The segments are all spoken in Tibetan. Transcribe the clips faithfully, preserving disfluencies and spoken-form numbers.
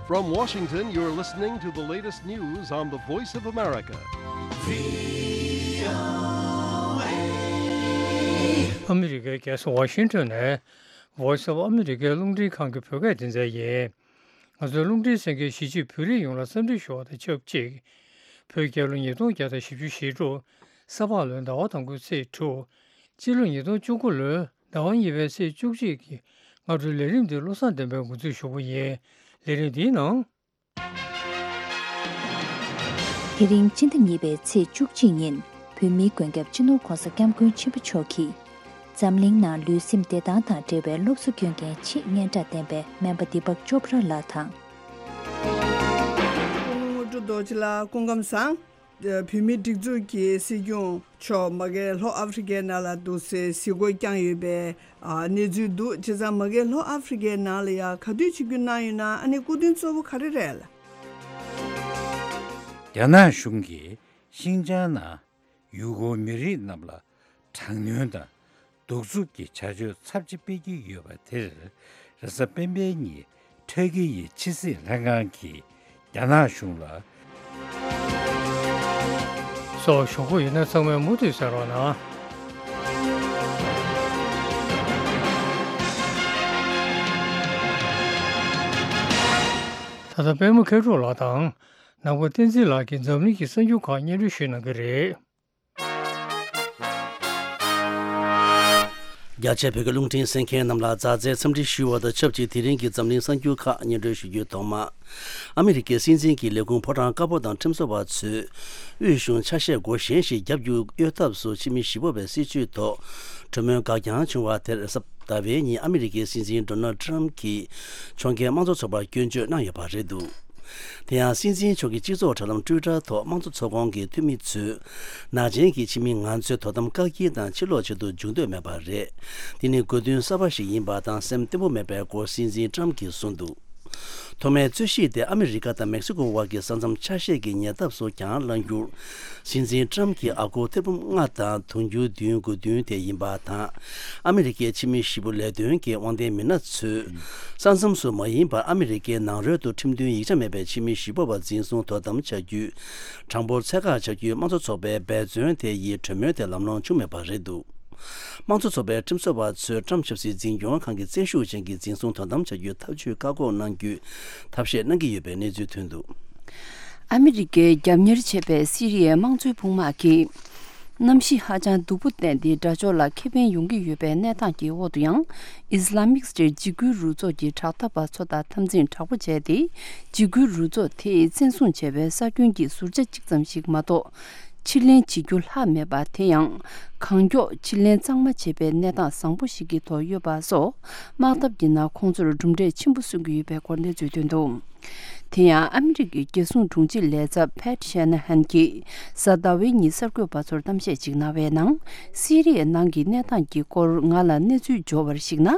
From Washington, you're listening to the latest news on the Voice of America. ཨ་མི་རི་ཀའི་རྒྱལ་ས་ཝ་ཤིང་ཊོན་ནས་Voice of America རླུང་འཕྲིན་ཁང་གི་བོད་སྐད་སྡེ་ཚན་ཡིན། ང་ཚོའི་རླུང་འཕྲིན་གསན་མཁན་གཞིས་བྱེས་བོད་རིགས་ཡོངས་ལ་འཚམས་འདྲི་ཞུ་བ་དང་ཆབས་ཅིག་བོད་རྒྱལ་ལོ་ཉིས་སྟོང་བརྒྱ་དང་བཞི་བཅུ་ཞེ་དྲུག་ས་ཕག་ལོའི་ཟླ་བ་དང་པོའི་ཚེས་དྲུག་སྤྱི་ལོ་ཉིས་སྟོང་བཅུ་དགུ་ལོའི་ཟླ་བ་གཉིས་པའི་ཚེས་བཅུ་གཅིག་གི་སྔ་དྲོའི་ལས་རིམ་འདི་བློ་བཟང་བསྟན་པས་འགོ་འཛུགས་ཞུ་གི་ཡིན། ལས་རིམ་འདིའི་ནང་། དེ་རིང་སྤྱི་ཟླ་གཉིས་པའི་ཚེས་བཅུ་གཅིག་ཉིན་བོད་མིའི་མགོན་སྐྱབས་སྤྱི་ནོར་༧གོང་ས་༧སྐྱབས་མགོན་ཆེན་པོ་མཆོག་གིས་འཛམ་གླིང་ནང་ལུས་སེམས་བདེ་ཐང་དང་འབྲེལ་བའི་སློབ་གསོ་སྐྱོན་མཁན་ཆེས་སྙན་གྲགས་ལྡན་པའི་སྨན་པ་དི་པག་ཅོབ་ར་ལགས་དང་། སྐུ་ངོ་དངོས་གྲུབ་རྡོ་རྗེ་ལགས་སྐུ་ཁམས་བཟང་། བོད་མིའི་སྒྲིག་འཛུགས་ཀྱི་སྲིད་སྐྱོང་མཆོག་མ་གི་ལྷོ་ཨ་ཧྥེ་རི་ཁའི་ནང་ལ་འདུག་སའི་གཟིགས་སྐོར་བསྐྱངས་ཡོད་པའི་ཨ་གནས་ཚུལ་འདུག་བྱས་ཙང་མ་གི་ལྷོ་ཨ་ཧྥེ་རི་ཁའི་ནང་ལ་ཡ་ག་དུས་ཆིབས་བསྒྱུར་གནང་ཡོད་ན། ཨ་ནི་སྐུ་དོན་གཙོ་བོ་ག་རེ་རེད། རྒྱ་ནག་གཞུང་གིས་ཤིན་ཅང་ནང་ཡུ་གུར་མི་རིགས་རྣམས་ལ་དྲག་གནོན་དང་གདུག་རྩུབ་ཀྱི་བྱ་སྤྱོད་ཚབས་ཆེ་སྤེལ་གྱི་ཡོད་པ་དེར། རེས་གཟའ་སྤེན་པའི་ཉིན་ཐྲ་ཀི་ཡི་ཕྱི་སྲིད་ལྷན་ཁང་གིས་རྒྱ་ནག་གཞུང་ལ། སོགས་ཞུ་གི་ཡོད་ན་ཚང་མས་མུ་མཐུད་གསན་རོགས་གནང་། ད་ལྟ་པད་མ་མཁས་གྲུབ་ལགས་དང་ནམ་མཁའ་བསྟན་འཛིན་ལགས་ཀྱིས་འཛམ་གླིང་གི་གསར་འགྱུར་ཁག་སྙན་སྒྲོན་ཞུ་གནང་གི་རེད། རྒྱ་ཆེ་བོད་ཀྱི་རླུང་འཕྲིན་གསན་མཁན་རྣམས་ལ་མཛའ་བརྩེའི་འཚམས་འདྲི་ཞུ་བ་དང་ཆབས་ཅིག་དེ་རིང་གི་འཛམ་གླིང་གསར་འགྱུར་ཁག་སྙན་སྒྲོན་ཞུ་རྒྱུའི་ཐོག་མ། ཨ་མི་རི་ཀའི་སྲིད་འཛིན་གྱི་ལས་ཁུངས་ཕོ་བྲང་དཀར་པོ་དང་ཁྲིམས་བཟོ་བ་ཚོས་དབུས་གཞུང་ཆ་ཤས་སྒོ་གཞན་ཞིག་བརྒྱབ་རྒྱུ་གཡོལ་ཐབས་སུ་ཕྱི་མི་ཞི་གཡོག་པའི་སྲིད་བྱུས་ཐོག་གྲོས་མོལ་འགག་རྐྱང་བྱུང་བ་དེར་གཟའ་ཟླ་བའི་ཉིན་ཨ་མི་རི་ཀའི་སྲིད་འཛིན་ཌོ་ནལ་ཌི་ཊརམ་གྱིས་ཕྱོགས་འགལ་དམངས་གཙོ་ཚོགས་པར་སྐྱོན་བརྗོད་གནང་ཡོད་པ་རེད་འདུག་དེ་ཡང་སྲིད་འཛིན་མཆོག་གི་སྤྱི་ཚོགས་དྲ་ལམ་ཊུའི་ཊར་ཐོག་དམངས་གཙོ་ཚོགས་ཁོངས་ཀྱི་འཐུས་མི་ཚོས་ནག་ཅན་གྱི་ཕྱི་མི་ང་ཚོའི་དོ་དམ་བཀག་སྐྱིལ་དང་ཕྱིར་ལོག་བྱེད་དུ་འཇུག་འདོད་མེད་པ་རེད། འདི་ནི་དགོས་འདུན་གསར་པ་ཞིག་ཡིན་པ་དང་སེམས་བརྟན་པོ་མེད་པའི་སྐོར་སྲིད་འཛིན་ཊརམ་གྱིས་གསུངས་འདུག་ཐོག་མའི་རྩོད་གཞི་དེ་ཨ་མི་རི་ཀ་དང་མེག་སི་ཀོ་དབར་གྱི་ས་མཚམས་ཆ་ཤས་ཀྱི་ཉེ་འདབས་སུ་གྱང་ལངས་རྒྱུར། སྲིད་འཛིན་ཊརམ་གྱི་ཨ་སྒོར་ཐེར་འབུམ་ལྔ་དང་དུང་ཕྱུར་བདུན་དགོས་འདུན་དེ་ཡིན་པ་དང་། ཨ་མི་རི་ཀའི་ཕྱི་མི་ཞི་པོ་ལས་དོན་གྱི་དབང་ལྡན་མི་སྣ་ཚོས། ས་མཚམས་སུ་མ་ཡིན་པར་ཨ་མི་རི་ཀའི་ནང་རོལ་དུ་ཁྲིམས་མཐུན་ཡིག་ཆ་མེད་པའི་ཕྱི་མི་ཞི་པོ་བ་འཛིན་བཟུང་དོ་དམ་བྱ་རྒྱུའི་གྲངས་འབོར་ཚད་བཀག་བྱ་རྒྱུའི་དམངས་གཙོ་ཚོགས་པའི་འབད་བརྩོན་དེ་ཡི་གྲོས་མོལ་དེ་ལམ་ལྷོང་བྱུང་མེད་པ་རེད་འདུག་དམངས་གཙོ་ཚོགས་པའི་ཁྲིམས་བཟོ་བ་ཚོས་ཊརམ་ཆབ་སྲིད་འཛིན་སྐྱོང་ཁང་གི་བཙན་ཤུགས་ཅན་གྱི་འཛིན་བཟུང་དོ་དམ་བྱ་རྒྱུའི་ཐབས་ཇུས་བཀག་འགོག་གནང་རྒྱུའི་ཐབས་ཤེས་གནང་གི་ཡོད་པའི་གནས་ཚུལ་ཐོན་འདུག་ཨ་མི་རི་ཀས་རྒྱབ་གཉེར་བྱས་པའི་སི་རི་ཡའི་དམངས་གཙོའི་དཔུང་དམག་གིས། གནམ་གཤིས་ཧ་ཅང་སྡུག་པོ་བསྟན་ཏེ་དགྲ་ཕྱོགས་ལ་ཁེ་ཕན་ཡོང་གི་ཡོད་པའི་གནས་སྟངས་ཀྱི་འོག་ཏུ་ཡང་། ཨིས་ལ་མིག་སི་ཊེཊ་འཇིགས་སྐུལ་རུ་ཚོགས་ཀྱི་དྲག་འཐབ་པ་ཚོ་དང་འཐབ་འཛིང་དྲག་པོ་བྱས་ཏེ། འཇིགས་སྐུལ་རུ་ཚོགས་དེས་བཙན་བཟུང་བྱས་པའི་ས་ཁྱོན་གྱི་ཟུར་ཆ་གཅིག་ཙམ་ཞིག་མ་གཏོགས། ཕྱིར་ལེན་བྱེད་རྒྱུ་ལྷག་མེད་པ་དེ་ཡང་། གང་མགྱོགས་ཕྱིར་ལེན་གཙང་མ་བྱེད་པའི་གནས་སྟངས་བཟང་པོ་ཞིག་གི་ཐོག་ཡོད་པ་སོགས། དམག་འཐབ་ཀྱི་ནང་ཁོང་ཚོར་གྲུབ་འབྲས་ཆེན་པོ་སོན་གྱི་ཡོད་པའི་སྐོར་གནས་ཚུལ་ཐོན་འདུག་དེ་ཡང་ཨ་མི་རི་ཀའི་རྒྱལ་སྲུང་དྲུང་ཆེ་ལས་ཚབ་ཕེཊ་ཤེ་ན་ཧན་གྱིས་གཟའ་ཟླ་བའི་ཉིན་གསར་འགོད་པ་ཚོར་གཏམ་བཤད་ཅིག་གནང་བའི་ནང་། སི་རི་ཡའི་ནང་གི་གནས་སྟངས་ཀྱི་སྐོར་ང་ལ་གནས་ཚུལ་འབྱོར་བར་གཞིགས་ན།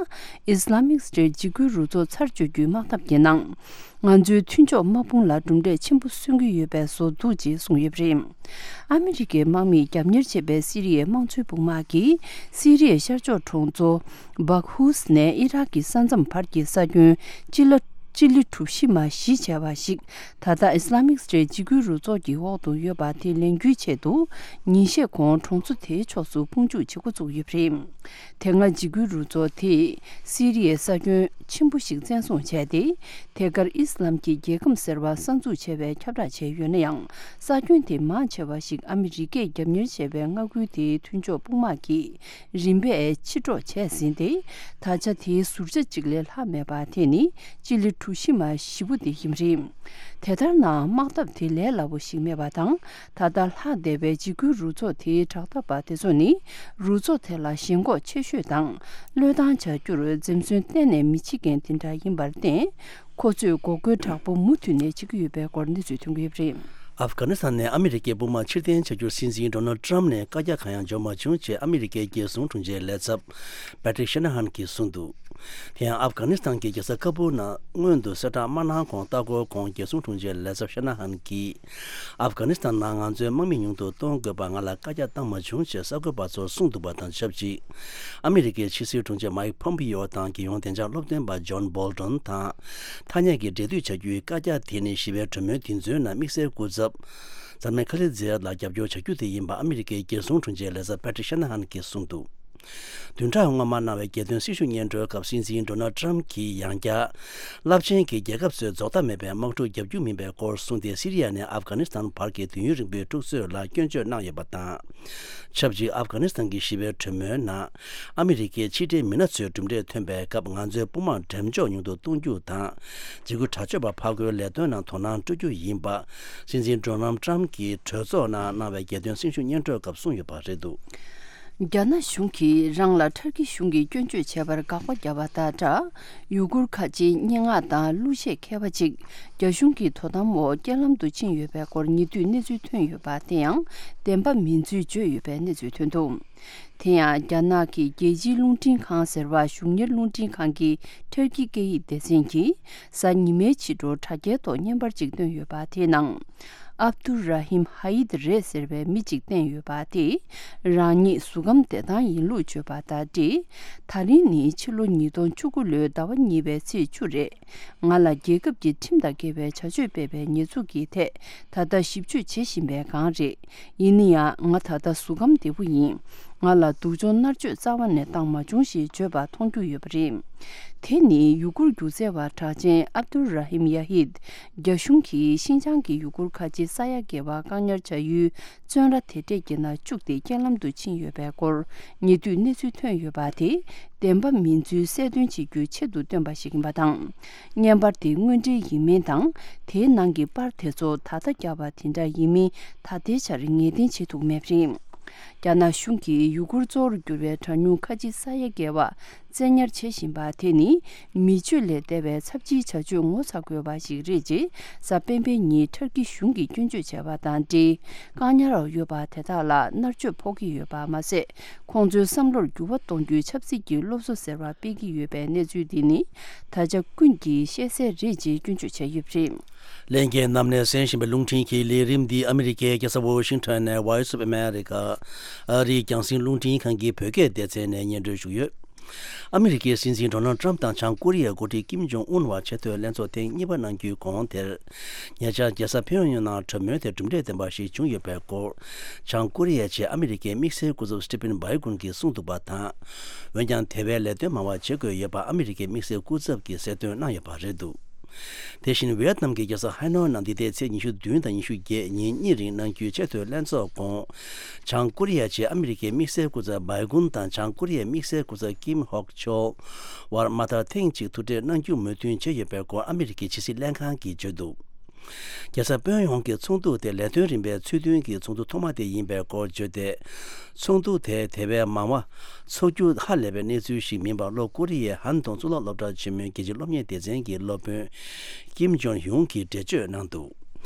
ཨིས་ལ་མིག་སི་ཊེཊ་འཇིགས་སྐུལ་རུ་ཚོགས་ཚར་གཅོད་རྒྱུའི་དམག་འཐབ་ཀྱི་ནང་། ང་ཚོའི་མཐུན་ཕྱོགས་དམག་དཔུང་ལ་གྲུབ་འབྲས་ཆེན་པོ་སོན་གྱི་ཡོད་པའི་བཟོ་འདུག་ཅེས་གསུངས་ཡོད་པ་རེད། ཨ་མི་རི་ཀའི་དམག་མིས་རྒྱབ་གཉེར་བྱས་པའི་སི་རི་ཡའི་དམངས་གཙོའི་དཔུང་དམག་གིས་སི་རི་ཡའི་ཤར་ཕྱོགས་གྲོང་ཚོ་སྦག་ཧུས་ནས་ཨི་རག་གི་ས་མཚམས་བར་གྱི་ས་ཁྱོན་སྤྱི་ལ་སྤྱི་ལེ་གྲུ་བཞི་མ་བཞི་བྱས་པ་ཞིག་ད་ལྟ་ཨིས་ལ་མིག་སི་ཊེཊ་འཇིགས་སྐུལ་རུ་ཚོགས་ཀྱི་འོག་ཏུ་ཡོད་པ་དེ་ལེན་རྒྱུའི་ཆེད་དུ་ཉིན་ཤས་གོང་གྲོང་ཚོ་དེའི་ཕྱོགས་སུ་དཔུང་འཇུག་བྱེད་འགོ་བཙུགས་ཡོད་པ་རེད། དེ་སྔ་འཇིགས་སྐུལ་རུ་ཚོགས་དེས་སི་རི་ཡའི་ས་ཁྱོན་ཆེན་པོ་ཞིག་བཙན་བཟུང་བྱས་ཏེ། དེ་གར་ཨི་སི་ལམ་གྱི་རྒྱལ་ཁམས་ཟེར་བ་གསར་འཛུགས་བྱས་པའི་ཁྱབ་བསྒྲགས་བྱས་ཡོད་ན་ཡང་། ས་ཁྱོན་དེ་མང་ཆེ་བ་ཞིག་ཨ་མི་རི་ཀས་རྒྱབ་གཉེར་བྱས་པའི་མངའ་ཁུལ་དེའི་མཐུན་ཕྱོགས་དཔུང་དམག་གིས་རིམ་པས་ཕྱིར་སྒྲོག་བྱས་ཟིན་ཏེ། ད་ཆ་དེའི་ཟུར་ཆ་གཅིག་ལས་ལྷག་མེད་པ་དེ་ནི་སྤྱི་ལེ་གྲུ་བཞི་མ་བཞི་པོ་དེ་ཡིན་པ་རེད། དེ་ལྟར་ན་དམག་འཐབ་དེ་ལས་སླ་པོ་ཞིག་མེད་པ་དང་། ད་ལྟ་ལྷག་བསྡད་པའི་འཇིགས་སྐུལ་རུ་ཚོགས་དེའི་དྲག་འཐབ་པ་དེ་ཚོ་ནི། རུ་ཚོགས་དེ་ལ་ཞེན་ཁོག་ཆེ་ཤོས་དང་། བློས་བཏང་བྱ་རྒྱུར་འཛེམ་ཟོན་གཏན་ནས་མི་བྱེད་མཁན་དེ་འདྲ་ཡིན་པར་བརྟེན། ཁོ་ཚོས་འགོག་རྒོལ་དྲག་པོ་མུ་མཐུད་ནས་བྱེད་ཀྱི་ཡོད་པའི་སྐོར་གནས་ཚུལ་ཐོན་གྱི་ཡོད་པ་རེད། ཨབ་གྷ་ནི་སི་ཐན་ནས་ཨ་མི་རི་ཀའི་དཔུང་དམག་ཕྱིར་འཐེན་བྱ་རྒྱུར་སྲིད་འཛིན་ཌོ་ནལ་ཏྲམ་ནས་བཀའ་རྒྱ་གང་ཡང་འབྱོར་མ་བྱུང་ཅེས་ཨ་མི་རི་ཀའི་རྒྱལ་སྲུང་དྲུང་ཆེའི་ལས་ཚབ་པེ་ཏྲིག་ཤ་ན་ཧན་གྱིས་གསུངས་འདུག་དེ་ཡང་ཨབ་གྷ་ནི་སི་ཐན་གྱི་རྒྱལ་ས་ཁ་བུལ་ནང་སྔོན་དུ་གསལ་བསྒྲགས་མ་གནང་གོང་ལྟ་སྐོར་ཁོངས་རྒྱལ་སྲུང་དྲུང་ཆེའི་ལས་ཚབ་ཤ་ན་ཧན་གྱིས། ཨབ་གྷ་ནི་སི་ཐན་ནང་ང་ཚོའི་དམག་མི་ཉུང་དུ་གཏོང་དགོས་པ་ང་ལ་བཀའ་རྒྱ་བཏང་མ་བྱུང་ཅེས་གསར་འགོད་པ་ཚོར་གསུངས་འདུག་པ་དང་ཆབས་ཅིག་ཨ་མི་རི་ཀའི་ཕྱི་སྲིད་དྲུང་ཆེ་མའིག་ཕོམ་པིའོ་དང་རྒྱལ་ཡོངས་བདེ་འཇགས་སློབ་སྟོན་པ་ཇོན་བོལ་ཏོན་དང་ཐ་སྙད་ཀྱི་འབྲེལ་མཐུད་བྱ་རྒྱུའི་བཀའ་རྒྱ་དེ་ནི་ཞི་བའི་གྲོས་མོལ་དེ་ཚོའི་ནང་དམིགས་བསལ་སྐུ་ཚབ་མཚམས་མེད་ཁ་ལི་ཛེ་ཡད་ལ་རྒྱབ་སྐྱོར་བྱ་རྒྱུ་དེ་ཡིན་པ་ཨ་མི་རི་ཀའི་རྒྱལ་སྲུང་དྲུང་ཆེའི་ལས་ཚབ་པེ་ཏྲིག་ཤ་ན་ཧན་གྱིས་གསུངས་འདུག་བདུན་ཕྲག་སྔོན་མ་གནང་བའི་རྒྱལ་དོན་སྲི་ཞུ་སྙན་སྒྲོན་སྐབས་སྲིད་འཛིན་ཌོ་ནལ་ཏྲམ་གྱིས་ཡང་བསྐྱར་རླབས་ཆེན་གྱི་རྒྱལ་ཁབ་ཚོས་རྫོགས་མཐའ་མེད་པའི་དམག་འཁྲུག་བརྒྱབ་རྒྱུ་མིན་པའི་སྐོར་གསུངས་ཏེ། སི་རི་ཡ་ནས་ཨབ་གྷ་ནི་སི་ཐན་བར་གྱི་དུས་ཡུན་རིང་པོའི་འཁྲུག་རྩོད་ལ་སྐྱོན་བརྗོད་གནང་ཡོད་པ་དང་། ཆབས་ཅིག་ཨབ་གྷ་ནི་སི་ཐན་གྱི་ཞི་བའི་གྲོས་མོལ་ནང་ཨ་མི་རི་ཀའི་ཕྱི་འབྲེལ་མི་སྣ་ཚོས་གྲུབ་འབྲས་ཐོན་པའི་སྐབས་ང་ཚོའི་དཔུང་དམག་འགྲེམས་འཇོག་ཉུང་དུ་གཏོང་རྒྱུ་དང་། འཇིགས་སྐུལ་དྲག་སྤྱོད་པ་ཕར་རྒོལ་ལས་དོན་ནང་དོ་སྣང་སྤྲོད་རྒྱུ་ཡིན་པ། སྲིད་འཛིན་ཌོ་ནལ་ཏྲམ་གྱིས་གྲོས་ཚོགས་ནང་གནང་བའི་རྒྱལ་དོན་སྲི་ཞུ་སྙན་སྒྲོན་སྐབས་གསུངས་ཡོད་པ་རེད་འདུག་རྒྱ་ནག་གཞུང་གིས་རང་ལ་ཐར་ཀི་གཞུང་གིས་སྐྱོན་བརྗོད་བྱས་པར་དགག་པ་བརྒྱབ་པ་དང་སྦྲགས། ཡུ་གུར་ཁ་ཆེའི་སྙན་ངག་དང་གླུ་གཞས་མཁས་པ་གཅིག་རྒྱ་གཞུང་གི་དོ་དམ་འོག་རྐྱེན་ལམ་དུ་ཕྱིན་ཡོད་པའི་སྐོར་ཉེ་དུས་གནས་ཚུལ་ཐོན་ཡོད་པ་དེ་ཡང་བདེན་པ་མིན་ཚུལ་བརྗོད་ཡོད་པའི་གནས་ཚུལ་ཐོན་འདུག་དེ་ཡང་རྒྱ་ནག་གི་རྒྱལ་སྤྱིའི་རླུང་འཕྲིན་ཁང་ཟེར་བ་གཞུང་གཉེར་རླུང་འཕྲིན་ཁང་གི་ཐར་ཀི་སྐད་ཡིག་སྡེ་ཚན་གྱིས་གཟའ་ཉི་མའི་ཕྱི་དྲོ་དྲ་རྒྱའི་ཐོག་བརྙན་པར་གཅིག་བཏོན་ཡོད་པ་དེའི་ནང་། ཨབ་དུ་ར་ཧིམ་ཧ་ཡིད་རེད་ཟེར་བའི་མི་གཅིག་བསྟན་ཡོད་པ་དེས་རང་ཉིད་གཟུགས་ཁམས་བདེ་ཐང་ཡིན་ལུགས་བརྗོད་པ་དང་འབྲེལ། ད་རིང་ནི་ཕྱི་ལོ་ཉིས་སྟོང་བཅུ་དགུ་ལོའི་ཟླ་བ་གཉིས་པའི་ཚེས་བཅུ་རེད། ང་ལ་རྒྱལ་ཁབ་ཀྱི་ཁྲིམས་དང་འགལ་བའི་བྱ་སྤྱོད་སྤེལ་བའི་ཉེས་འཛུགས་ཀྱི་ཐད་ད་ལྟ་ཞིབ་དཔྱོད་བྱེད་བཞིན་པའི་སྒང་རེད། ཡིན་ན་ཡང་ང་ད་ལྟ་གཟུགས་ཁམས་བདེ་པོ་ཡིན། ང་ལ་སྡུག་སྦྱོང་མནར་གཅོད་རྩ་བ་ནས་བཏང་མ་བྱུང་ཞེས་བརྗོད་པ་མཐོང་རྒྱུ་ཡོད་པ་རེད། དེ་ནི་ཡུ་གུར་སྒྱུ་རྩལ་བ་གྲགས་ཅན་ཨབ་དུ་ར་ཧིམ་ཡ་ཧིད། རྒྱ་གཞུང་གིས་ཤིན་ཅང་གི་ཡུ་གུར་ཁ་ཆེ་ས་ཡ་བརྒལ་བ་བཀག་ཉར་བྱ་ཡུལ་བཙོན་ར་དེ་འདྲས་ཀྱི་ནང་བཅུག་སྟེ་རྐྱེན་ལམ་དུ་ཕྱིན་ཡོད་པའི་སྐོར་ཉེ་དུས་གནས་ཚུལ་ཐོན་ཡོད་པ་དེ་བདེན་པ་མིན་ཚུལ་གསལ་སྟོན་བྱེད་རྒྱུའི་ཆེད་དུ་བཏོན་པ་ཞིག་ཡིན་པ་དང་། བརྙན་པར་དེ་དངོས་འབྲེལ་ཡིན་མིན་དང་། དེའི་ནང་གི་པར་དེ་ཚོ་ད་ལྟ་བརྒྱབ་པ་དེ་འདྲ་ཡིན་མིན་ད་ལྟའི་ཆར་ངེས་གཏན་བྱེད་ཐུབ་མེད་པ་རེད། རྒྱ་ནག་གཞུང་གིས་ཡུ་གུར་གཙོ་བོར་གྱུར་བའི་གྲངས་ཉུང་ཁ་ཆེ་ས་ཡ་བརྒལ་བ་བཙན་ཉར་བྱེད་བཞིན་པ་དེ་ནི་མི་སྤྱོད་ལས་འདས་པའི་ཚབས་ཆེའི་བྱ་སྤྱོད་ངོ་ཚ་དགོས་པ་ཞིག་རེད་ཅེས་གཟའ་སྤེན་པའི་ཉིན་ཐར་ཀི་གཞུང་གིས་སྐྱོན་བརྗོད་བྱས་པ་དང་འབྲེལ། བཀག་ཉར་འོག་ཡོད་པ་དེ་དག་ལ་མནར་གཅོད་ཕོག་གི་ཡོད་པ་མ་ཟད། ཁོང་ཚོའི་བསམ་བློར་འགྱུར་བ་གཏོང་རྒྱུའི་ཆབ་སྲིད་ཀྱི་སློབ་གསོ་ཟེར་བ་སྤེལ་གྱི་ཡོད་པའི་གནས་ཚུལ་འདི་ནི་ད་ཆ་ཀུན་གྱིས་ཤེས་གསལ་རེད་ཅེས་སྐྱོན་བརྗོད་བྱས་ཡོད་པ་རེད། ལྷན་རྒྱས་རྣམས་ནས་གསན་བཞིན་པའི་རླུང་འཕྲིན་གྱི་ལས་རིམ་འདི་ཨ་མི་རི་ཀའི་རྒྱལ་ས་ཝོ་ཤིང་ཊོན་ནས་Voice of America ཨ་རིའི་རྒྱང་སྲིང་རླུང་འཕྲིན་ཁང་གི་བོད་སྐད་སྡེ་ཚན་ནས་སྙན་སྒྲོན་ཞུས་ཡོད། ཨ་མི་རི་ཀའི་སྲིད་འཛིན་ཌོ་ནལ་ཊམ་དང་བྱང་ཀོ་རི་ཡའི་འགོ་ཁྲིད་ཀིམ་ཇོང་ཨུན་བར་ཆེས་མཐོའི་ལྷན་ཚོགས་ཐེངས་གཉིས་པ་གནང་རྒྱུའི་གོང་དེར། ཉེ་ཆར་རྒྱལ་ས་ཕིའོ་ཡོན་ནང་གྲོས་མོལ་དེ་གྲུབ་འབྲས་ལྡན་པ་ཞིག་བྱུང་ཡོད་པའི་སྐོར། བྱང་ཀོ་རི་ཡའི་ཆེད་ཨ་མི་རི་ཀའི་དམིགས་བསལ་སྐུ་ཚབ་སི་ཊི་ཕིན་བྷའི་གུན་གྱིས་གསུངས་འདུག་པ་དང་། འོན་ཀྱང་དེ་བས་ལས་དོན་མང་བ་བྱེད་དགོས་ཡོད་པ་ཨ་མི་རི་ཀའི་དམིགས་བསལ་སྐུ་ཚབ་ཀྱིས་གསལ་སྟོན་གནང་ཡོད་པ་རེད་འདུག་དེ་བཞིན་ཝེ་ཡེད་ནམ་གྱི་རྒྱལ་ས་ཧའེ་ནོའི་ནང་འདི་ཟླའི་ཚེས་ཉི་ཤུ་བདུན་དང་ཉི་ཤུ་བརྒྱད་ཉིན་གཉིས་རིང་གནང་རྒྱུའི་ཆེས་མཐོའི་ལྷན་ཚོགས་གོང་། བྱང་ཀོ་རི་ཡའི་ཆེད་ཨ་མི་རི་ཀའི་དམིགས་བསལ་སྐུ་ཚབ་བྷའི་གུན་དང་བྱང་ཀོ་རི་ཡའི་དམིགས་བསལ་སྐུ་ཚབ་ཀིམ་ཧོག་ཆོལ་བར་མ་མཐར་ཐེངས་གཅིག་ཐུག་འཕྲད་གནང་རྒྱུ་མོས་མཐུན་བྱས་ཡོད་པའི་སྐོར་ཨ་མི་རི་ཀའི་ཕྱི་སྲིད་ལྷན་ཁང་གིས་བརྗོད་འདུག་རྒྱལ་ས་ཕིའོ་ཡོན་གྱི་ཚོགས་འདུ་དེ་ལས་དོན་རིམ་པའི་ཚུལ་མཐུན་གྱི་ཚོགས་འདུ་ཐོག་མ་དེ་ཡིན་པའི་སྐོར་བརྗོད་དེ། ཚོགས་འདུ་དེ་དེ་བས་མང་བ་ཚོགས་རྒྱུ་ཧ་ལས་པའི་གནས་ཚུལ་ཞིག་མིན་པར་ལྷོ་ཀོ་རི་ཡའི་ཧན་ཏུང་གཙུག་ལག་སློབ་གྲྭ་ཆེན་མོའི་རྒྱལ་སྤྱིའི་སློབ་གཉེར་སྡེ་ཚན་གྱི་སློབ་དཔོན་ཀིམ་ཇོང་ཡུང་གིས་འགྲེལ་བརྗོད་གནང་འདུག་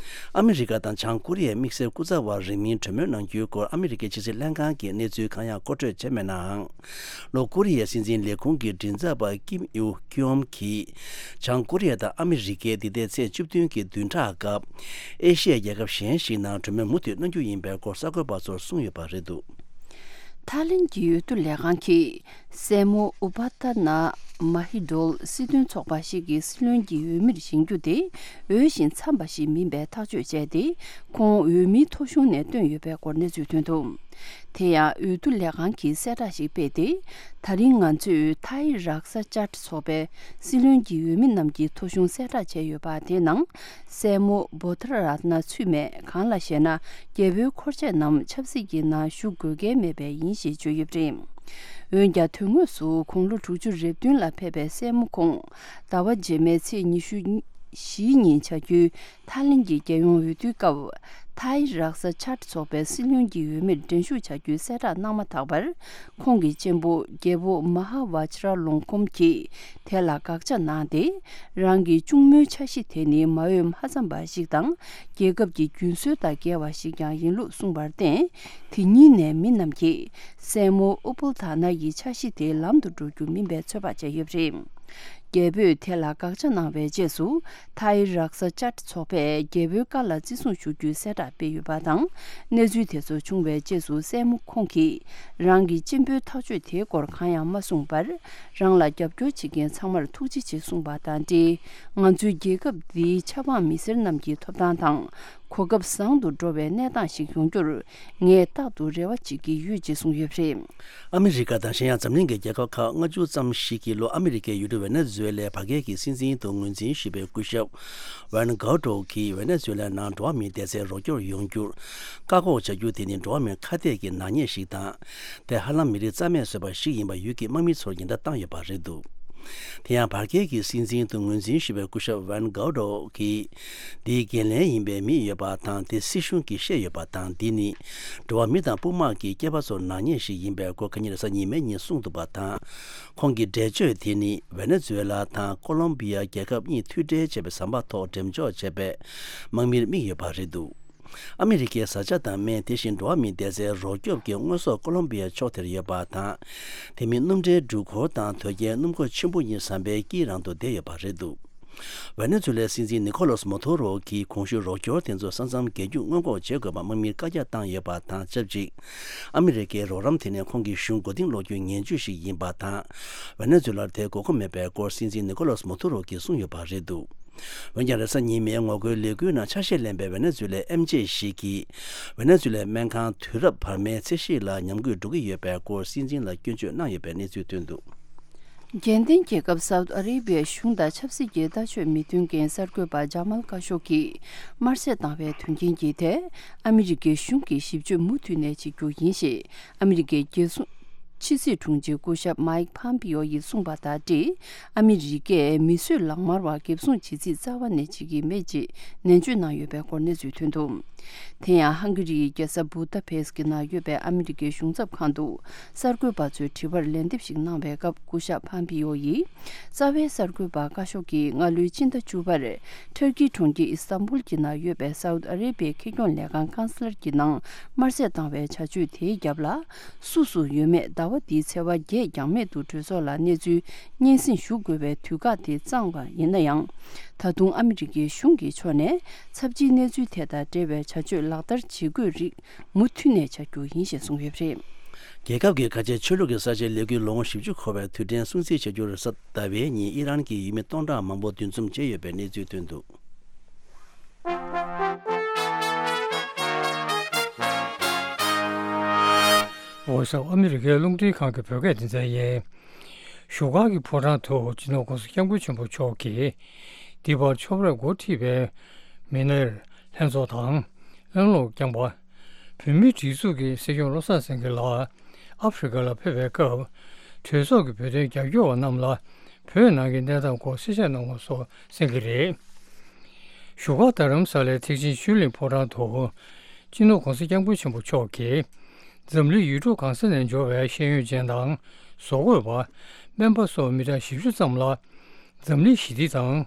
ཨ་མི་རི་ཀ་དང་བྱང་ཀོ་རི་ཡའི་དམིགས་བསལ་སྐུ་ཚབ་བར་རིང་མིན་གྲོས་མོལ་གནང་རྒྱུའི་སྐོར་ཨ་མི་རི་ཀའི་ཕྱི་སྲིད་ལྷན་ཁང་གིས་གནས་ཚུལ་གང་ཡང་མཁོ་སྤྲོད་བྱས་མེད་ནའང་། ལྷོ་ཀོ་རི་ཡའི་སྲིད་འཛིན་ལས་ཁུངས་ཀྱི་མགྲིན་ཚབ་པ་ཀིམ་ཡུ་ཁྱོམ་གྱིས། བྱང་ཀོ་རི་ཡ་དང་ཨ་མི་རི་ཀས་འདི་ཟླའི་ཚེས་བཅུ་བདུན་གྱི་བདུན་ཕྲག་སྐབས། ཨེ་ཤི་ཡའི་རྒྱལ་ཁབ་གཞན་ཞིག་ནང་གྲོས་མོལ་མུ་མཐུད་གནང་རྒྱུ་ཡིན་པའི་སྐོར་གསར་འགོད་པ་ཚོར་གསུངས་ཡོད་པ་རེད་འདུག་ཐའི་ལེན་གྱི་འོས་བསྡུ་ལས་ཁང་གིས། སྲས་མོ་ཨུ་པ་ཏ་ན་མ་ཧི་ཌོལ་སྲིད་དོན་ཚོགས་པ་ཞིག་གི་སྲིད་བློན་གྱི་འོས་མིར་བཞེངས་རྒྱུ་དེ་འོས་ཤིང་འཚམས་པ་ཞིག་མིན་པའི་ཐག་གཅོད་བྱས་ཏེ། ཁོང་འོས་མིའི་ཐོ་གཞུང་ནས་བཏོན་ཡོད་པའི་སྐོར་གནས་ཚུལ་ཐོན་འདུག་དེ་ཡང་འོས་བསྡུ་ལས་ཁང་གིས་གསལ་བསྒྲགས་ཤིག་སྤེལ་ཏེ། ད་རིང་ང་ཚོས་ཐའི་རཀ་ས་ཅཱཊ་ཚོགས་པའི་སྲིད་བློན་གྱི་འོས་མི་རྣམས་ཀྱི་ཐོ་གཞུང་གསལ་བསྒྲགས་བྱས་ཡོད་པ་དེའི་ནང་། སྲས་མོ་བྷོ་དྷ་ར་ཏ་ན་ཚུད་མེད། གང་ལགས་ཤེ་ན། རྒྱལ་པོའི་འཁོར་བཅས་རྣམས་ཆབ་སྲིད་ཀྱི་ནང་ཞུགས་དགོས་གལ་མེད་པས་ཡིན་ཞེས་བརྗོད་ཡོད་པ་རེད། འོན་ཀྱང་དོན་དངོས་སུ་དགུང་ལོ་དྲུག་ཅུ་རེ་བདུན་ལ་ཕེབས་པའི་སྲས་མོ་ཁོང་ཟླ་བ་རྗེས་མའི་ཚེས་ཉི་ཤུ་བཞིའི་ཉིན་བྱ་རྒྱུའི་ཐའི་ལེན་གྱི་རྒྱལ་ཡོངས་འོས་བསྡུའི་སྐབས། ཐའི་རགས་ས་ཅཱད་ཚོགས་པའི་སྲིད་བློན་གྱི་འོས་མིར་འགྲན་ཞུགས་བྱ་རྒྱུའི་གསལ་བསྒྲགས་གནང་མ་ཐག་པར། ཁོང་གི་གཅེན་པོ་རྒྱལ་པོ་མ་ཧཱ་ཝ་ཇི་ར་ལོང་ཁོམ་གྱིས་དེ་ལ་དགག་བྱ་གནང་སྟེ། རང་གི་གཅུང་མོའི་འཆར་གཞི་དེ་ནི་མ་འོས་མ་འཚམས་པ་ཞིག་དང་། རྒྱལ་ཁབ་ཀྱི་རྒྱུན་སྲོལ་དང་འགལ་བ་ཞིག་ཀྱང་ཡིན་ལུགས་གསུངས་པར་བརྟེན། དེ་ཉིན་ནས་མི་རྣམས་ཀྱིས་སྲས་མོ་ཨུ་པུལ་ཐ་ན་ཡི་འཆར་གཞི་དེ་ལམ་དུ་འགྲོ་རྒྱུ་མིན་པའི་ཚོད་དཔག་བྱས་ཡོད་པ་རེད། རྒྱལ་པོས་དེ་ལ་དགག་བྱ་གནང་བའི་རྗེས་སུ། ཐའི་རགས་ས་ཅཱད་ཚོགས་པས་རྒྱལ་པོའི་བཀའ་ལ་བརྩི་སྲུང་ཞུ་རྒྱུའི་གསལ་བསྒྲགས་སྤེལ་ཡོད་པ་དང་། གནས་ཚུལ་དེ་ཚོ་བྱུང་བའི་རྗེས་སུ་སྲས་མོ་ཁོང་གིས་རང་གི་གཅེན་པོའི་ཐག་གཅོད་དེའི་སྐོར་གང་ཡང་མ་གསུངས་པར། རང་ལ་རྒྱབ་སྐྱོར་བྱེད་མཁན་ཚང་མར་ཐུགས་རྗེ་ཆེ་གསུངས་པ་དང་འབྲེལ། ང་ཚོའི་རྒྱལ་ཁབ་འདིའི་ཆབ་འབངས་མི་སེར་རྣམས་ཀྱི་ཐོབ་ཐང་དང་། གོ་སྐབས་བཟང་དུ་འགྲོ་བའི་གནས་སྟངས་ཤིག་ཡོང་རྒྱུར་ངས་རྟག་ཏུ་རེ་བ་བྱེད་ཀྱི་ཡོད་ཅེས་གསུངས་ཡོད་པ་རེད། ཨ་མི་རི་ཀ་དང་གཞན་ཡང་འཛམ་གླིང་གི་རྒྱལ་ཁབ་ཁག་ལྔ་བཅུ་ཙམ་ཞིག་གིས་ལྷོ་ཨ་མི་རི་ཀའི་ཡུལ་གྲུ་ཝེ་ནེ་ཛུ་ཝེ་ལའི་བར་བརྒལ་གྱི་སྲིད་འཛིན་དུ་ངོས་འཛིན་ཞུས་པའི་སྐུ་ཞབས་ཝན་གའོ་ཏོ་གིས་ཝེ་ནེ་ཛུ་ཝེ་ལ་ནང་འགྲོ་བ་མིའི་བདེ་རྩའི་རོགས་སྐྱོར་ཡོང་རྒྱུར་བཀག་འགོག་བྱ་རྒྱུ་དེ་ནི་འགྲོ་བ་མིའི་ཁ་གཏད་ཀྱི་ནག་ཉེས་ཤིག་དང་། དེ་ཧ་ལམ་མི་རིགས་རྩ་མེད་བཟོས་པ་ཞིག་ཡིན་པ་ཡུལ་གྱི་དམག་མི་ཚོར་ཉེན་བརྡ་བཏང་ཡོད་པ་རེད་འདུག་དེ་ཡང་བར་བརྒལ་གྱི་སྲིད་འཛིན་དུ་ངོས་འཛིན་ཞུས་པའི་སྐུ་ཞབས་ཝན་གའོ་ཏོ་གིས། འདིའི་འགན་ལེན་ཡིན་པའི་མི་ཡོད་པ་དང་། དེ་སྲིད་གཞུང་གིས་བཤད་ཡོད་པ་དང་། འདི་ནི་འགྲོ་བ་མི་དང་དཔུང་དམག་གི་སྐྱེས་པ་ཚོར་ནག་ཉེས་ཤིག་ཡིན་པའི་སྐོར་ཁ་ཉིན་རེས་གཟའ་ཉི་མའི་ཉིན་གསུངས་འདུག་པ་དང་། ཁོང་གི་འགྲེལ་བརྗོད་དེ་ནི་ཝེ་ནེ་ཛུ་ཝེ་ལ་དང་ཀོ་ལོམ་བི་ཡ་རྒྱལ་ཁབ་གཉིས་མཐུད་འབྲེལ་བྱས་པའི་ཟམ་པ་ཐོག་འགྲེམས་འཇོག་བྱས་པའི་དམག་མིར་དམིགས་ཡོད་པ་རེད་འདུག་ཨ་མི་རི་ཀའི་བཟའ་བཅའ་དང་སྨན། དེ་བཞིན་འགྲོ་བ་མིའི་བདེ་རྩའི་རོགས་སྐྱོབ་ཀྱི་དངོས་ཟོག་ཀོ་ལོམ་བི་ཡའི་ཕྱོགས་དེར་ཡོད་པ་དང་། དེ་མིན་སྣུམ་འདྲེན་འགྲུལ་འཁོར་དང་དོས་རྒྱན་སྣུམ་འཁོར་ཆེན་པོ་གཉིས་ཟམ་པའི་དཀྱིལ་རང་དུ་བསྡད་ཡོད་པ་རེད་འདུག་ཝེ་ནེ་ཛུ་ལའི་སྲིད་འཛིན་ནི་ཁོ་ལོ་སི་མོ་ཐུ་རོ་གིས་གོང་ཞུས་རོགས་སྐྱོར་དེ་ཚོ་ས་མཚམས་བརྒལ་རྒྱུ་སྔོན་འགོག་བྱེད་དགོས་པ་དམག་མིར་བཀའ་རྒྱ་བཏང་ཡོད་པ་དང་ཆབས་ཅིག་ཨ་མི་རི་ཀའི་རོགས་རམ་དེ་ནི་ཁོང་གི་གཞུང་མགོ་རྟིང་སློག་རྒྱུའི་ངན་ཇུས་ཤིག་ཡིན་པ་དང་། ཝེ་ནེ་ཛུ་ལར་དེའི་དགོས་མཁོ་མེད་པའི་སྐོར་སྲིད་འཛིན་ནི་ཁོ་ལོ་སི་མོ་ཐུ་རོ་གིས་གསུངས་ཡོད་པ་རེད་འདུག་འོན་ཀྱང་རེས་གཟའ་ཉི་མའི་ངོ་རྒོལ་ལས་འགུལ་ནང་ཆ་ཤས་ལེན་པའི་ཝེ་ནེ་ཛུ་ལའི་ཨེམ་ཆི་ཞིག་གིས་ཝེ་ནེ་ཛུ་ལའི་སྨན་ཁང་དུས་རབས་བར་མའི་ཚད་གཞི་ལ་ཉམས་རྒུད་འགྲོ་གི་ཡོད་པའི་སྐོར་སྲིད་འཛིན་ལ་སྐྱོན་བརྗོད་གནང་ཡོད་པའི་གནས་ཚུལ་ཐོན་འདུག་རྒྱལ་ལྡན་རྒྱལ་ཁབ་སའུ་ཏི་ཨ་རེ་བྷི་ཡའི་གཞུང་དང་ཆབ་སྲིད་ཀྱི་ལྟ་སྤྱོད་མི་མཐུན་རྐྱེན་གསར་འགོད་པ་ཇ་མལ་ཀ་ཤོ་གིས་དམར་གསོད་བཏང་བའི་དོན་རྐྱེན་གྱི་ཐད་ཨ་མི་རི་ཀའི་གཞུང་གིས་ཞིབ་དཔྱོད་མུ་མཐུད་ནས་བྱེད་རྒྱུ་ཡིན་ཞེས་ཨ་མི་རི་ཀའི་རྒྱལ་སྲུང་ཕྱི་སྲིད་དྲུང་ཆེ་སྐུ་ཞབས་མའིག་ཕམ་པིའོ་ཡིས་གསུངས་པ་དང་འབྲེལ། ཨ་མི་རི་ཀས་མི་གསོད་ལག་དམར་བ་འགེབས་སྲུང་བྱེད་རྩིས་རྩ་བ་ནས་བྱེད་ཀྱི་མེད་ཅེས་ནན་བརྗོད་གནང་ཡོད་པའི་སྐོར་གནས་ཚུལ་ཐོན་འདུག་དེ་ཡང་ཧང་གི་རིའི་རྒྱལ་ས་བུ་ད་པེ་སི་ཀི་ནང་ཡོད་པའི་ཨ་མི་རི་ཀའི་གཞུང་ཚབ་ཁང་དུ་གསར་འགོད་པ་ཚོའི་དྲི་བར་ལན་འདེབས་ཤིག་གནང་བའི་སྐབས་སྐུ་ཞབས་ཕམ་པིའོ་ཡིས། རྩ་བའི་གསར་འགོད་པ་ཀ་ཤོག་གིས་སྔ་ལོའི་ཕྱི་ཟླ་བཅུ་པར་ཊར་ཀིའི་གྲོང་ཁྱེར་ཨི་སྟན་བུལ་གྱི་ནང་ཡོད་པའི་སའུ་ཏི་ཨ་རེ་བྷི་ཡའི་ཁེ་གྱོང་ལས་ཁང་ཀན་སི་ལར་གྱི་ནང་དམར་གསོད་བཏང་བའི་བྱ་སྤྱོད་དེའི་རྒྱབ་ལ། སུ་སུ་ཡོད་མེད་ཟླ་བ་འདིའི་ཚེས་པ་བརྒྱད་འགྱངས་མེད་དུ་གྲོས་ཚོགས་ལ་གནས་ཚུལ་སྙན་སེང་ཞུ་དགོས་པའི་དུས་བཀག་དེ་བརྩམས་པ་ཡིན་ན་ཡང་། ད་དུང་ཨ་མི་རི་ཀའི་གཞུང་གི་ཕྱོགས་ནས་ཚབས་ཆེའི་གནས་ཚུལ་དེ་དང་འབྲེལ་བའི་བྱ་སྤྱོད་ལག་བསྟར་བྱེད་དགོས་རིགས་མུ་མཐུད་ནས་བྱ་རྒྱུ་ཡིན་ཞེས་གསུངས་ཡོད་པ་རེད། རྒྱལ་ཁབ་ཀྱི་ཁ་ཆེའི་ཆོས་ལུགས་ཀྱི་གསར་བརྗེའི་ལས་འགུལ་ལོ་ངོ་བཞི་བཅུ་འཁོར་བའི་དུས་དྲན་སྲུང་བརྩི་བྱ་རྒྱུར་གཟའ་ཟླ་བའི་ཉིན་ཨི་རན་གྱི་ཡུལ་མི་སྟོང་ཕྲག་མང་པོ་འདུ་འཛོམས་བྱས་ཡོད་པའི་གནས་ཚུལ་ཐོན་འདུག Voice of America་རླུང་འཕྲིན་ཁང་གི་བོད་སྐད་སྡེ་ཚན་ཡིན། བཞུགས་སྒར་གྱི་ཕོ་བྲང་དུ་སྤྱི་ནོར་༸གོང་ས་༸སྐྱབས་མགོན་ཆེན་པོ་མཆོག་གིས་འདི་བར་ཆོབ་རས་འགོ་ཁྲིད་པའི་མི་སྣར་ལྷན་ཚོགས་དང་། གླེང་སློང་བསྐྱངས་པ། བོད་མིའི་སྒྲིག་འཛུགས་ཀྱི་སྲིད་སྐྱོང་བློ་བཟང་སེང་གེ་ལགས་ཨ་ཧྥེ་རི་ཁ་ལ་ཕེབས་པའི་སྐབས། གྲོས་ཚོགས་ཀྱི་བོད་དོན་རྒྱབ་སྐྱོར་བ་རྣམས་ལ་བོད་ནང་གི་གནས་སྟངས་སྐོར་གསལ་བཤད་གནང་བ་སོགས་གསན་གྱི་རེད། བཞུགས་སྒར་རྡ་རམ་ས་ལའི་ཐེག་ཆེན་ཆོས་གླིང་ཕོ་བྲང་དུ། སྤྱི་ནོར་༸གོང་ས་༸སྐྱབས་མགོན་ཆེན་པོ་མཆོག་གིས། འཛམ་གླིང་ཡུལ་གྲུ་གང་ས་ནས་འབྱོར་བའི་ཤེས་ཡོན་ཅན་དང་། བཟོ་བཀོད་པ། སྨན་པ་སོགས་མི་གྲངས་བཞི་བཅུ་ཙམ་ལ། འཛམ་གླིང་ཞི་བདེ་དང་།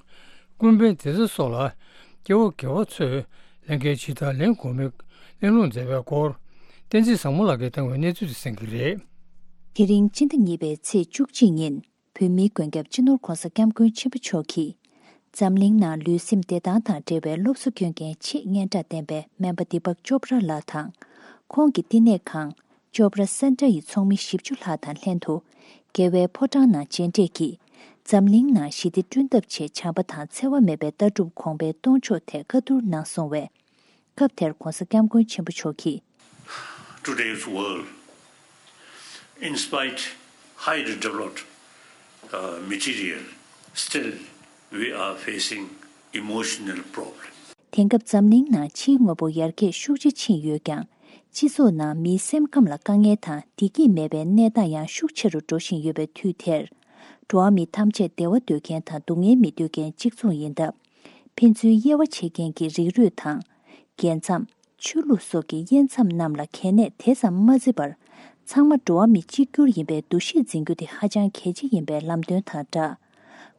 ཀུན་ཕན་བདེ་རྩ་སོགས་ལ་སྐྱེ་བོ་དགེ་བ་ཚོས་ལྷན་སྐྱེས་ཇི་ལྟར་ལེན་དགོས་མིན་གླེང་སློང་མཛད་པའི་སྐོར། བསྟན་འཛིན་བཟང་མོ་ལགས་ཀྱིས་བཏང་བའི་གནས་ཚུལ་དེ་གསན་གྱི་རེད། དེ་རིང་སྤྱི་ཟླ་གཉིས་པའི་ཚེས་བཅུ་གཅིག་ཉིན་བོད་མིའི་མགོན་སྐྱབས་སྤྱི་ནོར་༸གོང་ས་༸སྐྱབས་མགོན་ཆེན་པོ་མཆོག་གིས། འཛམ་གླིང་ནང་ལུས་སེམས་བདེ་ཐང་དང་འབྲེལ་བའི་སློབ་གསོ་སྐྱོན་མཁན་ཆེས་སྙན་གྲགས་ལྡན་པའི་སྨན་པ་དི་པག་ཅོབ་ར་ལགས་དང་། ཁོང་གི་བསྟི་གནས་ཁང་། ཅོབ་ར་སེན་ཏྲ་ཡི་ཚོགས་མི་བཞི་བཅུ་ལྷག་དང་ལྷན་དུ། རྒྱལ་བའི་ཕོ་བྲང་ནང་མཇལ་འཕྲད་ཀྱིས། འཛམ་གླིང་ནང་ཞི་བདེ་བསྐྲུན་ཐབས་ཆེད་བྱམས་པ་དང་འཚེ་བ་མེད་པའི་ལྟ་གྲུབ་གོང་འཕེལ་གཏོང་ཕྱོགས་ཐད་བཀའ་བསྡུར་གནང་སོང་བས། སྐབས་དེར་༸གོང་ས་༸སྐྱབས་མགོན་ཆེན་པོ་མཆོག་གིས། Today's world, in spite highly developed, uh, material, still we are facing emotional problems. དེང་སྐབས་འཛམ་གླིང་ནང་ཕྱིའི་དངོས་པོ་ཡར་རྒྱས་ཤུགས་ཆེ་ཕྱིན་ཡོད་ཀྱང་། སྤྱི་ཚོགས་ནང་མིའི་སེམས་ཁམས་ལ་དཀའ་ངལ་དང་བདེ་སྐྱིད་མེད་པའི་གནས་སྟངས་ཡང་ཤུགས་ཆེ་རུ་འགྲོ་བཞིན་ཡོད་པའི་དུས་དེར། འགྲོ་བ་མི་ཐམས་ཅད་བདེ་བ་འདོད་མཁན་དང་སྡུག་བསྔལ་མི་འདོད་མཁན་གཅིག་མཚུངས་ཡིན་སྟབས། ཕན་ཚུན་དབྱེ་བ་ཕྱེ་མཁན་གྱི་རིགས་རུས་དང་། རྒྱལ་མཚམས། ཆོས་ལུགས་སོགས་ཀྱི་དབྱེ་མཚམས་རྣམས་ལ་གལ་གནད་དེ་ཙམ་མ་བརྩི་བར། ཚང་མ་འགྲོ་བ་མི་གཅིག་གྱུར་ཡིན་པའི་འདུ་ཤེས་འཛིན་རྒྱུ་དེ་ཧ་ཅང་གལ་ཆེ་ཡིན་པའི་ལམ་སྟོན་དང་སྦྲགས།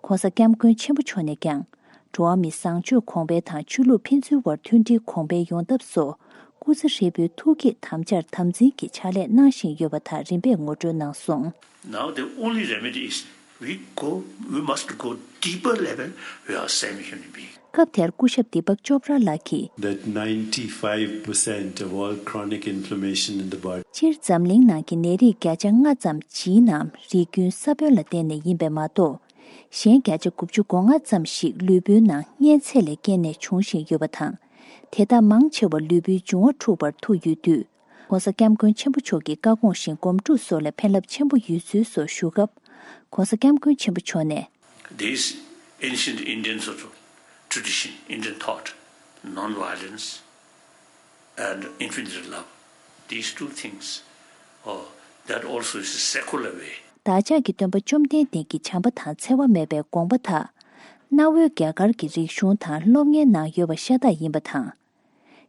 ྋགོང་ས་ྋསྐྱབས་མགོན་ཆེན་པོ་མཆོག་ནས་ཀྱང་། འགྲོ་བ་མི་བཟང་སྤྱོད་གོང་འཕེལ་དང་ཆོས་ལུགས་ཕན་ཚུན་དབར་མཐུན་སྒྲིལ་གོང་འཕེལ་ཡོང་ཐབས་སོགས། སྐུ་ཚེ་ཧྲིལ་པོའི་ཐུགས་བསྐྱེད་དམ་བཅར་དམ་འཛིན་གྱི་ཕྱག་ལས་གནང་བཞིན་ཡོད་པ་དག་རིམ་པས་ངོ་སྤྲོད་གནང་སོང་། Now the only remedy is we go, we must go deeper level with our same human being. སྐབས་དེར་སྐུ་ཞབས་དི་པག་ཅོབ་ར་ལགས་ཀྱིས། That ninety-five percent of all chronic inflammation in the body. སྤྱིར་འཛམ་གླིང་ནང་གི་ནད་རིགས་བརྒྱ་ཆ་ལྔ་ཙམ་ཇིན་ནམ་རིགས་རྒྱུན་ས་བོན་ལ་བརྟེན་ནས་ཡིན་པས་མ་གཏོགས། གཞན་བརྒྱ་ཆ་དགུ་བཅུ་གོ་ལྔ་ཙམ་ཞིག་ལུས་པོའི་ནང་གཉན་ཚད་ལས་བརྟེན་ནས་འབྱུང་བཞིན་ཡོད་པ་དང་། དེ་དག་མང་ཆེ་བ་ལུས་པོའི་འབྱུང་བ་འཁྲུགས་པར་ཐུག་ཡོད་དུས། ྋགོང་ས་ྋསྐྱབས་མགོན་ཆེན་པོ་མཆོག་གི་བཀའ་དགོངས་བཞིན་སྒོམ་སྒྲུབ་སོགས་ལ་ཕན་རླབས་ཆེན་པོ་ཡོད་ཚུལ་སོགས་ཞུ་སྐབས། ྋགོང་ས་ྋསྐྱབས་མགོན་ཆེན་པོ་མཆོག་ནས། These ancient Indian sort of tradition, Indian thought, non-violence, and infinite love, these two things, uh, that also is a secular way. བདག་ཅག་གི་སྟོན་པ་བཅོམ་ལྡན་འདས་ཀྱི་བྱམས་པ་དང་འཚེ་བ་མེད་པའི་དགོངས་པ་དག་གནའ་བོའི་རྒྱ་གར་གྱི་རིག་གཞུང་དང་སློབ་གཉེར་ནང་ཡོད་པ་ཤ་སྟག་ཡིན་པ་དང་།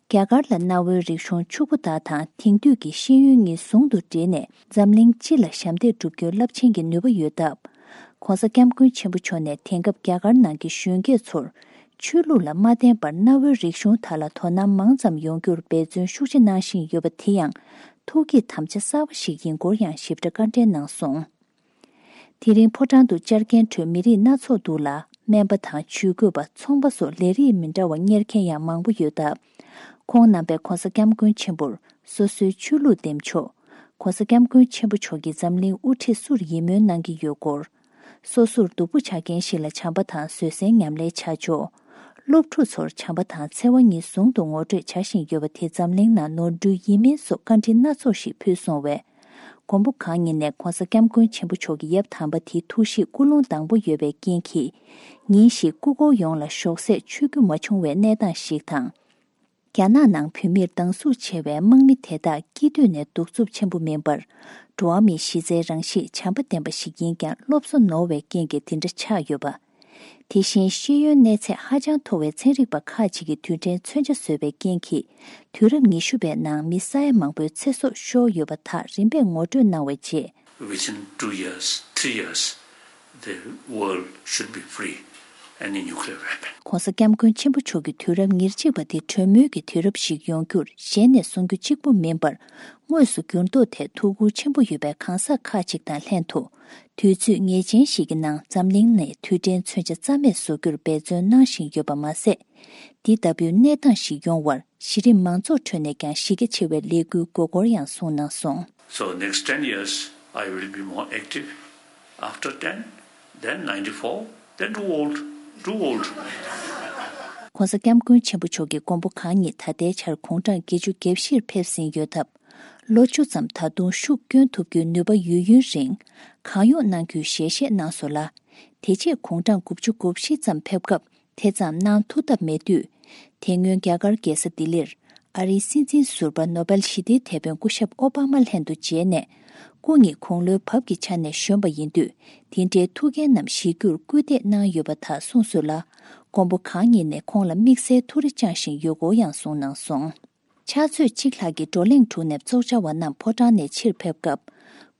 རྒྱ་གར་ལ་གནའ་བོའི་རིག་གཞུང་ཕྱུག་པོ་དག་དང་དེང་དུས་ཀྱི་ཤེས་ཡོན་གཉིས་ཟུང་དུ་འབྲེལ་ནས་འཛམ་གླིང་སྤྱི་ལ་ཞབས་འདེགས་སྒྲུབ་རྒྱུའི་རླབས་ཆེན་གྱི་ནུས་པ་ཡོད་སྟབས། ྋགོང་ས་ྋསྐྱབས་མགོན་ཆེན་པོ་མཆོག་ནས་དེང་སྐབས་རྒྱ་གར་ནང་གི་གཞོན་སྐྱེས་ཚོར་ཆོས་ལུགས་ལ་མ་བརྟེན་པར་གནའ་བོའི་རིག་གཞུང་དག་ལ་དོ་སྣང་མང་ཙམ་ཡོང་རྒྱུར་འབད་བརྩོན་ཤུགས་ཆེ་གནང་བཞིན་ཡོད་པ་དེ་ཡང་ཐུགས་བསྐྱེད་དམ་བཅའ་གསར་པ་ཞིག་ཡིན་སྐོར་ཡང་ཞིབ་ཕྲ་བཀའ་འགྲེལ་གནང་སོང་། དེ་རིང་ཕོ་བྲང་དུ་བཅར་མཁན་ཁྲོད་མི་རིགས་སྣ་ཚོགས་འདུ་ལ་སྨན་པ་དང་ཇུས་འགོད་པ། ཚོང་པ་སོགས་ལས་རིགས་མི་འདྲ་བ་གཉེར་མཁན་ཡང་མང་པོ་ཡོད་སྟབས། ཁོང་རྣམ་པས་ྋགོང་ས་ྋསྐྱབས་མགོན་ཆེན་པོར་སོ་སོའི་ཆོས་ལུགས་འདེམས་ཕྱོགས། ྋགོང་ས་ྋསྐྱབས་མགོན་ཆེན་པོ་མཆོག་གིས་འཛམ་གླིང་དབུ་ཁྲིད་སུར་ཡིད་སྨོན་གནང་གི་ཡོད་སྐོར། སོ་སོར་སྡུག་པོ་ཆགས་མཁན་ཞིག་ལ་བྱམས་པ་དང་བཟོད་བསྲན་ཉམས་ལེན་བྱ་ཕྱོགས། སློབ་ཕྲུག་ཚོར་བྱམས་པ་དང་འཚེ་བ་གཉིས་ཟུང་དུ་ངོ་སྤྲོད་བྱ་བཞིན་ཡོད་པ་དེ་འཛམ་གླིང་ནང་ནོར་འཁྲུལ་ཡིན་མིན་སོགས་བཀའ་འདྲི་སྣ་ཚོགས་ཤིག་ཕུལ་སོང་བས། མགོན་པོ་གང་ཉིད་ནས་ྋགོང་ས་ྋསྐྱབས་མགོན་ཆེན་པོ་མཆོག་གི་ཡབ་དམ་པ་དེའི་ཐུགས་གཤིས་ཀུན་སློང་དྭངས་པོ་ཡོད་པའི་རྐྱེན་གྱིས། ཉིན་ཞིག་སྐུ་འཁོར་ཡོངས་ལ་ཞོགས་ཟས་མཆོད་རྒྱུ་མ་བྱུང་བའི་གནས་སྟངས་ཤིག་དང་། རྒྱ་ནག་ནང་བོད་མིར་སྡང་ཟུག་ཆེ་བའི་དམག་མི་དེ་དག་སྐྱིད་སྡོད་ནས་གདུག་རྩུབ་ཆེན་པོ་མིན་པར། འགྲོ་བ་མིའི་གཞི་རྩའི་རང་གཤིས་བྱམས་པ་ལྡན་པ་ཞིག་ཡིན་ཀྱང་སློབ་གསོ་ནོར་བའི་རྐྱེན་གྱིས་དེ་འདྲ་ཆགས་ཡོད་པ། དེ་བཞིན་ཤེས་ཡོན་གནས་ཚད་ཧ་ཅང་མཐོ་བའི་ཚན་རིག་པ་ཁག་ཅིག་གིས་དུས་དྲན་མཚོན་ཆ་བཟོས་པའི་རྐྱེན་གྱིས། དུས་རབས་ཉི་ཤུ་པའི་ནང་མི་ས་ཡ་མང་པོའི་ཚེ་སྲོག་ཤོར་ཡོད་པ་དག་རིམ་པས་ངོ་སྤྲོད་གནང་བའི་རྗེས། Within two years, three years, the world should be free any nuclear weapon. ྋགོང་ས་ྋསྐྱབས་མགོན་ཆེན་པོ་མཆོག་གི་དུས་རབས་ཉེར་གཅིག་པ་དེ་གྲོས་མོལ་གྱི་དུས་རབས་ཤིག་ཡོང་རྒྱུར་གཞན་ནས་གསུང་རྒྱུ་གཅིག་པུ་མིན་པར། དངོས་སུ་འགྱུར་ལྡོག་ཐད་ཐུགས་ཁུར་ཆེན་པོ་ཡོད་པའི་གང་ཟག་ཁག་ཅིག་དང་ལྷན་དུ། དུས་ཚོད་ངེས་ཅན་ཞིག་གི་ནང་འཛམ་གླིང་ནས་དུས་དྲན་མཚོན་ཆ་རྩ་མེད་བཟོ་རྒྱུར་འབད་བརྩོན་གནང་བཞིན་ཡོད་པ་མ་ཟད། འདི་ལྟ་བུའི་གནས་སྟངས་ཤིག་ཡོང་བར་གཞི་རིམ་མང་ཚོགས་ཁྲོད་ནས་ཀྱང་གཞི་རྒྱ་ཆེ་བའི་ལས་འགུལ་དགོས་སྐོར་ཡང་གསུངས་གནང་སོང་། So next ten years, I will be more active. After ten, then ninety-four, then too old, too old. ྋགོང་ས་ྋསྐྱབས་མགོན་ཆེན་པོ་མཆོག་གིས་མགོན་པོ་གང་ཉིད་ད་ལྟའི་ཆར་དགུང་གྲངས་བརྒྱད་ཅུ་གྱ་བཞིར་ཕེབས་ཟིན་ཡོད་སྟབས། ལོ་བཅུ་ཙམ་ད་དུང་ཤུགས་བསྐྱོན་ཐུབ་རྒྱུའི་ནུས་པ་ཡོད་ཡུན་རིང་གང་ཡོང་གནང་རྒྱུའི་ཞལ་བཞེས་གནང་སོང་ལ། དེ་རྗེས་དགུང་གྲངས་དགུ་བཅུ་གོ་བཞི་ཙམ་ཕེབས་སྐབས། དེ་ཙམ་གནང་ཐུབ་ཐབས་མེད་དུས། དེ་སྔོན་རྒྱ་གར་རྒྱལ་ས་ལྡི་ལིར། ཨ་རིའི་སྲིད་འཛིན་ཟུར་པ་ནོ་བེལ་ཞི་བདེའི་དེད་དཔོན་སྐུ་ཞབས་ཨོ་པ་མ་ལྷན་དུ་མཇལ་ནས། སྐུ་ཉིད་དགུང་ལོའི་བབ་ཀྱི་ཆ་ནས་གཞོན་པ་ཡིན་དུས། དེ་འདྲའི་ཐུགས་འགན་རྣམས་བཞེས་རྒྱུར་སྐུལ་འདེད་གནང་ཡོད་པ་དག་གསུངས་སོང་ལ། མགོན་པོ་གང་ཉིད་ནས་ཁོང་ལ་དམིགས་བསལ་ཐུགས་རེ་བཅངས་བཞིན་ཡོད་སྐོར་ཡང་གསུངས་གནང་སོང་། ཕྱག་ཚོད་གཅིག་ལྷག་གི་བགྲོ་གླེང་གྲུབ་ནས་ཚོགས་བཅར་བ་རྣམས་ཕོ་བྲང་ནས་ཕྱིར་ཕེབས་སྐབས།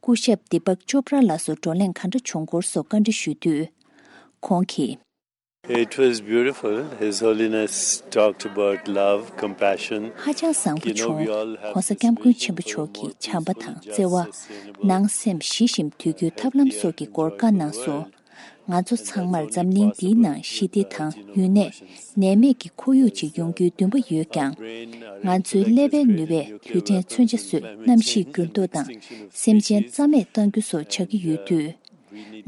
སྐུ་ཞབས་དི་པག་ཅོབ་ར་ལགས་སུ་བགྲོ་གླེང་ག་འདྲ་བྱུང་སྐོར་སོགས་བཀའ་འདྲི་ཞུས་དུས། ཁོང་གིས། It was beautiful. His Holiness talked about love, compassion. ཧ་ཅང་བཟང་པོ་བྱུང་། ྋགོང་ས་ྋསྐྱབས་མགོན་ཆེན་པོ་མཆོག་གིས་བྱམས་པ་དང་བརྩེ་བ། ནང་སེམས་ཞི་ཞིང་དུལ་རྒྱུའི་ཐབས་ལམ་སོགས་ཀྱི་སྐོར་བཀའ་གནང་སོང་། ང་ཚོ་ཚང་མར་འཛམ་གླིང་འདིའི་ནང་ཞི་བདེ་དང་ཡུན་གནས། ནད་མེད་ཀྱི་ཁོར་ཡུག་ཅིག་ཡོང་རྒྱུའི་འདུན་པ་ཡོད་ཀྱང་། ང་ཚོའི་ཀླད་པའི་ནུས་པས་དུས་དྲན་མཚོན་ཆ་བཟོས། གནམ་གཤིས་འགྱུར་ལྡོག་དང་སེམས་ཅན་རྩ་མེད་གཏང་རྒྱུ་སོགས་བྱ་གི་ཡོད་དུས།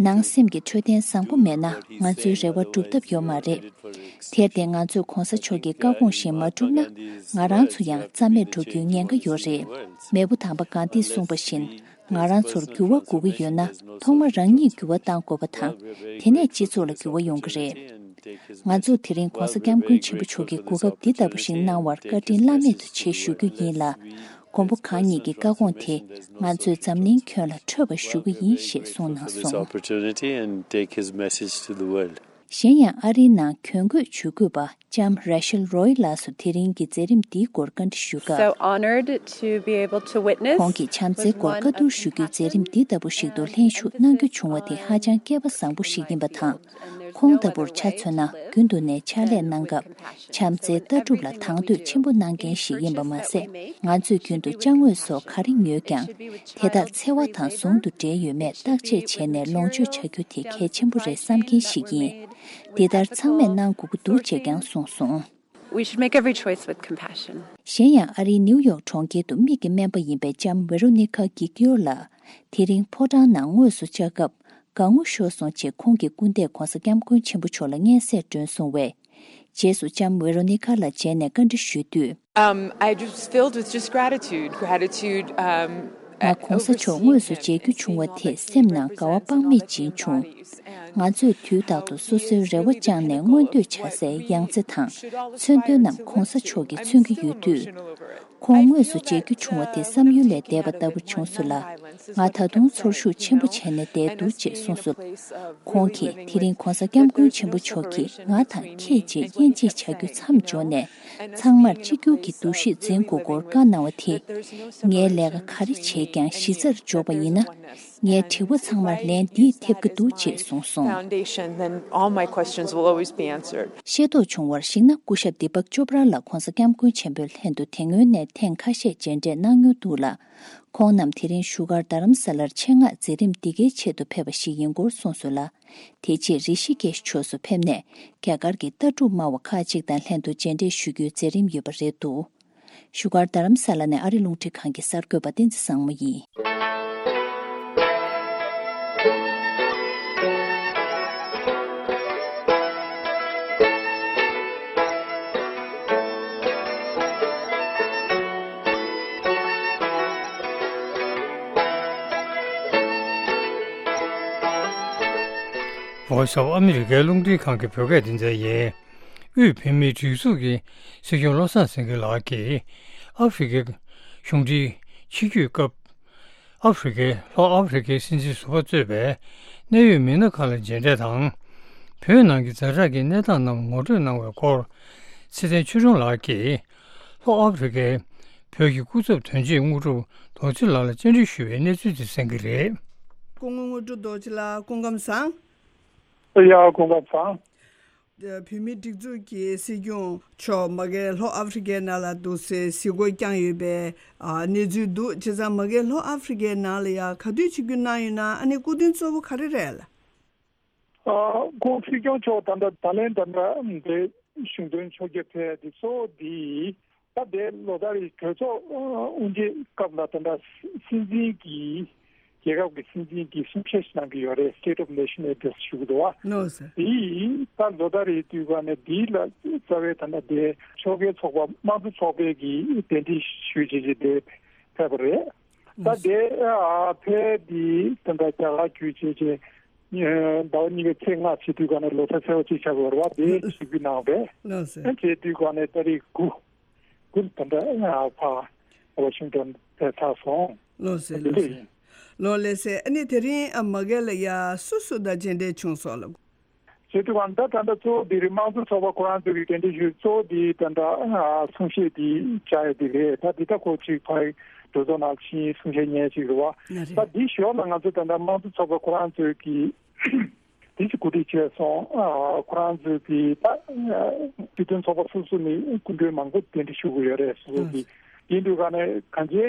ནང་སེམས་ཀྱི་འཕྲོད་བསྟེན་བཟང་པོ་མེད་ན་ང་ཚོའི་རེ་བ་འགྲུབ་ཐབས་ཡོད་མ་རེད། དེར་བརྟེན་ང་ཚོས་ྋགོང་ས་མཆོག་གི་བཀའ་དགོངས་བཞིན་མ་བསྒྲུབས་ན་ང་རང་ཚོ་ཡང་རྩ་མེད་འགྲོ་རྒྱུའི་ཉེན་ཁ་ཡོད་རེད། མེས་པོ་དམ་པ་གྷན་དྷིས་གསུངས་པ་བཞིན། ང་རང་ཚོར་འགྱུར་བ་དགོས་ཀྱི་ཡོད་ན་ཐོག་མར་རང་ཉིད་འགྱུར་བ་གཏང་དགོས་པ་དང་། དེ་ནས་སྤྱི་ཚོགས་ལ་འགྱུར་བ་ཡོང་གི་རེད། ང་ཚོས་དེ་རིང་ྋགོང་ས་ྋསྐྱབས་མགོན་ཆེན་པོ་མཆོག་གིས་གོ་སྐབས་འདི་ལྟ་བུ་ཞིག་གནང་བར་བཀའ་དྲིན་བླ་མེད་དུ་ཆེ་ཞུ་རྒྱུ་ཡིན་ལ། མགོན་པོ་གང་ཉིད་ཀྱི་བཀའ་དགོངས་དེ་ང་ཚོས་འཛམ་གླིང་ཁྱོན་ལ་འཕྲོད་པར་ཞུ་གི་ཡིན་ཞེས་གསུངས་གནང་སོང་། Opportunity and take his message to the world. གཞན་ཡང་ཨ་རིའི་ནང་གྱོན་གོས་ཇུས་འགོད་པ་ལྕམ་Rachel Roy ལགས་སུ་དེ་རིང་གི་མཛད་རིམ་འདིའི་སྐོར་བཀའ་འདྲི་ཞུས་སྐབས། So honored to be able to witness. ཁོང་གིས་བྱམས་བརྩེའི་སྐོར་བཀའ་བསྡུར་ཞུ་རྒྱུའི་མཛད་རིམ་འདི་ལྟ་བུ་ཞིག་ཏུ་ལྷན་ཞུགས་གནང་རྒྱུ་བྱུང་བ་དེ་ཧ་ཅང་སྐལ་པ་བཟང་པོ་ཞིག་ཡིན་པ་དང་། ཁོང་ལྟ་བུར་ཆ་མཚོན་ན་རྒྱུན་དུ་ནས་ཕྱག་ལས་གནང་སྐབས་བྱམས་བརྩེའི་ལྟ་གྲུབ་ལ་དང་དོད་ཆེན་པོ་གནང་མཁན་ཞིག་ཡིན་པ་མ་ཟད། ང་ཚོས་རྒྱུན་དུ་ཅ་དངོས་སོགས་ག་རེ་ཉོས་ཀྱང་། དེ་དག་འཚེ་བ་དང་ཟུང་དུ་འབྲེལ་ཡོད་མེད་བརྟག་དཔྱད་བྱས་ནས་ལོངས་སྤྱོད་བྱ་རྒྱུ་དེ་གལ་ཆེན་པོ་རེད་བསམ་མཁན་ཞིག་ཡིན། འདི་ལྟར་ཚང་མས་གནང་དགོས་ཀྱི་འདུག་ཅེས་ཀྱང་གསུངས་སོང་། We should make every choice with compassion. གཞན་ཡང་ཨ་རིའི་ནིའུ་ཡོག་གྲོང་ཁྱེར་དུ་མིག་གི་སྨན་པ་ཡིན་པའི་ལྕམ་Veronica Guiglio ལགས་དེ་རིང་ཕོ་བྲང་ནང་དངོས་སུ་བཅར་སྐབས་དགའ་ངུ་ཤོར་སོང་ཅེས་ཁོང་གི་སྐུ་ཟླས་༧གོང་ས་༧སྐྱབས་མགོན་ཆེན་པོ་མཆོག་ལ་སྙན་སེང་བསྒྲོན་སོང་བས། རྗེས་སུ་ལྕམ་Veronica ལ་མཇལ་ནས་བཀའ་འདྲི་ཞུས་དུས། Um, I just filled with just gratitude, gratitude, um, ང་༧གོང་ས་མཆོག་དངོས་སུ་མཇལ་རྒྱུ་བྱུང་བ་དེས་སེམས་ནང་དགའ་བ་དཔག་མེད་སྦྱིན་བྱུང་། ང་ཚོས་དུས་རྟག་ཏུ་སོ་སོའི་རེ་བ་བཅངས་ནས་མངོན་འདོད་བྱ་སའི་ཡང་རྩེ་དང་མཚོན་དོན་རྣམས་༧གོང་ས་མཆོག་གིས་མཚོན་གྱི་ཡོད་དུས། ཁོང་དངོས་སུ་མཇལ་རྒྱུ་བྱུང་བ་དེ་བསམ་ཡུལ་ལས་འདས་པ་ལྟ་བུ་བྱུང་སོང་ལ། ང་ད་དུང་ཚོར་ཤུགས་ཆེན་པོ་བྱས་ནས་བསྡད་འདུག་ཅེས་གསུངས་སོང་། ཁོང་གིས་དེ་རིང་༧གོང་ས་༧སྐྱབས་མགོན་ཆེན་པོ་མཆོག་གིས་ང་དང་ཁྱེད་ཅེས་དབྱེ་འབྱེད་བྱ་རྒྱུ་མཚམས་འཇོག་ནས། ཚང་མར་གཅིག་གྱུར་གྱི་འདུ་ཤེས་འཛིན་དགོས་སྐོར་བཀའ་གནང་བ་དེས། ངའི་ལས་ཀ་ག་རེ་བྱས་ཀྱང་གཞི་རྩར་འཇོག་པ་ཡིན་ན། ངའི་དྲི་བ་ཚང་མར་ལན་འདིས་ཐེབས་ཀྱི་འདུག་ཅེས་གསུངས་སོང་། Foundation, then all my questions will always be answered. ཤེས་རྟོགས་བྱུང་བར་གཞིགས་ན། སྐུ་ཞབས་Deepak Chopra ལགས་༧གོང་ས་༧སྐྱབས་མགོན་ཆེན་པོའི་ལྷན་དུ་དེ་སྔོན་ནས་ཐེངས་ཁ་ཤས་མཇལ་འཕྲད་གནང་མྱོང་འདུག་ལ། ཁོང་རྣམས་དེ་རིང་བཞུགས་སྒར་རྡ་རམ་ས་ལར་ཆེད་མངགས་མཛད་རིམ་འདི་གའི་ཆེད་དུ་ཕེབས་པ་ཞིག་ཡིན་སྐོར་གསུངས་སོང་ལ། དེ་རྗེས་རི་ཤི་ཀེཤ་ཕྱོགས་སུ་ཕེབས་ནས། རྒྱ་གར་གྱི་ལྟ་གྲུབ་སྨྲ་བ་ཁག་ཅིག་དང་ལྷན་དུ་མཇལ་འཕྲད་ཞུ་རྒྱུའི་མཛད་རིམ་ཡོད་པ་རེད་འདུག་བཞུགས་སྒར་རྡ་རམ་ས་ལ་ནས་ཨ་རི་རླུང་འཕྲིན་ཁང་གི་གསར་འགོད་པ་བསྟན་འཛིན་བཟང་མོ་ཡིན། Voice of America རླུང་འཕྲིན་ཁང་གི་བོད་སྐད་སྡེ་ཚན་ཡིན། དབུས་བོད་མིའི་སྒྲིག་འཛུགས་ཀྱི་སྲིད་སྐྱོང་བློ་བཟང་སེང་གེ་ལགས་ཀྱིས་ཨ་ཧྥེ་རི་ཁའི་གཞུང་འབྲེལ་ཆིབས་བསྒྱུར་སྐབས། ཨ་ཧྥེ་རི་ཁའི་ལྷོ་ཨ་ཧྥེ་རི་ཁའི་སྲིད་འཛིན་ཟུར་པ་གཙོས་པའི་གནད་ཡོད་མི་སྣ་ཁག་ལ་མཇལ་འཕྲད་དང་། བོད་ནང་གི་ཛ་དྲག་གི་གནས་སྟངས་རྣམས་ངོ་སྤྲོད་གནང་བའི་སྐོར། ཚེ་བརྟན་ཆོས་སྒྲོན་ལགས་ཀྱིས་ལྷོ་ཨ་ཧྥེ་རི་ཁའི་བོད་ཀྱི་སྐུ་ཚབ་དོན་གཅོད་དངོས་གྲུབ་རྡོ་རྗེ་ལགས་ལ་བཅར་འདྲི་ཞུས་པའི་གནས་ཚུལ་དེ་གསན་གྱི་རེད། སྐུ་ངོ་དངོས་གྲུབ་རྡོ་རྗེ་ལགས་སྐུ་ཁམས་བཟང་། ཡ་སྐུ་ཁམས་བཟང་། བོད་མིའི་སྒྲིག་འཛུགས་ཀྱི་སྲིད་སྐྱོང་མཆོག་མ་གིར་ལྷོ་ཨ་ཧྥེ་རི་ཁའི་ནང་ལ་འདུག་སའི་གཟིགས་སྐོར་བསྐྱངས་ཡོད་པའི་ཨ་གནས་ཚུལ་འདུག་བྱས་ཙང་མ་གིར་ལྷོ་ཨ་ཧྥེ་རི་ཁའི་ནང་ལ་ཡ་ག་དུས་ཆིབས་བསྒྱུར་གནང་ཡོད་ན། ཨ་ནི་སྐུ་མདུན་གཙོ་བོ་ག་རེ་རེད་ལ། ཨ་སྐུ་སྲིད་སྐྱོང་མཆོག་ད་ལྟ་ད་ལན་ད་ལྟ་འདི་གཞུང་དོན་ཕྱོགས་བསྐྱོད་ཕེབས་དེ་གཙོ་བོ་འདི་ད་ལྟའི་ལོ་ལྟར་གྲོས་ཚོགས་དབུ་འབྱེད་སྐབས་ལ་ད་ལྟ་སྲིད་འཛིན་གྱི་རྒྱལ་ཁབ་ཀྱི་སྲིད་འཛིན་གྱིས་གསུང་བཤད་ཞིག་གནང་གི་ཡོད་རེད། State of Nation Address ཞུ་གི་འདུག་བ། ལགས་སོ། དེ་ད་ལོ་ལྟར་རེད་དུས་ག་ནས་འདི་ལ་རྩ་བའི་ད་ལྟ་དེ་ཕྱོགས་འགལ་ཚོགས་པ་དམངས་གཙོ་ཚོགས་པའི་གི་གདན་འདྲེན་ཞུས་བྱས་བྱས་དེ་ཕེབས་པ་རེད། ད་དེ་ཨ་ཕེབས་དེ་ད་ལྟ་རྒྱ་གར་བརྒྱུད་བྱས་བྱས་ཟླ་བ་གཉིས་པའི་ཚེས་ལྔ་བྱེད་དུས་ག་ནས་ལོ་གསར་ཚེས་པ་གཅིག་ཆགས་པ་རེད་བ། དེ་ཞུ་རྒྱུ་གནང་བས། ལགས་སོ། ཨ་བྱེད་དུས་ག་ནས་ཏ་རིག་དགུ། ཀུན་ད་ལྟ་ཕ་ཝ་ཤིང་ཏོན་དེ་ཚར་སོང་། ལགས་སོ། དེ་ལགས་འདྲ་སོ། ཡིན། ལགས་ལགས་སོ། ཨ་ནི་དེ་རིང་ཨ་མ་གིར་ལ་ཡ་སུ་སུ་དང་མཇལ་འཕྲད་བྱུང་སོང་ལགས། བྱེད་དུས་གང་ད་ད་ལྟ་གཙོ་བོ་འདི་རེད། དམངས་གཙོ་ཚོགས་པ་ཁོ་རང་ཚོ་གི་གདན་འདྲེན་ཞུས། གཙོ་བོ་འདི་ད་ལྟ་གསུང་བཤད་འདི་བྱ་ཡ་འདི་རེད། ད་འདི་ད་ཁོ་ཅིག་ཕ་གི་གྲོས་ཚོགས་ནང་ཕྱིན་གསུང་བཤད་ཉན་ཅིག་རེད་བ། ད་འདི་ཞོར་ལ་ང་ཚོ་ད་ལྟ་དམངས་གཙོ་ཚོགས་པ་ཁོ་རང་ཚོ་གི་དེ་ཅིག་གོ་སྒྲིག་བྱས་སོང་། ཨ་ཁོ་རང་ཚོས་ཀྱི་ད་སྤྱི་མཐུན་ཚོགས་པ་སོ་སོ་ནས་སྐུ་མགྲོན་མང་པོ་གདན་འདྲེན་ཞུ་གི་ཡོད་རེད། སོ་སོ་གི་ཡིན་དུས་ག་ནས་གང་ཅི་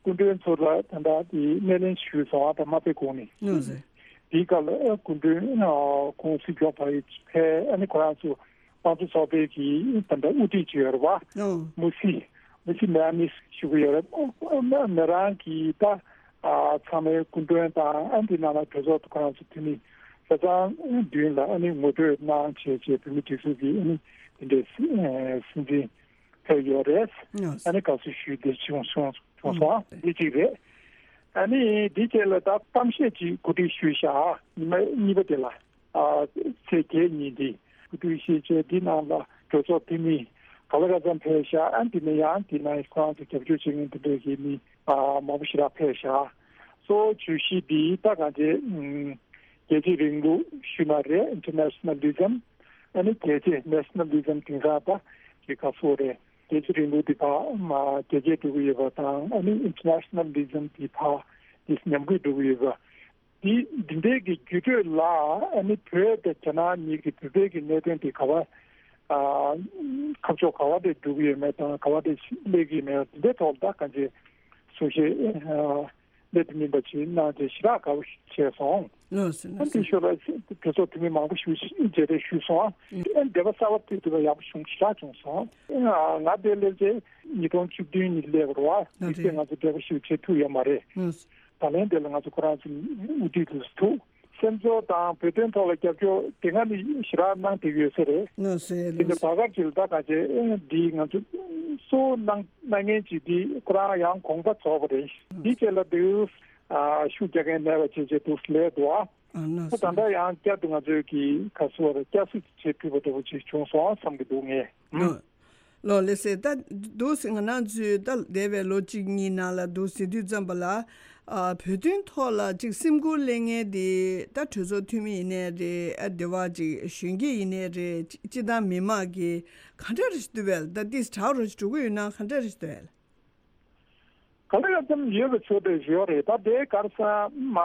སྐུ་མགྲོན་ཚོ་ལ་ད་ལྟ་དེ་སྣེ་ལེན་ཞུས་སོང་། ཨ་ད་མ་ཕེབས་གོང་ནས་དེའི་སྐབས་ལ་སྐུ་མགྲོན་ཁོང་སྲིད་སྐྱོང་ཕ་ཡི་ཕེ་ཨ་ནི་ཁོ་རང་ཚོ་དམངས་གཙོ་ཚོགས་པའི་གི་ད་ལྟ་དབུ་ཁྲིད་ཅིག་ཡོད་རེད་བ། མུ་སི་མུ་སི་མེ་ཨ་མིས་ཞུ་གི་ཡོད་རེད། མི་རང་གི་ད། ཨ་ཚང་མའི་སྐུ་མགྲོན་དང་ཨ་འདི་ནང་ལ་གྲོས་ཚོགས་ཁོ་རང་ཚོ་འཐུས་མི་ཆ་ཚང་མདུན་ལ་ཨ་ནི་ངོ་སྤྲོད་གནང་བྱས་བྱས་བོད་མི་སྒྲིག་འཛུགས་ཀྱི་ཨ་ནི་དེ་འདྲའི་སྲིད་སྲིད་འཛིན་ཕེབས་ཡོད་རེད། ཨ་ནི་དགའ་བསུ་ཞུས་ཏེ་བྱུང་སོང་བྱུང་སོང་། འདི་གཅིག་རེད། ཨ་ནི་འདི་བྱས་ལ་ད་གཏམ་བཤད་ཅིག་གོ་སྒྲིག་ཞུས་ཤག་ཉི་མ་གཉིས་པ་དེ་ལ། ཨ་ཚེས་བརྒྱད་ཉིན་འདི་སྐུ་དུས་ཤེས་བྱའི་འདི་ནང་ལ་གྲོས་ཚོགས་འཐུས་མི་ག་ལ་ག་ཚང་ཕེབས་ཤག་ཨ་འདི་ནས་ཡང་འདི་ནས་ཁོ་རང་ཚོ་རྒྱབ་སྐྱོར་བྱེད་མཁན་དེ་འདྲས་ཀྱི་མི་ཨ་མང་པོ་ཞེ་དྲག་ཕེབས་ཤག་གཙོ་བོ་བརྗོད་གཞི་འདི་ད་གང་ཅི་ཨུམ་ རྒྱལ་གཅེས་རིང་ལུགས་ཞུས་ན་རེད། Internationalism། ཨ་ནི་རྒྱལ་གཅེས་Nationalism། དེང་སང་ད་ཅིག་ག་ཚོད་རེད། རྒྱལ་གཅེས་རིང་ལུགས་དེ་ཕར་མ་རྒྱལ་གཅེས་འགྲོ་གི་ཡོད་པ་དང་། ཨ་ནི་Internationalism་དེ་ཕར་དེ་ཉམས་རྒུད་འགྲོ་གི་ཡོད་པ། འདི་འདི་འདྲའི་གི་འགྱུར་འགྲོས་ལ། ཨ་ནི་བོད་དང་རྒྱ་ནག་གཉིས་ཀྱི་བོད་པའི་གི་གནད་དོན་དེ་ག་བ་ཨ་ཁ་ཕྱོགས་ག་བ་དེ་འགྲོ་གི་ཡོད་མེད་དང་། ག་བ་དེ་སླེབས་ཀྱི་ཡོད་མེད། འདི་འདྲའི་ཐོག་ལ་ད་གང་ཅི་གསུང་བཤད་ཨ་སླད་དུ་མིན་པ་ཅིག་གནང་བྱས་ཞེ་དྲག་དགའ་པོ་བྱས་སོང་། ལགས་སོ། ཨ་ལགས་སོ། འདི་ཞོར་ལ་གྲོས་ཚོགས་འཐུས་མི་མང་པོ་ཞིག་མཇལ་འཕྲད་ཞུས་སོང་། ཨ་འདེབས་པ་གསར་པ་དེ་དུས་ལ་ཡག་པོ་བྱུང་། ཞེ་དྲག་བྱུང་སོང་། ང་དེ་སླེབས་རྗེས་ཉིས་སྟོང་བཅུ་བདུན་ནས་སླེབས་པ་རེད་བ། དེ་ཚེ་ང་ཚོ་འབྲེལ་བ་ཞིག་བྱེད་ཐུབ་ཡོད་མ་རེད། ད་ལན་དེ་ལ་ང་ཚོ་ཁོ་རང་ཚོ་དབུ་ཁྲིད་དུ་ཐུག་སེམས་ཚོར་དང་བོད་དོན་ཐོག་ལ་རྒྱབ་སྐྱོར་དེ་སྔ་ནས་ཞེ་དྲག་གནང་བསྡད་ཡོད་ས་རེད། ལགས་སོ། དེ་ལས་ལགས་སོ། བར་སྐབས་ཅིག་ལ་ད་ག་ཅེ་འདི་ང་ཚོ་གཙོ་བོ་གནང་གནང་མཁན་ཅིག་འདི་ཁོ་རང་ཡང་དགོངས་པ་རྫོགས་པ་རེད། འདི་རྗེས་ལ་འདི་ཨ་ཤུགས་རྒྱག་མཁན་མེད་པ་བྱས་བྱས་འདུག་སེ་ལས་འདུག་ཨ། ཨ་ལགས་ད་སོ། ད་ལྟ་ཡང་བསྐྱར་དུ་ང་ཚོས་ཀྱི་ག་ཚོད་བསྐྱར་གསོ་བྱེད་ཐུབ་པ་འདྲ་པོ་ཅིག་བྱུང་སོང་བསམ་གྱི་འདུག་ངས། ལགས། ལགས་ལགས་སེ། ད་འདུག་སེ་ང་རང་ཚོས་ད་འདས་པའི་ལོ་གཅིག་གཉིས་ནང་ལ་འདུག་སེ་དུས་ཙམ་པ་ལ། ཨ་བོད་དོན་ཐོག་ལ་ཅིག་སེམས་ཁུར་སླེབས་མཁན་དེ་ད་གྲོས་ཚོགས་འཐུས་མི་ཡིན་ནའི་རེད། ཨ་འདི་བ་ཅིག་གཞོན་སྐྱེས་ཡིན་ནའི་རེད། སྤྱི་བཏང་མི་མང་གིས་ག་འདྲ་རེ་ཞིག་འདུག་བས། ད་ཏིས་དྲག་རོ་ཞིག་འགྲོ་གི་ཡོད་ན་ག་འདྲ་རེ་ཞིག་འདུག་བས། ག་ལེར་ཙམ་ཡོད་པའི་ཚོད་དེ་ཡོད་རེད། ད་དེ་གར་སོང་མ་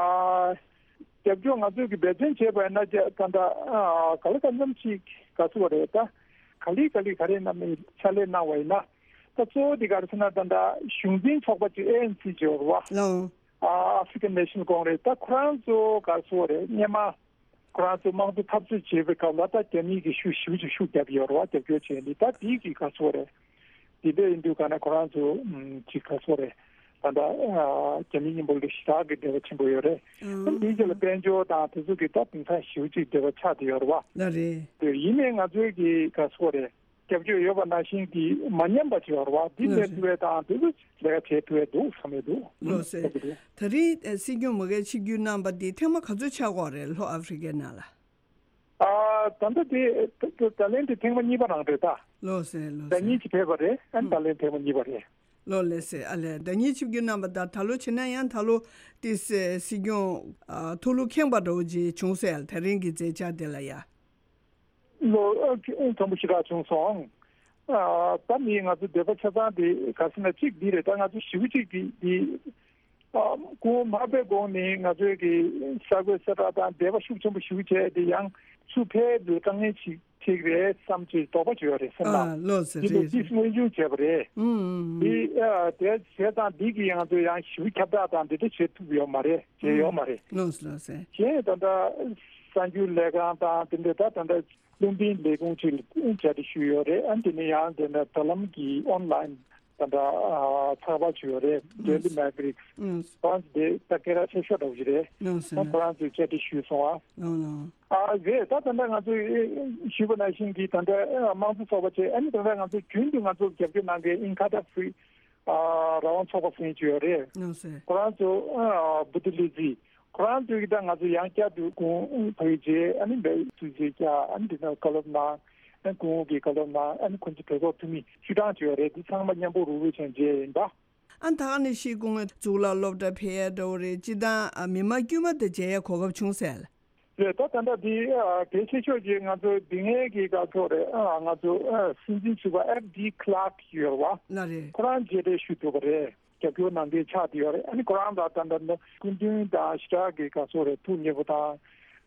རྒྱབ་སྐྱོར་ང་ཚོས་ཀྱི་འབད་བརྩོན་བྱས་པ་ཡིན་ན། ད་ད་ག་ལེར་ཙམ་ཅིག་ག་ཚོད་རེད། ད་ག་ལེ་ག་ལེ་ག་རེ་གནང་མིན་ཕྱག་ལས་གནང་བ་ཡིན་ན། ད་གཙོ་བོ་དེ་གར་སོང་ན་ད་ད་གཞུང་འཛིན་ཚོགས་པ་ཅིག་ཨེ་ཨེན་སི་ཅིག་ཡོད་རེད་བ། ལགས། ཨ་ཨ་ཧྥི་ཀན་ནེ་ཤ་ནལ་ཀོང་རེས། ད་ཁོ་རང་ཚོ་ག་ཚོད་རེད། སྔོན་མ་ཁོ་རང་ཚོ་དམངས་གཙོ་འཐབ་རྩོད་བྱེད་པའི་སྐབས་ལ་ད་རྒྱ་མིས་ཀྱི་ཤུགས་ཞེ་པོ་ཅིག་ཤུགས་བརྒྱབ་ཡོད་རེད་བ། རྒྱབ་སྐྱོར་བྱས་ནི་ད་དེའི་གི་ག་ཚོད་རེད། དེ་འདྲ་ཡིན་དུས་ག་ནས་ཁོ་རང་ཚོ་ཅིག་ག་ཚོད་རེད། ད་ལྟ་རྒྱ་མི་མཉམ་པོ་ལ་ཞེ་དྲག་གི་འབྲེལ་བ་ཆེན་པོ་ཡོད་རེད། ཨང་། དེའི་རྗེས་ལ་དཔལ་འབྱོར་དང་དེ་ཚོ་གི་ད་དེང་སང་ཞེ་པོ་ཅིག་འབྲེལ་བ་ཆགས་བསྡད་ཡོད་རེད་བ། ལགས་རེད། དེ་ཡིན་ནའི་ང་ཚོའི་གི་ག་ཚོད་རེད། རྒྱབ་སྐྱོར་ཡོད་པ་ནང་བཞིན་གྱི་མ་ཉམས་པ་བྱེད་པ་རེད་བ། འདི་ལགས་ལས་རེད། ཐུབ་པའི་དང་དེ་ཚོ་ལས་ཀ་བྱེད་ཐུབ་པའི་འདུག་བསམ་ཡོད་འདུག་ལགས་སེ། ད་རེས་སྲིད་སྐྱོང་མ་གིར་ཆིབས་བསྒྱུར་གནང་བ་འདི་ཐེངས་མ་ག་ཚོད་ཆགས་ཀྱི་ཡོད་རེད། ལྷོ་ཨ་ཧྥི་རི་ཀའི་ནང་ལ། ཨ་ད་ལྟ་དེ་ད་ད་ལན་དེ་ཐེངས་མ་གཉིས་པ་རང་རེད་ད། ལགས་སེ། ལགས་སེ། ཟླ་གཉིས་ཅིག་ཕེབས་པ་རེད། ཨ་ནི་ད་ལན་ཐེངས་མ་གཉིས་པ་རེད། ལགས་ལགས་སེ། ཨ་ལས་ཟླ་གཉིས་ཆིབས་བསྒྱུར་གནང་བ་དང་ད་ལོ་བྱས་ན་ཡང་ད་ལོ་དེ་སྲིད་སྲིད་སྐྱོང་ཨ་ཐུགས་ལུགས་ཁེངས་པ་འདྲ་བོ་ཅིག་བྱུང་སོང་ཡ། ད་རིང་གི་མཛད་འཆར་དེ་ལ་ཡ། ལོ་ཨ་ཁྱོད་དྲང་པོ་ཞེ་དྲག་བྱུང་སོང་། ཨ་ད་ནི་ང་ཚོ་འདོད་པ་ཆ་ཚང་དེ་ག་ཟེར་ན་གཅིག་འདི་རེད། ད་ང་ཚོ་ཞེ་པོ་ཅིག་གི་འདི་ཨ་སྐུ་ངོ་མར་པའི་གོང་ནས་ང་ཚོའི་གི་གསར་འགོད་གསལ་བསྒྲགས་དང་འབྲེལ་བ་ཤུགས་ཆེན་པོ་ཞེ་པོ་བྱས་ཏེ། ཡང་ཚུར་ཕེབས་དུས་དཀའ་ངལ་ཅིག་འཕྲད་ཀྱི་རེད་བསམ་ཅིག་དོགས་པ་ཅིག་ཡོད་རེད་སེམས་ནང་། ཨ་ལགས་སེ། འདི་རེད། ལོ་རྒྱུས་སྔོན་འཇུག་བྱས་པ་རེད། ཨུམ་ཨུམ་ཨུམ། འདི་ཨ་དེ་བྱས་ཙང་འདི་གི་ང་ཚོ་ཡང་ཞེ་པོ་ཁྱབ་བསྒྲགས་དང་འདི་འདྲ་བྱེད་ཐུབ་ཡོད་མ་རེད། བྱས་ཡོད་མ་རེད། ལགས་སེ། ལགས་སེ། གཞན་ད་ལྟ་གསར་འགྱུར་ལས་ཁང་དང་དེ་འདྲ་ད་ད་ལྟ་རླུང་འཕྲིན་ལས་ཁུངས་ཅིག་ལ་བཅར་འདྲི་ཞུས་ཡོད་རེད། ཨ་དེ་ནས་ཡང་དེ་འདྲ་དྲ་ལམ་གྱི་ཨོན་ལའིན་ད་ལྟ་ཚགས་པར་ཅིག་ཡོད་རེད། ཨུམ། Daily Maverick། ཨུམ། ཁོ་རང་ཚོ་དེ་ད་སྐད་གྲགས་ཆེ་ཤོས་འདྲ་བོ་ཞིག་རེད། ལགས་སེ། ཨ་ཁོ་རང་ཚོས་བཅར་འདྲི་ཞུས་སོང་ཨ། ལགས་ལགས། ཨ་རེད། ད་ད་ལྟ་ང་ཚོས་ཞུས་པ་ནང་བཞིན་གྱི་ད་ལྟ་དམངས་གཙོ་ཚོགས་པ་བྱས། ཨ་ནི་ད་ལྟ་ང་ཚོ་རྒྱུན་དུ་ང་ཚོ་རྒྱབ་སྐྱོར་གནང་མཁན་ཨིན་ཁ་ཏ་ཧྥི་རི་ཨ་རང་དབང་ཚོགས་པ་ཟེར་མཁན་ཅིག་ཡོད་རེད། ལགས་སེ། ཁོ་རང་ཚོ་ཨ་བུ་ཏི་ལི་ཛི། ཁོ་རང་ཚོས་ཀྱི་ད་ང་ཚོ་ཡང་བསྐྱར་དུ་སྐུ་ངོ་ཕ་གི་མཇལ། ཨ་ནི་འདི་སུ་མཇལ་བྱས། ཨ་ནི་འདི་ན་བཀའ་སློབ་གནང་། ཨ་ནི་སྐུ་ངོ་གིས་བཀའ་སློབ་གནང་། ཨ་ནི་ཁོང་ཚོ་གྲོས་ཚོགས་འཐུས་མི་བཅུ་གྲངས་ཅིག་ཡོད་རེད། འདི་ཚང་མ་མཉམ་པོ་རུ་རུ་བྱས་མཇལ་ཡིན་པ། ཨ་ད་ག་ནས་ཤེས། སྐུ་ངོ་གཙུག་ལག་སློབ་གྲྭ་ཕེབས་ཡ་འདྲ་བོ་རེད། སྤྱི་བཏང་ཨ་མི་མང་དཀྱུས་མ་དང་མཇལ་ཡ་གོ་སྐབས་བྱུང་ཟེར། རེད། ད་ད་ལྟ་འདི་ཨ་གལ་ཆེ་ཤོས་ཀྱི་ང་ཚོ་འདི་སྔའི་གི་སྐབས་ཐོག་རེད། ཨ་ང་ཚོ་ཨ་སྲིད་འཛིན་ཟུར་པ་ཨེབ་ཌི་ཁི་ལར་ཡོད་རེད་བ། ལགས་རེད། ཁོ་རང་མཇལ་འཕྲད་ཞུ་ཐུབ་པ་རེད། རྒྱབ་སྐྱོར་གནང་མཁན་ཆགས་བསྡད་ཡོད་རེད། ཨ་ནི་ཁོ་རང་ལ་ད་ལྟ་ནི་སྐུ་མདུན་དང་ཞེ་དྲག་གི་ག་ཚོད་རེད། ཐུགས་མཉེས་པོ་དང་།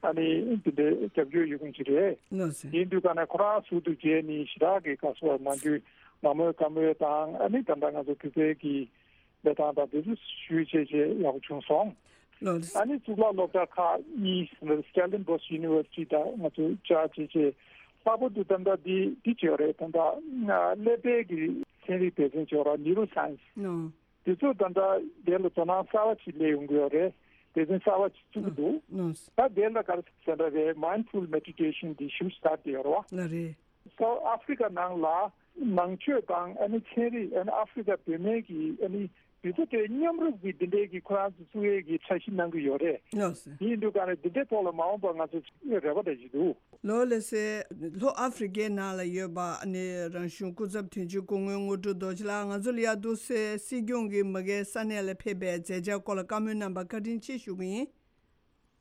ཨ་ནི་འདི་འདྲའི་རྒྱབ་སྐྱོར་ཡོད་མཁན་ཅིག་རེད། ལགས་སེ། ཡིན་དུས་ག་ནས་ཁོ་རང་ཟུར་དུ་མཇལ་ནས་ཞེ་དྲག་གི་ག་ཚོད་མ་འགྱུར་མ་མོས་དགའ་མོས་དང་། ཨ་ནི་ད་ལྟ་ང་ཚོ་བོད་པའི་གི་ལས་སྟངས་དང་དེ་ཚོ་ཞུས་བྱས་བྱས་ཡག་པོ་བྱུང་སོང་། ལགས་སེ། ཨ་ནི་གཙུག་ལག་སློབ་གྲྭ་ཁག་གཉིས་Stellenbosch University་དང་ང་ཚོ་བཅར་བྱས་བྱས། ལྷག་པར་དུ་ད་ལྟ་འདི་འདི་བྱས་ཡོད་རེད། ད་ལྟ་ཀླད་པའི་གི་ཚན་རིག་སྡེ་ཚན་བྱས་ཡོད་རེད། Neuroscience། ཨོ། དེ་ཚོ་ད་ལྟ་དེ་ལ་དོ་སྣང་གསར་བ་ཅིག་སླེབས་ཡོང་གི་ཡོད་རེད། སྡེ་ཚན་གསར་བ་ཅིག་བཙུགས་ཀྱི་འདུག་ཨོ། ད་དེ་ལ་ག་རེ་ཟེར་འདྲ་རེད། Mindful Meditation འདི་ཞུ་སྟངས་དེ་ཡོད་རེད་བ། ལགས་རེད། South Africa ནང་ལ་ནང་ཆོས་དང་ཨ་ནི་ཚན་རིག་ཨ་ནི་ཨ་ཧྥི་རི་ཀ་བོད་སྨན་གྱི་ཨ་ནི་དེ་ཚོ་དེ་མཉམ་རུབ་ཀྱི་འདི་འདྲའི་གི་ཁོ་རང་ཚོ་བཙུགས་ཡས་ཀྱི་འཆར་གཞི་གནང་གི་ཡོད་རེད། ལགས་སེ། དེ་ཡིན་དུས་ག་ནས་འདི་འདྲའི་ཐོག་ལ་མ་འོངས་པ་ང་ཚོ་རེ་བ་འདྲ་ཞིག་འདུག་ལགས་ལགས་སེ། ལྷོ་ཨ་ཧྥི་རི་ཀའི་ནང་ལ་ཡོད་པ་ཨ་ནི་རང་གཞུང་སྐུ་ཚབ་དོན་གཅོད་སྐུ་ངོ་དངོས་གྲུབ་རྡོ་རྗེ་ལགས་ང་ཚོ་ལ་ཡ་འདུག་སེ་སྲིད་སྐྱོང་གིས་མ་གིའི་ས་གནས་ལ་ཕེབས་པའི་མཛད་འཆར་སྐོར་ལ་བཀའ་མོལ་གནང་བར་བཀའ་དྲིན་ཆེ་ཞུ་གི་ཡིན།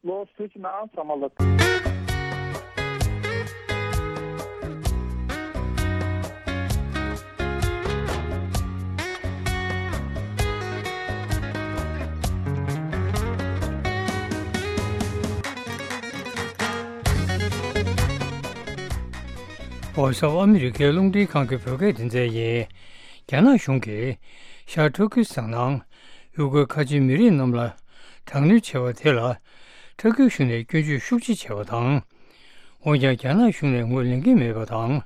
ལོ་སུ་ཅི་ན་ཨང་ཚང་མ་ལ། ཨོ་སོ་ཨ་མི་རི་ཀའི་རླུང་འཕྲིན་ཁང་གི་བོད་སྐད་སྡེ་ཚན་ཡིན། རྒྱ་ནག་གཞུང་གིས་ཤར་ཏུར་ཀི་སི་ཐན་ནང་ཡུ་གུར་ཁ་ཆེའི་མི་རིགས་རྣམས་ལ་དྲག་གནོན་བྱས་པ་དེ་ལ་ཏུར་ཀི་གཞུང་ནས་སྐྱོན་བརྗོད་ཤུགས་ཆེ་བྱས་པ་དང་། འོན་ཀྱང་རྒྱ་ནག་གཞུང་ནས་ངོས་ལེན་གྱི་མེད་པ་དང་།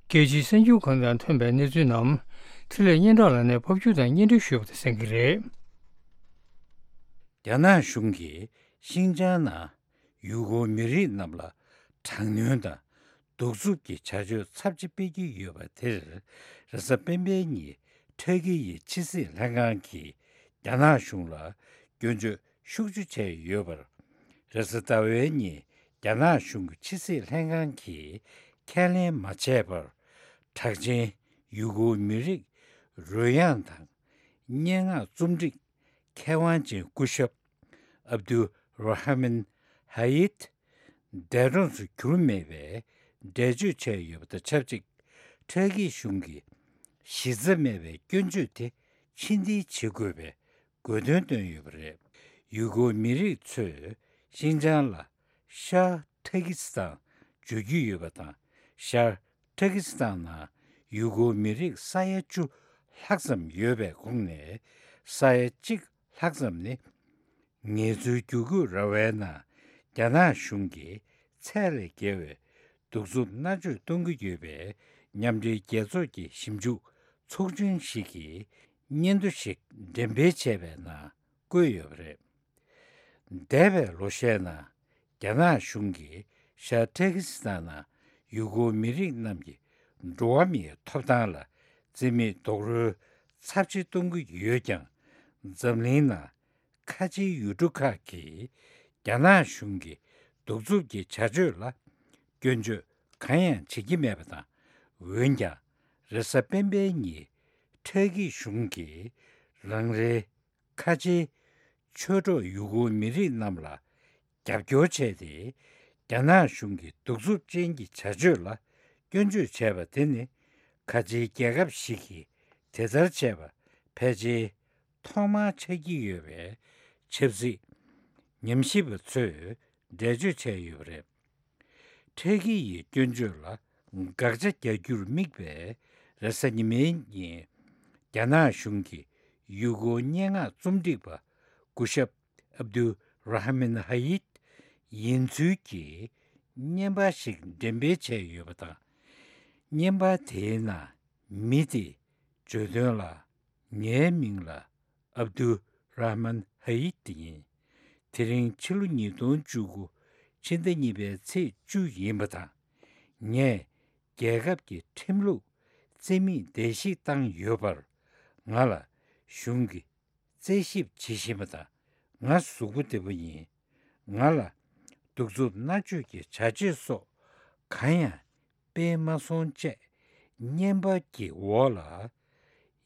རྒྱལ་སྤྱིའི་གསར་འགྱུར་ཁང་དང་ཐོན་པའི་གནས་ཚུལ་རྣམས་འཕྲིན་ལས་སྙན་གྲགས་ལགས་ནས་ཕབ་སྒྱུར་དང་སྙན་སྒྲོན་ཞུས་པ་དེ་གསན་གྱི་རེད། རྒྱ་ནག་གཞུང་གིས་ཤིན་ཅང་ནང་ཡུ་གུར་མི་རིགས་རྣམས་ལ་དྲག་གནོན་དང་གདུག་རྩུབ་ཀྱི་བྱ་སྤྱོད་ཚབས་ཆེ་སྤེལ་གྱི་ཡོད་པ་དེར། རེས་གཟའ་སྤེན་པའི་ཉིན་ཏུར་ཀི་ཡི་ཕྱི་སྲིད་ལྷན་ཁང་གིས་རྒྱ་ནག་གཞུང་ལ་སྐྱོན་བརྗོད་ཤུགས་ཆེ་བྱས་ཡོད་པར། རེས་གཟའ་ཟླ་བའི་ཉིན་རྒྱ་ནག་གཞུང་གི་ཕྱི་སྲིད་ལྷན་ཁང་གིས་ཁས་ལེན་མ་བྱས་པར། གྲགས་ཅན་ཡུ་གུར་མི་རིགས་རོལ་དབྱངས་དང་སྙན་ངག་རྩོམ་སྒྲིག་མཁས་དབང་ཅན་སྐུ་ཞབས་ཨབ་དུ་ར་ཧ་མན་ཧ་ཡིད་འདས་གྲོངས་སུ་གྱུར་མེད་པའི་འགྲེལ་བརྗོད་བྱས་ཡོད་པ་དང་ཆབས་ཅིག་ཏུར་ཀི་གཞུང་གིས་གཞི་རྩ་མེད་པའི་སྐྱོན་བརྗོད་དེ་ཕྱིར་འཐེན་བྱེད་དགོས་པའི་དགོས་འདུན་བཏོན་ཡོད་པ་རེད། ཡུ་གུར་མི་རིགས་ཚོས་ཤིན་ཅང་ལ་ཤར་ཏུར་ཀི་སི་ཐན་བརྗོད་ཀྱི་ཡོད་པ་དང་། ཤར་ཏུར་ཀི་སི་ཐན་ནང་ཡུ་གུར་མི་རིགས་ས་ཡ་བཅུ་ལྷག་ཙམ་ཡོད་པའི་ཁོངས་ནས་ས་ཡ་གཅིག་ལྷག་ཙམ་ནི་ངལ་རྩོལ་བསྒྱུར་བཀོད་ར་བའི་ནང་རྒྱ་ནག་གཞུང་གིས་ཚད་ལས་བརྒལ་བའི་གདུག་རྩུབ་མནར་གཅོད་གཏོང་གི་ཡོད་པའི་མཉམ་འབྲེལ་རྒྱལ་ཚོགས་ཀྱི་ཞིབ་འཇུག་ཚོགས་ཆུང་ཞིག་གིས་སྙན་ཐོ་ཞིག་འགྲེམས་སྤེལ་བྱས་པའི་ནང་བཀོད་ཡོད་པ་རེད། འདས་པའི་ལོ་ཤས་ནང་རྒྱ་ནག་གཞུང་གིས་ཤར་ཏུར་ཀི་སི་ཐན་ནང་ཡུ་གུར་མི་རིགས་རྣམས་ཀྱི་འགྲོ་བ་མིའི་ཐོབ་ཐང་ལ་བརྩི་མེད་རྡོག་རོལ་ཚབས་ཆེ་གཏོང་གི་ཡོད་ཀྱང་། འཛམ་གླིང་ནང་ཁ་ཆེའི་ཡུལ་གྲུ་ཁག་གིས་རྒྱ་ནག་གཞུང་གི་གདུག་རྩུབ་ཀྱི་བྱ་སྤྱོད་ལ་སྐྱོན་བརྗོད་གང་ཡང་བྱེད་ཀྱི་མེད་པ་དང་། འོན་ཀྱང་རེས་གཟའ་སྤེན་པའི་ཉིན་ཏུར་ཀི་གཞུང་གིས་རང་རེའི་ཁ་ཆེའི་ཆོས་གྲོགས་ཡུ་གུར་མི་རིགས་རྣམས་ལ་རྒྱབ་སྐྱོར་བྱས་ཏེ། རྒྱ་ནག་གཞུང་གི་གདུག་རྩུབ་ཅན་གྱི་བྱ་སྤྱོད་ལ་སྐྱོན་བརྗོད་བྱས་པ་དེ་ནི། ཁ་ཆེའི་རྒྱལ་ཁབ་ཞིག་གིས་དེ་ལྟར་བྱས་པ་ཕལ་ཆེར་ཐོག་མར་ཆགས་ཀྱི་ཡོད་པའི་ཆབ་སྲིད་ཉམས་ཞིབ་པ་ཚོས་འགྲེལ་བརྗོད་བྱས་ཡོད་པ་རེད། ཏུར་ཀི་ཡི་སྐྱོན་བརྗོད་ལ་དགག་བྱ་རྒྱག་རྒྱུར་དམིགས་པའི་རེས་གཟའ་ཉི་མའི་ཉིན། རྒྱ་ནག་གཞུང་གི་ཡུ་གུར་སྙན་ངག་རྩོམ་སྒྲིག་པ་སྐུ་ཞབས་ཨབ་དུ་ར་ཧ་མན་ཧ་ཡིད་ཡིན་ཚུལ་གྱི་བརྙན་པར་ཞིག་འགྲེམས་སྤེལ་བྱས་ཡོད་པ་དང་། བརྙན་པར་དེའི་ནང་མི་དེས་བརྗོད་དོན་ལ། ངའི་མིང་ལ་ཨབ་དུ་ར་ཧ་མན་ཧ་ཡིད་ཡིན། དེ་རིང་ཕྱི་ལོ་ཉིས་སྟོང་བཅུ་དགུ་ཕྱི་ཟླ་གཉིས་པའི་ཚེས་བཅུ་ཡིན་པ་དང་། ངས་རྒྱལ་ཁབ་ཀྱི་ཁྲིམས་ལུགས་རྩིས་མེད་བརྡལ་བཤིག་བཏང་ཡོད་པར། ང་ལ་གཞུང་གིས་རྩད་ཞིབ་བྱེད་བཞིན་པ་དང་། ང་གཟུགས་པོ་བདེ་པོ་ཡིན། ང་ལ་གདུག་རྩུབ་མནར་གཅོད་ཀྱི་བྱ་སྤྱོད་སོགས་གང་ཡང་སྤེལ་མ་སོང་ཅེས་བརྙན་པར་གྱི་འོག་ལ་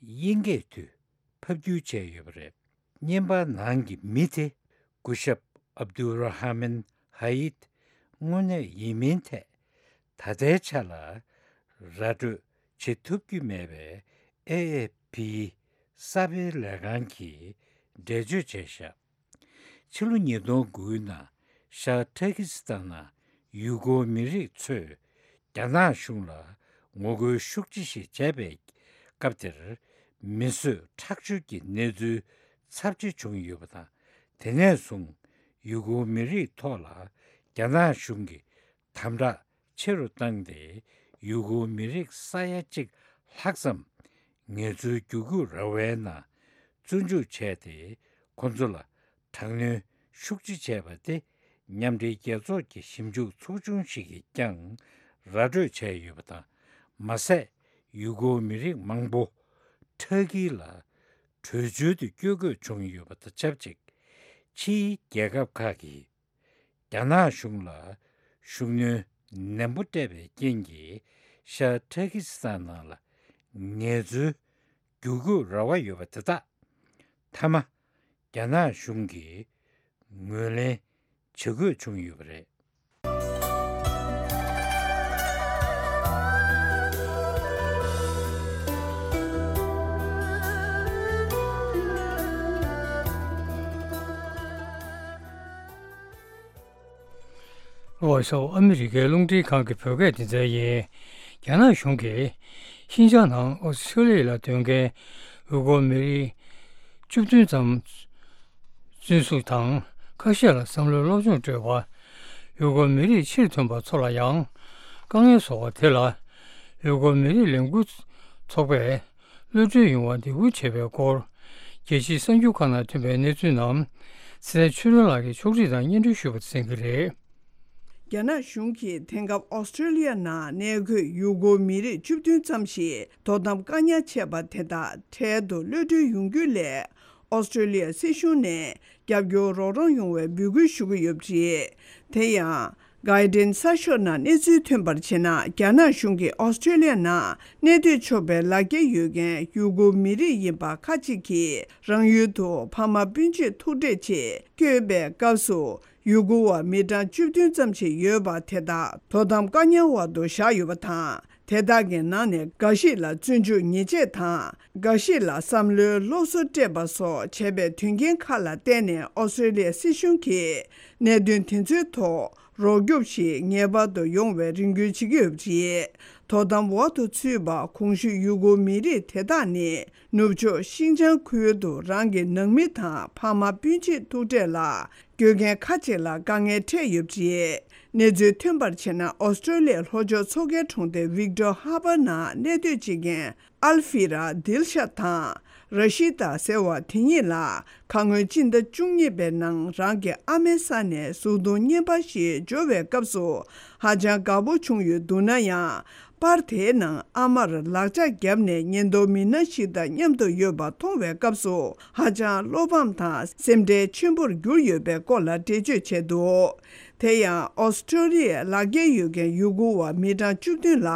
དབྱིན་སྐད་དུ་ཕབ་བསྒྱུར་བྱས་ཡོད་པ་རེད། བརྙན་པར་ནང་གི་མི་དེ་སྐུ་ཞབས་ཨབ་དུ་ར་ཧ་མན་ཧ་ཡིད་དངོས་གནས་ཡིན་མིན་ཐད་ད་ལྟའི་ཆ་ལ་ར་སྤྲོད་བྱེད་ཐུབ་ཀྱི་མེད་པའི་ཨེ་ཨེ་ཕིའི་གསར་སྤེལ་ལས་ཁང་གིས་འགྲེལ་བརྗོད་བྱས་བཞག་ཕྱི་ལོ་ཉིས་སྟོང་དགུའི་ནང་ཤར་ཏུར་ཀི་སི་ཐན་ནང་ཡུ་གུར་མི་རིགས་ཚོས་རྒྱ་ནག་གཞུང་ལ་ངོ་རྒོལ་ཤུགས་ཆེ་ཞིག་བྱས་པའི་སྐབས་དེར། མི་གསོད་ཁྲག་སྦྱོར་གྱི་གནས་ཚུལ་ཚབས་ཆེ་བྱུང་ཡོད་པ་དང་། དེ་ནས་བཟུང་ཡུ་གུར་མི་རིགས་ཐོག་ལ་རྒྱ་ནག་གཞུང་གིས་དམ་དྲག་ཆེ་རུ་བཏང་སྟེ། ཡུ་གུར་མི་རིགས་ས་ཡ་གཅིག་ལྷག་ཙམ་ངལ་རྩོལ་བསྒྱུར་བཀོད་ར་བའི་ནང་བཙོན་འཇུག་བྱས་ཏེ། ཁོ་ཚོ་ལ་དྲག་གནོན་ཤུགས་ཆེ་བྱས་པ་དེ་མཉམ་འབྲེལ་རྒྱལ་ཚོགས་ཀྱི་ཞིབ་འཇུག་ཚོགས་ཆུང་ཞིག་གིས་ཀྱང་ར་སྤྲོད་བྱས་ཡོད་པ་དང་། མ་ཟད་ཡུ་གུར་མི་རིགས་མང་པོ་ཏུར་ཀི་ལ་བྲོས་བྱོལ་དུ་བསྐྱོད་དགོས་བྱུང་ཡོད་པ་དང་ཆབས་ཅིག་ཕྱིའི་རྒྱལ་ཁབ་ཁག་གིས་རྒྱ་ནག་གཞུང་ལ་ཤུགས་སྣོན་ནན་པོ་སྤྲད་པའི་རྐྱེན་གྱིས། ཤར་ཏུར་ཀི་སི་ཐན་ནང་ལ་ངལ་རྩོལ་བསྒྱུར་བཀོད་ར་བ་ཡོད་པ་དེ་དག་མཐའ་མ་རྒྱ་ནག་གཞུང་གིས་ངོས་ལེན་ ཇུས་འགོད་བྱུང་ཡོད་པ་རེད། ཝོ་ཤོ་ཨ་མི་རི་ཀའི་རླུང་འཕྲིན་ཁང་གི་བོད་སྐད་སྡེ་ཚན་ཡིན། རྒྱ་ནག་གཞུང་གིས་ཤིན་ཅང་ནང་ཨོ་སི་ཁྲུ་ལི་ཡ་ལ་སྡོད་མཁན་ཡུ་གུར་མི་རིགས་བཅུ་བདུན་ཙམ་འཛིན་བཟུང་དང་ཁ་ཤས་ལ་བསམ་བློའི་སློབ་སྦྱོང་སྤྲོད་པ། ཡུ་གུར་མི་རིགས་ཕྱིར་ཐོན་པ་ཚོ་ལ་ཡང་དཀའ་ངལ་བཟོ་བ་དེ་ལ་ཡུ་གུར་མི་རིགས་ལས་འགུལ་ཚོགས་པས་གློད་གྲོལ་ཡོང་བར་འདེད་སྐུལ་བྱས་པའི་སྐོར། རྒྱལ་སྤྱིའི་གསར་འགྱུར་ཁག་ནང་ཐོན་པའི་གནས་ཚུལ་རྣམས་ཚེ་བརྟན་ཆོས་སྒྲོན་ལགས་ཀྱིས་ཕྱོགས་སྒྲིག་དང་སྙན་སྒྲོན་ཞུས་པ་གསན་གྱི་རེད། རྒྱ་ནག་གཞུང་གིས་དེང་སྐབས་ཨོ་སི་ཁྲུ་ལི་ཡ་ནང་གནས་འཁོད་ཡུ་གུར་མི་རིགས་བཅུ་བདུན་ཙམ་ཞིག་དོ་དམ་བཀག་ཉར་བྱས་པ་དེ་དག་འཕྲལ་དུ་གློད་གྲོལ་ཡོང་རྒྱུ་སླད། ཨོ་སི་ཁྲུ་ལི་ཡ་སྲིད་གཞུང་ནས་རྒྱབ་སྐྱོར་རོགས་རམ་ཡོང་བའི་འབོད་སྐུལ་ཞུ་གི་ཡོད་པ་རེད། དེ་ཡང་། Guardian་གསར་ཤོག་ནང་གནས་ཚུལ་ཐོན་པར་བྱས་ན། རྒྱ་ནག་གཞུང་གིས་ཨོ་སི་ཁྲུ་ལི་ཡ་ནང་གནས་སྡོད་ཆོག་པའི་ལག་འཁྱེར་ཡོད་མཁན་ཡུ་གུར་མི་རིགས་ཡིན་པ་ཁ་ཅིག་གིས་རང་ཡུལ་དུ་ཕ་མ་སྤུན་མཆེད་ཐུག་འཕྲད་ཆེད་བསྐྱོད་པའི་སྐབས་སུ། ཡུ་གུར་བ་མི་གྲངས་བཅུ་བདུན་ཙམ་ཞིག་ཡོད་པ་དེ་དག་དོ་དམ་བཀག་ཉར་འོག་ཏུ་བཞག་ཡོད་པ་དང་། དེ་དག་གི་ནང་ནས་འགའ་ཞིག་ལ་བཙོན་འཇུག་ཉེས་ཆད་དང་། འགའ་ཞིག་ལ་བསམ་བློའི་སློབ་གསོ་སྤྲད་པ་སོགས་བྱས་པའི་དོན་རྐྱེན་ཁག་ལ་བརྟེན་ནས། ཨོ་སི་ཁྲུ་ལི་ཡའི་སྲིད་གཞུང་གིས་གནད་དོན་དེ་ཚོའི་ཐོག་རོགས་སྐྱོབ་ཞིག་ངེས་པར་དུ་ཡོང་བའི་རེ་སྐུལ་བྱེད་ཀྱི་ཡོད་པ་རེད། དོ་དམ་འོག་ཏུ་ཚུད་པ་གོང་ཞུས་ཡུ་གུར་མི་རིགས་དེ་དག་ནི། ནུབ་ཕྱོགས་ཤིན་ཅང་ཁུལ་དུ་རང་གི་ནང་མི་དང་ཕ་མ་སྤུན་མཆེད་ཐུག་འཕྲད་ལ་སྐྱོད་མཁན་ཁ་ཅིག་ལ་དཀའ་ངལ་འཕྲད་ཡོད་པ་རེད། གནས་ཚུལ་ཐོན་པར་བྱས་ན། ཨོ་སི་ཁྲུ་ལི་ཡའི་ལྷོ་ཕྱོགས་མཚོ་ཁའི་གྲོང་རྡལ་ཝིག་ཏོར་ཧར་པར་ནང་གནས་སྡོད་བྱེད་མཁན་ཨལ་ཧྥི་ར་དིལ་ཤ་དང་ར་ཤི་ཏཱ་ཟེར་བ་དེ་གཉིས་ལ། ཁ་སྔོན་སྤྱི་ཟླ་བཅུ་གཉིས་པའི་ནང་རང་གི་ཨ་མའི་ས་ནས་གཟུགས་མཐོང་རྔན་པ་ཞིག་འབྱོར་བའི་སྐབས་སུ་ཧ་ཅང་དགའ་པོ་བྱུང་ཡོད་འདུག་ན་ཡང་། པར་དེའི་ནང་ཨ་མར་ལག་ལྕགས་བརྒྱབ་ནས་ཉེན་རྟོག་མི་སྣ་ཞིག་དང་མཉམ་དུ་ཡོད་པ་མཐོང་བའི་སྐབས་སུ་ཧ་ཅང་བློ་ཕམ་དང་སེམས་ཁྲལ་ཆེན་པོར་གྱུར་ཡོད་པའི་སྐོར་ལ་འགྲེལ་བརྗོད་བྱས་འདུག་དེ་ཡང་ཨོ་སི་ཁྲུ་ལི་ཡའི་ལག་འཁྱེར་ཡོད་མཁན་ཡུ་གུར་བ་མི་གྲངས་བཅུ་བདུན་ལ་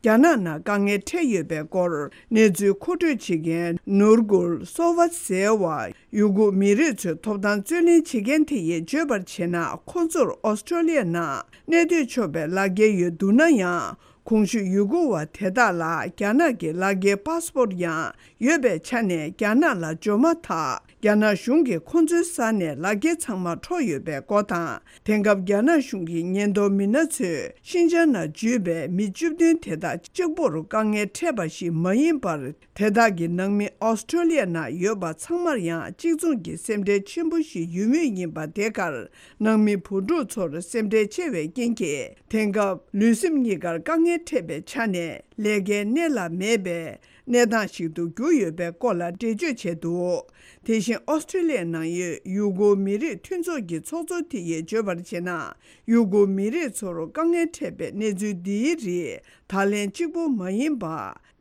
རྒྱ་ནག་ནང་དཀའ་ངལ་འཕྲད་ཡོད་པའི་སྐོར་གནས་ཚུལ་མཁོ་སྤྲོད་བྱེད་མཁན་ནུར་གུལ་སོ་ཝཱད་ཟེར་བ། ཡུ་གུར་མི་རིགས་ཚོའི་ཐོབ་ཐང་རྩོད་ལེན་བྱེད་མཁན་དེ་ཡིས་བརྗོད་པར་བྱས་ན། ཁོ་ཚོར་ཨོ་སི་ཁྲུ་ལི་ཡ་ནང་གནས་སྡོད་ཆོག་པའི་ལག་འཁྱེར་ཡོད་འདུག་ན་ཡང་། གོང་ཞུས་ཡུ་གུར་བ་དེ་དག་ལ་རྒྱ་ནག་གི་ལག་འཁྱེར་པཱ་སི་པོར་ཡང་ཡོད་པའི་ཆ་ནས། རྒྱ་ནག་ལ་འབྱོར་མ་ཐག་རྒྱ་ནག་གཞུང་གིས་ཁོ་ཚོའི་ས་ནས་ལག་འཁྱེར་ཚང་མ་འཕྲོག་ཡོད་པའི་སྐོར་དང་། དེང་སྐབས་རྒྱ་ནག་གཞུང་གི་ཉེན་རྟོག་མི་སྣ་ཚོས་ཤིན་ཅང་ནང་འཇུས་པའི་མི་བཅུ་བདུན་དེ་དག་གཅིག་པོར་དཀའ་ངལ་འཕྲད་པ་ཞིག་མ་ཡིན་པར། དེ་དག་གི་ནང་མི་ཨོ་སི་ཁྲུ་ལི་ཡ་ནང་ཡོད་པ་ཚང་མར་ཡང་གཅིག་མཚུངས་ཀྱི་སེམས་ཁྲལ་ཆེན་པོ་ཞིག་ཡོད་མུས་ཡིན་པ། དེ་གར་ནང་མི་བུ་ཕྲུག་ཚོར་སེམས་ཁྲལ་ཆེ་བའི་རྐྱེན་གྱིས། དེང་སྐབས་ལུས་སེམས་གཉིས་ཀར་དཀའ་ངལ་འཕྲད་པའི་ཆ་ནས་ལས་ཀའི་གནས་ལ་མེད་པའི་གནས་སྟངས་ཤིག་ཏུ་གྱུར་ཡོད་པའི་སྐོར་ལ་འགྲེལ་བརྗོད་བྱས་འདུག་དེ་བཞིན་ཨོ་སི་ཁྲུ་ལི་ཡའི་ནང་ཡོད་ཡུ་གུར་མི་རིགས་མཐུན་ཚོགས་ཀྱི་ཚོགས་གཙོ་དེ་ཡིས་བརྗོད་པར་བྱས་ན། ཡུ་གུར་མི་རིགས་ཚོར་དཀའ་ངལ་འཕྲད་པའི་གནས་ཚུལ་འདིའི་རིགས་ད་ལན་གཅིག་པུ་མ་ཡིན་པ།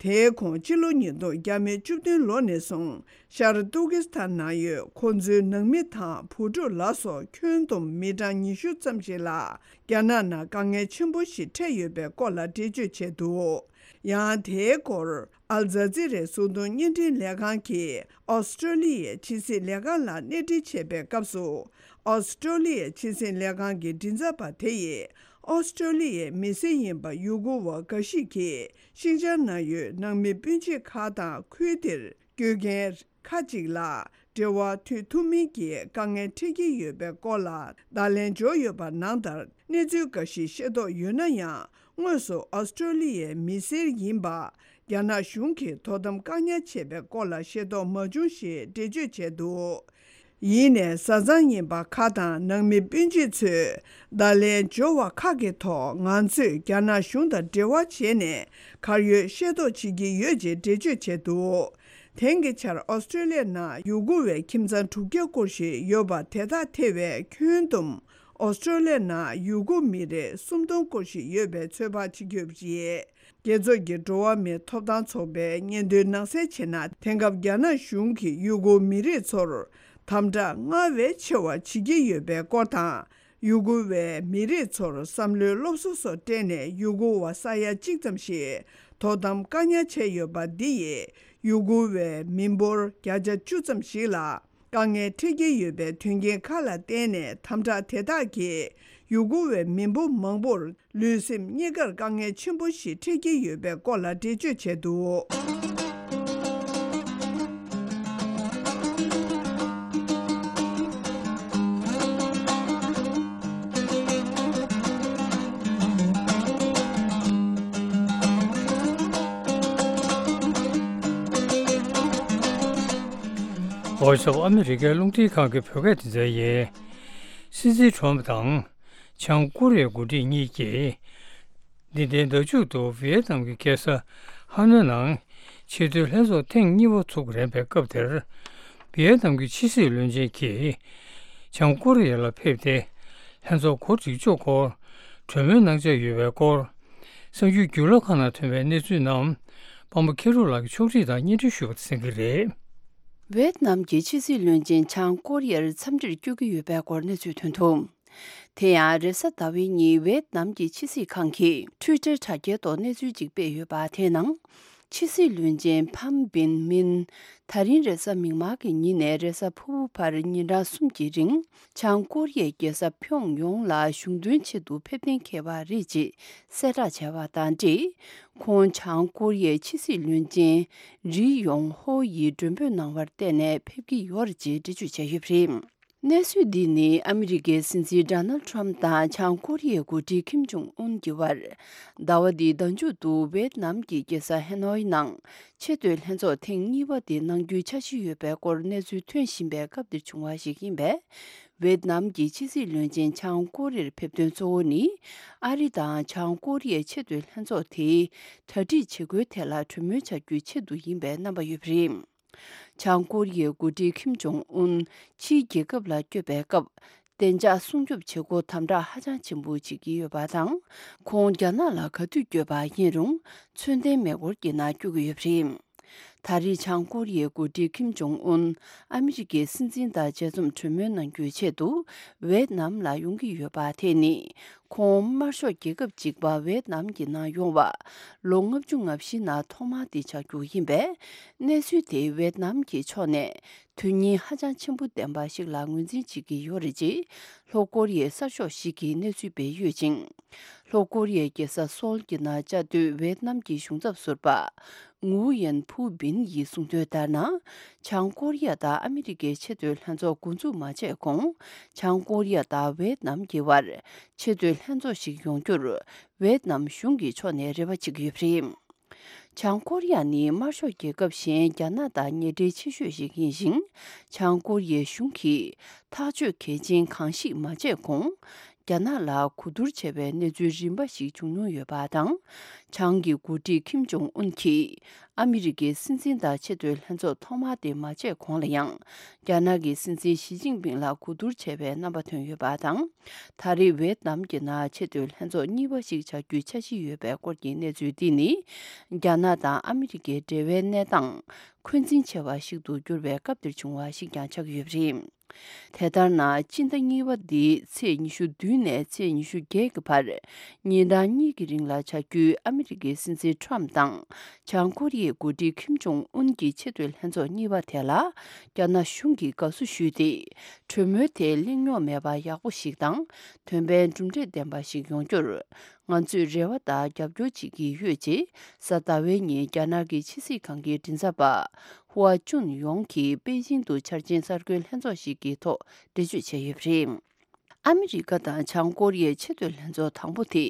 དེའི་གོང་སྤྱི་ལོ་ཉིས་སྟོང་བརྒྱ་མེད་བཅུ་བདུན་ལོ་ནས་བཟུང་ཤར་ཏུར་ཀི་སི་ཐན་ནང་ཡོད་ཁོ་ཚོའི་ནང་མི་དང་བུ་ཕྲུག་ལ་སོགས་ཁྱོན་བསྡོམས་མི་གྲངས་ཉི་ཤུ་ཙམ་ཞིག་ལ་རྒྱ་ནག་ནང་དཀའ་ངལ་ཆེན་པོ་ཞིག་འཕྲད་ཡོད་པའི་སྐོར་ལ་འགྲེལ་བརྗོད་བྱས་འདུག་ཡང་དེའི་སྐོར་ཨལ་ཛ་ཛི་རའི་གཟུགས་མཐོང་བརྙན་འཕྲིན་ལས་ཁང་གིས་ཨོ་སི་ཀྲོ་ལི་ཡའི་ཕྱི་སྲིད་ལས་ཁང་ལ་གནས་འདྲི་བྱས་པའི་སྐབས་སུ། ཨོ་སི་ཀྲོ་ལི་ཡའི་ཕྱི་སྲིད་ལས་ཁང་གི་མགྲིན་ཚབ་པ་དེ་ཡིས། ཨོ་སི་ཀྲོ་ལི་ཡའི་མི་སེར་ཡིན་པ་ཡུ་གུར་བ་འགའ་ཞིག་གིས་ཤིན་ཅང་ནང་ཡོད་ནང་མི་སྤུན་མཆེད་ཁག་དང་ཁུལ་དེར་སྐྱོད་མཁན་ཁག་ཅིག་ལ་འབྲེལ་བ་མཐུད་ཐུབ་མིན་གྱི་དཀའ་ངལ་འཕྲད་ཀྱི་ཡོད་པའི་སྐོར་ལ་བརྡ་ལན་འབྱོར་ཡོད་པ་ནང་ལྟར། གནས་ཚུལ་འགའ་ཞིག་ཤེས་རྟོགས་ཡོད་ན་ཡང་། དངོས་སུ་ཨོ་སི་ཀྲོ་ལི་ཡའི་མི་སེར་ཡིན་པ་རྒྱ་ནག་གཞུང་གིས་དོ་དམ་བཀག་ཉར་བྱས་པའི་སྐོར་ལ་ཤེས་རྟོགས་མ་བྱུང་ཞེས་འགྲེལ་བརྗོད་བྱས་འདུག་ཡིན་ནའི་བཟའ་ཚང་ཡིན་པ་ཁག་དང་ནང་མི་སྤུན་མཆེད་ཚོས་བརྡ་ལན་འབྱོར་བ་ཁག་གི་ཐོག་ང་ཚོས་རྒྱ་ནག་གཞུང་དང་འབྲེལ་བ་བྱས་ནས་གར་ཡོད་ཤེས་རྟོགས་བྱེད་ཀྱི་ཡོད་ཅེས་འགྲེལ་བརྗོད་བྱས་འདུག་དེང་གི་ཆར་ཨོ་སི་ཀྲོ་ལི་ཡ་ནང་ཡུ་གུར་བའི་ཁྱིམ་ཚང་དྲུག་བརྒྱ་སྐོར་ཞིག་ཡོད་པ་དེ་དག་ཐེ་བའི་ཁྱོན་བསྡོམས་ཨོ་སི་ཀྲོ་ལི་ཡ་ནང་ཡུ་གུར་མི་རེ་སུམ་སྟོང་སྐོར་ཞིག་ཡོད་པའི་ཚོད་དཔག་བྱེད་ཀྱི་ཡོད་པ་རེད། རྒྱལ་ཚོགས་ཀྱི་འགྲོ་བ་མིའི་ཐོབ་ཐང་ཚོགས་པའི་སྙན་ཐོའི་ནང་གསལ་བྱས་ན། དེང་སྐབས་རྒྱ་ནག་གཞུང་གིས་ཡུ་གུར་མི་རིགས་ཚོར་དམ་དྲག་སྔར་བས་ཆེ་བ་བྱེད་ཀྱི་ཡོད་པའི་སྐོར་དང་། ཡུ་གུར་བའི་མི་རིགས་ཚོར་བསམ་བློའི་སློབ་གསོ་སོགས་སྤྲད་ནས་ཡུ་གུར་བ་ས་ཡ་གཅིག་ཙམ་ཞིག་དོ་དམ་བཀག་ཉར་བྱས་ཡོད་པ་འདི་ཡིས་ཡུ་གུར་བའི་མི་འབོར་བརྒྱ་ཆ་བཅུ་ཙམ་ཞིག་ལ། དཀའ་ངལ་འཕྲད་ཀྱི་ཡོད་པའི་དོན་རྐྱེན་ཁག་ལ་བརྟེན་ནས་དམ་དྲག་དེ་དག་གིས་ཡུ་གུར་བའི་མི་འབོར་མང་པོར་ལུས་སེམས་གཉིས་ཀར་དཀའ་ངལ་ཆེན་པོ་ཞིག་འཕྲད་ཀྱི་ཡོད་པའི་སྐོར་ལ་འགྲེལ་བརྗོད་བྱས་འདུག། ཝོ་ཡི་སི་ཨོཕ་ཨ་མི་རི་ཀའི་རླུང་འཕྲིན་ཁང་གི་བོད་སྐད་སྡེ་ཚན་ཡིན། སྲིད་འཛིན་ཁྲོམ་དང་བྱང་ཀོ་རི་ཡའི་འགོ་ཁྲིད་གཉིས་ཀྱིས། འདི་ཟླའི་ཟླ་མཇུག་ཏུ་ཝི་ཡེད་ནམ་གྱི་རྒྱལ་ས་ཧ་ནོའི་ནང་ཆེས་མཐོའི་ལྷན་ཚོགས་ཐེངས་གཉིས་པ་ཚུགས་རན་པའི་སྐབས་དེར། ཝི་ཡེད་ནམ་གྱི་ཕྱི་སྲིད་བློན་ཆེན་གྱིས་བྱང་ཀོ་རི་ཡ་ལ་ཕེབས་ཏེ། ལྷན་ཚོགས་གོ་སྒྲིག་ཕྱོགས་སྐོར་གྲོས་མོལ་གནང་འཆར་ཡོད་པའི་སྐོར། གསར་འགྱུར་བརྒྱུད་ལམ་ཁག་ནང་ཐོན་པའི་གནས་ཚུལ་རྣམས་པང་པོ་མཁས་གྲུབ་ལགས་ཀྱིས་ཕྱོགས་སྒྲིག་དང་སྙན་སྒྲོན་ཞུས་པ་དང་གསན་གྱི་རེད། ཝེད་ནམ་གྱི་ཕྱི་སྲིད་བློན་ཆེན་བྱང་ཀོ་རི་ཡར་འཚམས་འདྲིར་བསྐྱོད་ཀྱི་ཡོད་པའི་སྐོར་གནས་ཚུལ་ཐོན་འདུག། དེ་ཡང་རེས་གཟའ་ཟླ་བའི་ཉིན་ཝེད་ནམ་གྱི་ཕྱི་སྲིད་ཁང་གིས་ཊུའི་ཊར་དྲ་རྒྱའི་ཐོག་གནས་ཚུལ་ཅིག་སྤེལ་ཡོད་པ་དེའི་ནང་། ཕྱི་སྲིད་བློན་ཆེན་ཕམ་བིན་མིན། ད་རིང་རེས་གཟའ་མིག་དམར་གྱི་ཉིན་ནས་རེས་གཟའ་ཕུར་བུ་བར་ཉིན་གྲངས་གསུམ་གྱི་རིང་། བྱང་ཀོ་རི་ཡའི་རྒྱལ་ས་ཕྱོགས་ཡོངས་ལ་གཞུང་དོན་ཆེད་དུ་ཕེབས་གཏན་འཁེལ་བ་རེད་ཅེས་གསལ་བསྒྲགས་བྱས་པ་དང་འབྲེལ། ཁོང་བྱང་ཀོ་རི་ཡའི་ཕྱི་སྲིད་བློན་ཆེན་རི་ཡོང་ཧོ་ཡིས་མགྲོན་འབོད་གནང་བར་བརྟེན་ནས་ཕེབས་ཀྱི་ཡོད་རེད་ཅེས་འགྲེལ་བརྗོད་བྱས་ཡོད་པ་རེད། གནས་ཚུལ་འདི་ནི་ཨ་མི་རི་ཀའི་སྲིད་འཛིན་ཌོ་ནལ་ཊམ་དང་བྱང་ཀོ་རི་ཡའི་འགོ་ཁྲིད་ཁིམ་ཇོང་ཨུན་གྱི་དབར། ཟླ་བ་འདིའི་ཟླ་མཇུག་ཏུ་ཝེད་ནམ་གྱི་རྒྱལ་ས་ཧེ་ནོའི་ནང་ཆེས་མཐོའི་ལྷན་ཚོགས་ཐེངས་གཉིས་པ་དེ་གནང་རྒྱུའི་འཆར་གཞི་ཡོད་པའི་སྐོར་གནས་ཚུལ་ཐོན་བཞིན་པའི་སྐབས་འདིར་བྱུང་བ་ཞིག་ཡིན་པས། ཝེད་ནམ་གྱི་ཕྱི་སྲིད་བློན་ཆེན་བྱང་ཀོ་རི་ཡར་ཕེབས་དོན་གཙོ་བོ་ནི། ཨ་རི་དང་བྱང་ཀོ་རི་ཡའི་ཆེས་མཐོའི་ལྷན་ཚོགས་དེའི་གྲ་སྒྲིག་བྱེད་སྒོའི་ཐད་ལ་གྲོས་མོལ་བྱ་རྒྱུའི་ཆེད་དུ་ཡིན་པའི་རྣམ་པ་ཡོད་པ་རེད། བྱང་ཀོ་རི་ཡའི་འགོ་ཁྲིད་ཁིམ་ཇོང་ཨུན་ཕྱིའི་རྒྱལ་ཁབ་ལ་བསྐྱོད་པའི་སྐབས། བདེ་འཇགས་སྲུང་སྐྱོབ་བྱེད་སྒོ་དམ་དྲག་ཧ་ཅང་ཆེན་པོ་བྱེད་ཀྱི་ཡོད་པ་དང་། ཁོང་རྒྱ་ནག་ལ་ག་དུས་བསྐྱོད་པ་ཡིན་རུང་། མཚོན་ལྡན་མེ་འཁོར་གྱི་ནང་བསྐྱོད་ཀྱི་ཡོད་པ་རེད། ད་རེས་བྱང་ཀོ་རི་ཡའི་འགོ་ཁྲིད་ཁིམ་ཇོང་ཨུན་ཨ་མི་རི་ཀའི་སྲིད་འཛིན་དང་མཇལ་འཛོམས་གྲོས་མོལ་གནང་རྒྱུའི་ཆེད་དུ་ཝེད་ནམ་ལ་ཡོང་གི་ཡོད་པ་དེ་ནི། ཁོང་དམར་ཤོག་རྒྱལ་ཁབ་གཅིག་པ་ཝེད་ནམ་གྱི་ནང་ཡོང་བ་ལོ་ལྔ་བཅུ་ང་བཞི་ནང་ཐོག་མ་དེ་ཆགས་རྒྱུ་ཡིན་པས། གནས་ཚུལ་དེ་ཝེད་ནམ་གྱི་ཕྱོགས་ནས་དོན་སྙིང་ཧ་ཅང་ཆེན་པོ་ལྡན་པ་ཞིག་ལ་ངོས་འཛིན་བྱེད་ཀྱི་ཡོད་རེད་ཅེས་ལྷོ་ཀོ་རི་ཡའི་གསར་ཤོག་ཞིག་གིས་གནས་ཚུལ་སྤེལ་ཡོད་ཅིང་། ལྷོ་ཀོ་རི་ཡའི་རྒྱལ་ས་སོལ་གྱི་ནང་བཅའ་སྡོད་ཝེད་ནམ་གྱི་གཞུང་ཚབ་ཟུར་པ་ངུའུ་ཡན་ཕུའུ་བིན་ཡིས་གསུངས་དོན་ལྟར་ན། བྱང་ཀོ་རི་ཡ་དང་ཨ་མི་རི་ཀའི་ཆེས་མཐོའི་ལྷན་ཚོགས་འགོ་འཛུགས་མ་བྱས་གོང་། བྱང་ཀོ་རི་ཡ་དང་ཝེད་ནམ་གྱི་དབར་ཆེས་མཐོའི་ལྷན་ཚོགས་ཤིག་ཡོང་རྒྱུར་ཝེད་ནམ་གཞུང་གི་ཕྱོགས་ནས་རེ་བ་བྱེད་ཀྱི་ཡོད་པ་རེད། བྱང་ཀོ་རི་ཡ་ནི་དམར་ཤོག་རྒྱལ་ཁབ་གཞན་རྒྱ་ནག་དང་ཉེ་འབྲེལ་ཆེ་ཤོས་ཤིག་ཡིན་ཞིང་། བྱང་ཀོ་རི་ཡའི་གཞུང་གིས་ཐག་གཅོད་གལ་ཆེན་གང་ཞིག་མ་བྱས་གོང་། རྒྱ་ནག་ལ་གོ་བསྡུར་བྱས་པའི་གནས་ཚུལ་རིམ་པ་ཞིག་བྱུང་མྱོང་ཡོད་པ་དང་། བྱང་གི་འགོ་ཁྲིད་ཁིམ་ཇོང་ཨུན་གྱིས་ཨ་མི་རི་ཀའི་སྲིད་འཛིན་དང་ཆེས་མཐོའི་ལྷན་ཚོགས་ཐོག་མ་དེ་མ་བྱས་གོང་ལ་ཡང་། རྒྱ་ནག་གི་སྲིད་འཛིན་ཞི་ཅིན་ཕིང་ལ་གོ་བསྡུར་བྱས་པའི་རྣམ་པ་ཐོན་ཡོད་པ་དང་། ད་རེས་ཝེད་ནམ་གྱི་ནང་ཆེས་མཐོའི་ལྷན་ཚོགས་གཉིས་པ་ཞིག་བྱ་རྒྱུའི་འཆར་གཞི་ཡོད་པའི་སྐོར་གྱི་གནས་ཚུལ་འདི་ནི། རྒྱ་ནག་དང་ཨ་མི་རི་ཀའི་འབྲེལ་བའི་གནས་སྟངས་འཁོན་འཛིན་ཆེ་བ་ཞིག་ཏུ་གྱུར་བའི་སྐབས་འདིར་བྱུང་བ་ཞིག་ཀྱང་ཆགས་ཀྱི་ཡོད་པ་རེད། དེ་ལྟར་ན། སྤྱི་ཟླ་གཉིས་པ་འདིའི་ཚེས་ཉི་ཤུ་བདུན་ནས་ཚེས་ཉི་ཤུ་བརྒྱད་ཀྱི་བར། ཉིན་གྲངས་གཉིས་ཀྱི་རིང་ལ་བྱ་རྒྱུའི་ཨ་མི་རི་ཀའི་སྲིད་འཛིན་ཁྲོམ་དང་། བྱང་ཀོ་རི་ཡའི་འགོ་ཁྲིད་ཁིམ་ཇོང་ཨུན་གྱི་ཆེས་མཐོའི་ལྷན་ཚོགས་གཉིས་པ་དེ་ལ། རྒྱ་ནག་གཞུང་གིས་དགའ་བསུ་ཞུས་ཏེ། གྲོས་མོལ་དེ་གླེང་རྙོག་མེད་པ་ཡག་པོ་ཞིག་དང་། དོན་ཕན་གྲུབ་འབྲས་ལྡན་པ་ཞིག་ཡོང་རྒྱུར། ང་ཚོས་རེ་བ་དང་རྒྱབ་སྐྱོར་བྱེད་ཀྱི་ཡོད་ཅེས། གཟའ་ཟླ་བའི་ཉིན་རྒྱ་ནག་གི་ཕྱི་སྲིད་ཁང་གི་མགྲིན་ཚབ་པ། ཧུའ་ཅུན་ཡོང་གིས་པེ་ཅིང་དུ་འཆར་ཅན་གསར་འགོད་ལྷན་ཚོགས་ཤིག་གི་ཐོག་འགྲེལ་བརྗོད་བྱས་ཡོད་པ་རེད། ཨ་མི་རི་ཀ་དང་བྱང་ཀོ་རི་ཡའི་ཆེས་མཐོའི་ལྷན་ཚོགས་དང་པོ་དེ།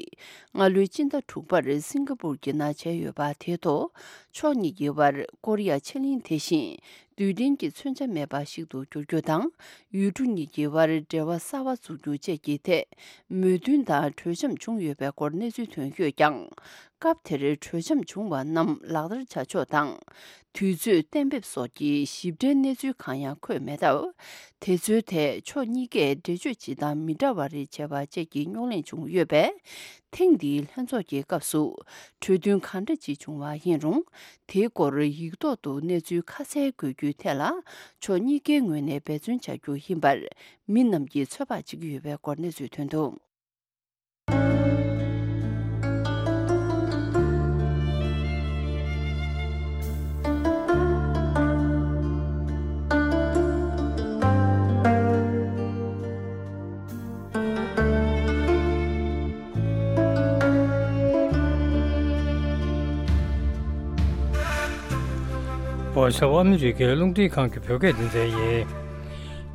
སྔ་ལོའི་སྤྱི་ཟླ་དྲུག་པར་སིང་ག་པུར་གྱི་ནང་བྱས་ཡོད་པ་དེའི་ཐོག་ཕྱོགས་གཉིས་ཀྱི་དབར་ཀོ་རི་ཡ་ཕྱེད་གླིང་དེ་བཞིན། རྡུལ་ཕྲན་གྱི་མཚོན་ཆ་མེད་པ་ཞིག་ཏུ་འགྱུར་རྒྱུ་དང་། ཡུལ་གྲུ་གཉིས་ཀྱི་དབར་འབྲེལ་བ་གསར་བ་འཛུགས་རྒྱུ་བཅས་ཀྱི་ཐད། མོས་མཐུན་དང་གྲོས་འཆམ་བྱུང་ཡོད་པའི་སྐོར་གནས་ཚུལ་ཐོན་ཡོད་ཀྱང་། སྐབས་དེར་གྲོས་འཆམ་བྱུང་བ་རྣམས་ལག་བསྟར་བྱ་ཕྱོགས་དང་། དུས་ཚོད་གཏན་འབེབས་སོགས་ཀྱི་ཞིབ་ཕྲའི་གནས་ཚུལ་གང་ཡང་འཁོད་མེད་སྟབས། དེ་ཚོའི་ཐད་ཕྱོགས་གཉིས་ཀས་འགྲེལ་བརྗོད་ཇི་ལྟར་མི་འདྲ་བ་རེ་བྱས་པ་བཅས་ཀྱི་རྙོག་གླེང་བྱུང་ཡོད་པས། ཐེངས་འདིའི་ལྷན་ཚོགས་ཀྱི་སྐབས་སུ་གྲོས་མཐུན་གང་འདྲ་ཅིག་བྱུང་བ་ཡིན་རུང་། དེའི་སྐོར་ཡིག་ཐོག་ཏུ་གནས་ཚུལ་ཁ་གསལ་དགོས་རྒྱུའི་ཐད་ལ། ཕྱོགས་གཉིས་ཀའི་ངོས་ནས་འབད་བརྩོན་བྱ་རྒྱུ་ཡིན་པར། མི་རྣམས་ཀྱིས་ཚོད་དཔག་བྱེད་ཀྱི་ཡོད་པའི་སྐོར་གནས་ཚུལ་ཐོན་འདུག། བར་ཤབ་ཨ་མི་རི་ཀའི་རླུང་འཕྲིན་ཁང་གི་བོད་སྐད་སྡེ་ཚན་ཡིན།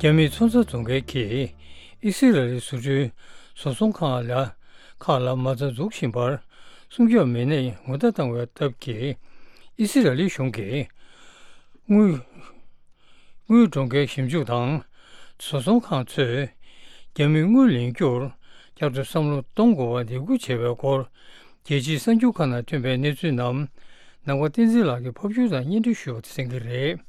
རྒྱ་མིའི་མཚོན་ས་རྫོང་ཁྱེར་གྱིས་ཨི་སི་རལ་ལི་བཟོ་སྐྲུན་བཟོ་ཚོང་ཁང་ལ་ཁག་ལ་མ་རྩ་འཛུགས་བཞིན་པར་སྲུང་སྐྱོབ་མི་སྣས་ངོ་བརྡ་བཏང་བའི་སྟབས་ཀྱིས་ཨི་སི་རལ་ལི་གཞུང་གིས་དངུལ་དངུལ་གྲོང་ཁྱེར་ཞིབ་འཇུག་དང་བཟོ་ཚོང་ཁང་ཚོས་རྒྱ་མིའི་དངུལ་ལེན་རྒྱུར་བསྐྱར་དུ་བསམ་བློ་གཏོང་དགོས་པར་འདེད་སྐུལ་བྱས་པའི་སྐོར། རྒྱལ་སྤྱིའི་གསར་འགྱུར་ཁག་ནང་ཐོན་པའི་གནས་ཚུལ་རྣམས་ནང་པ་བསྟན་འཛིན་ལགས་ཀྱིས་ཕབ་སྒྱུར་དང་སྙན་སྒྲོན་ཞུ་བ་དེ་གསན་གྱི་རེད།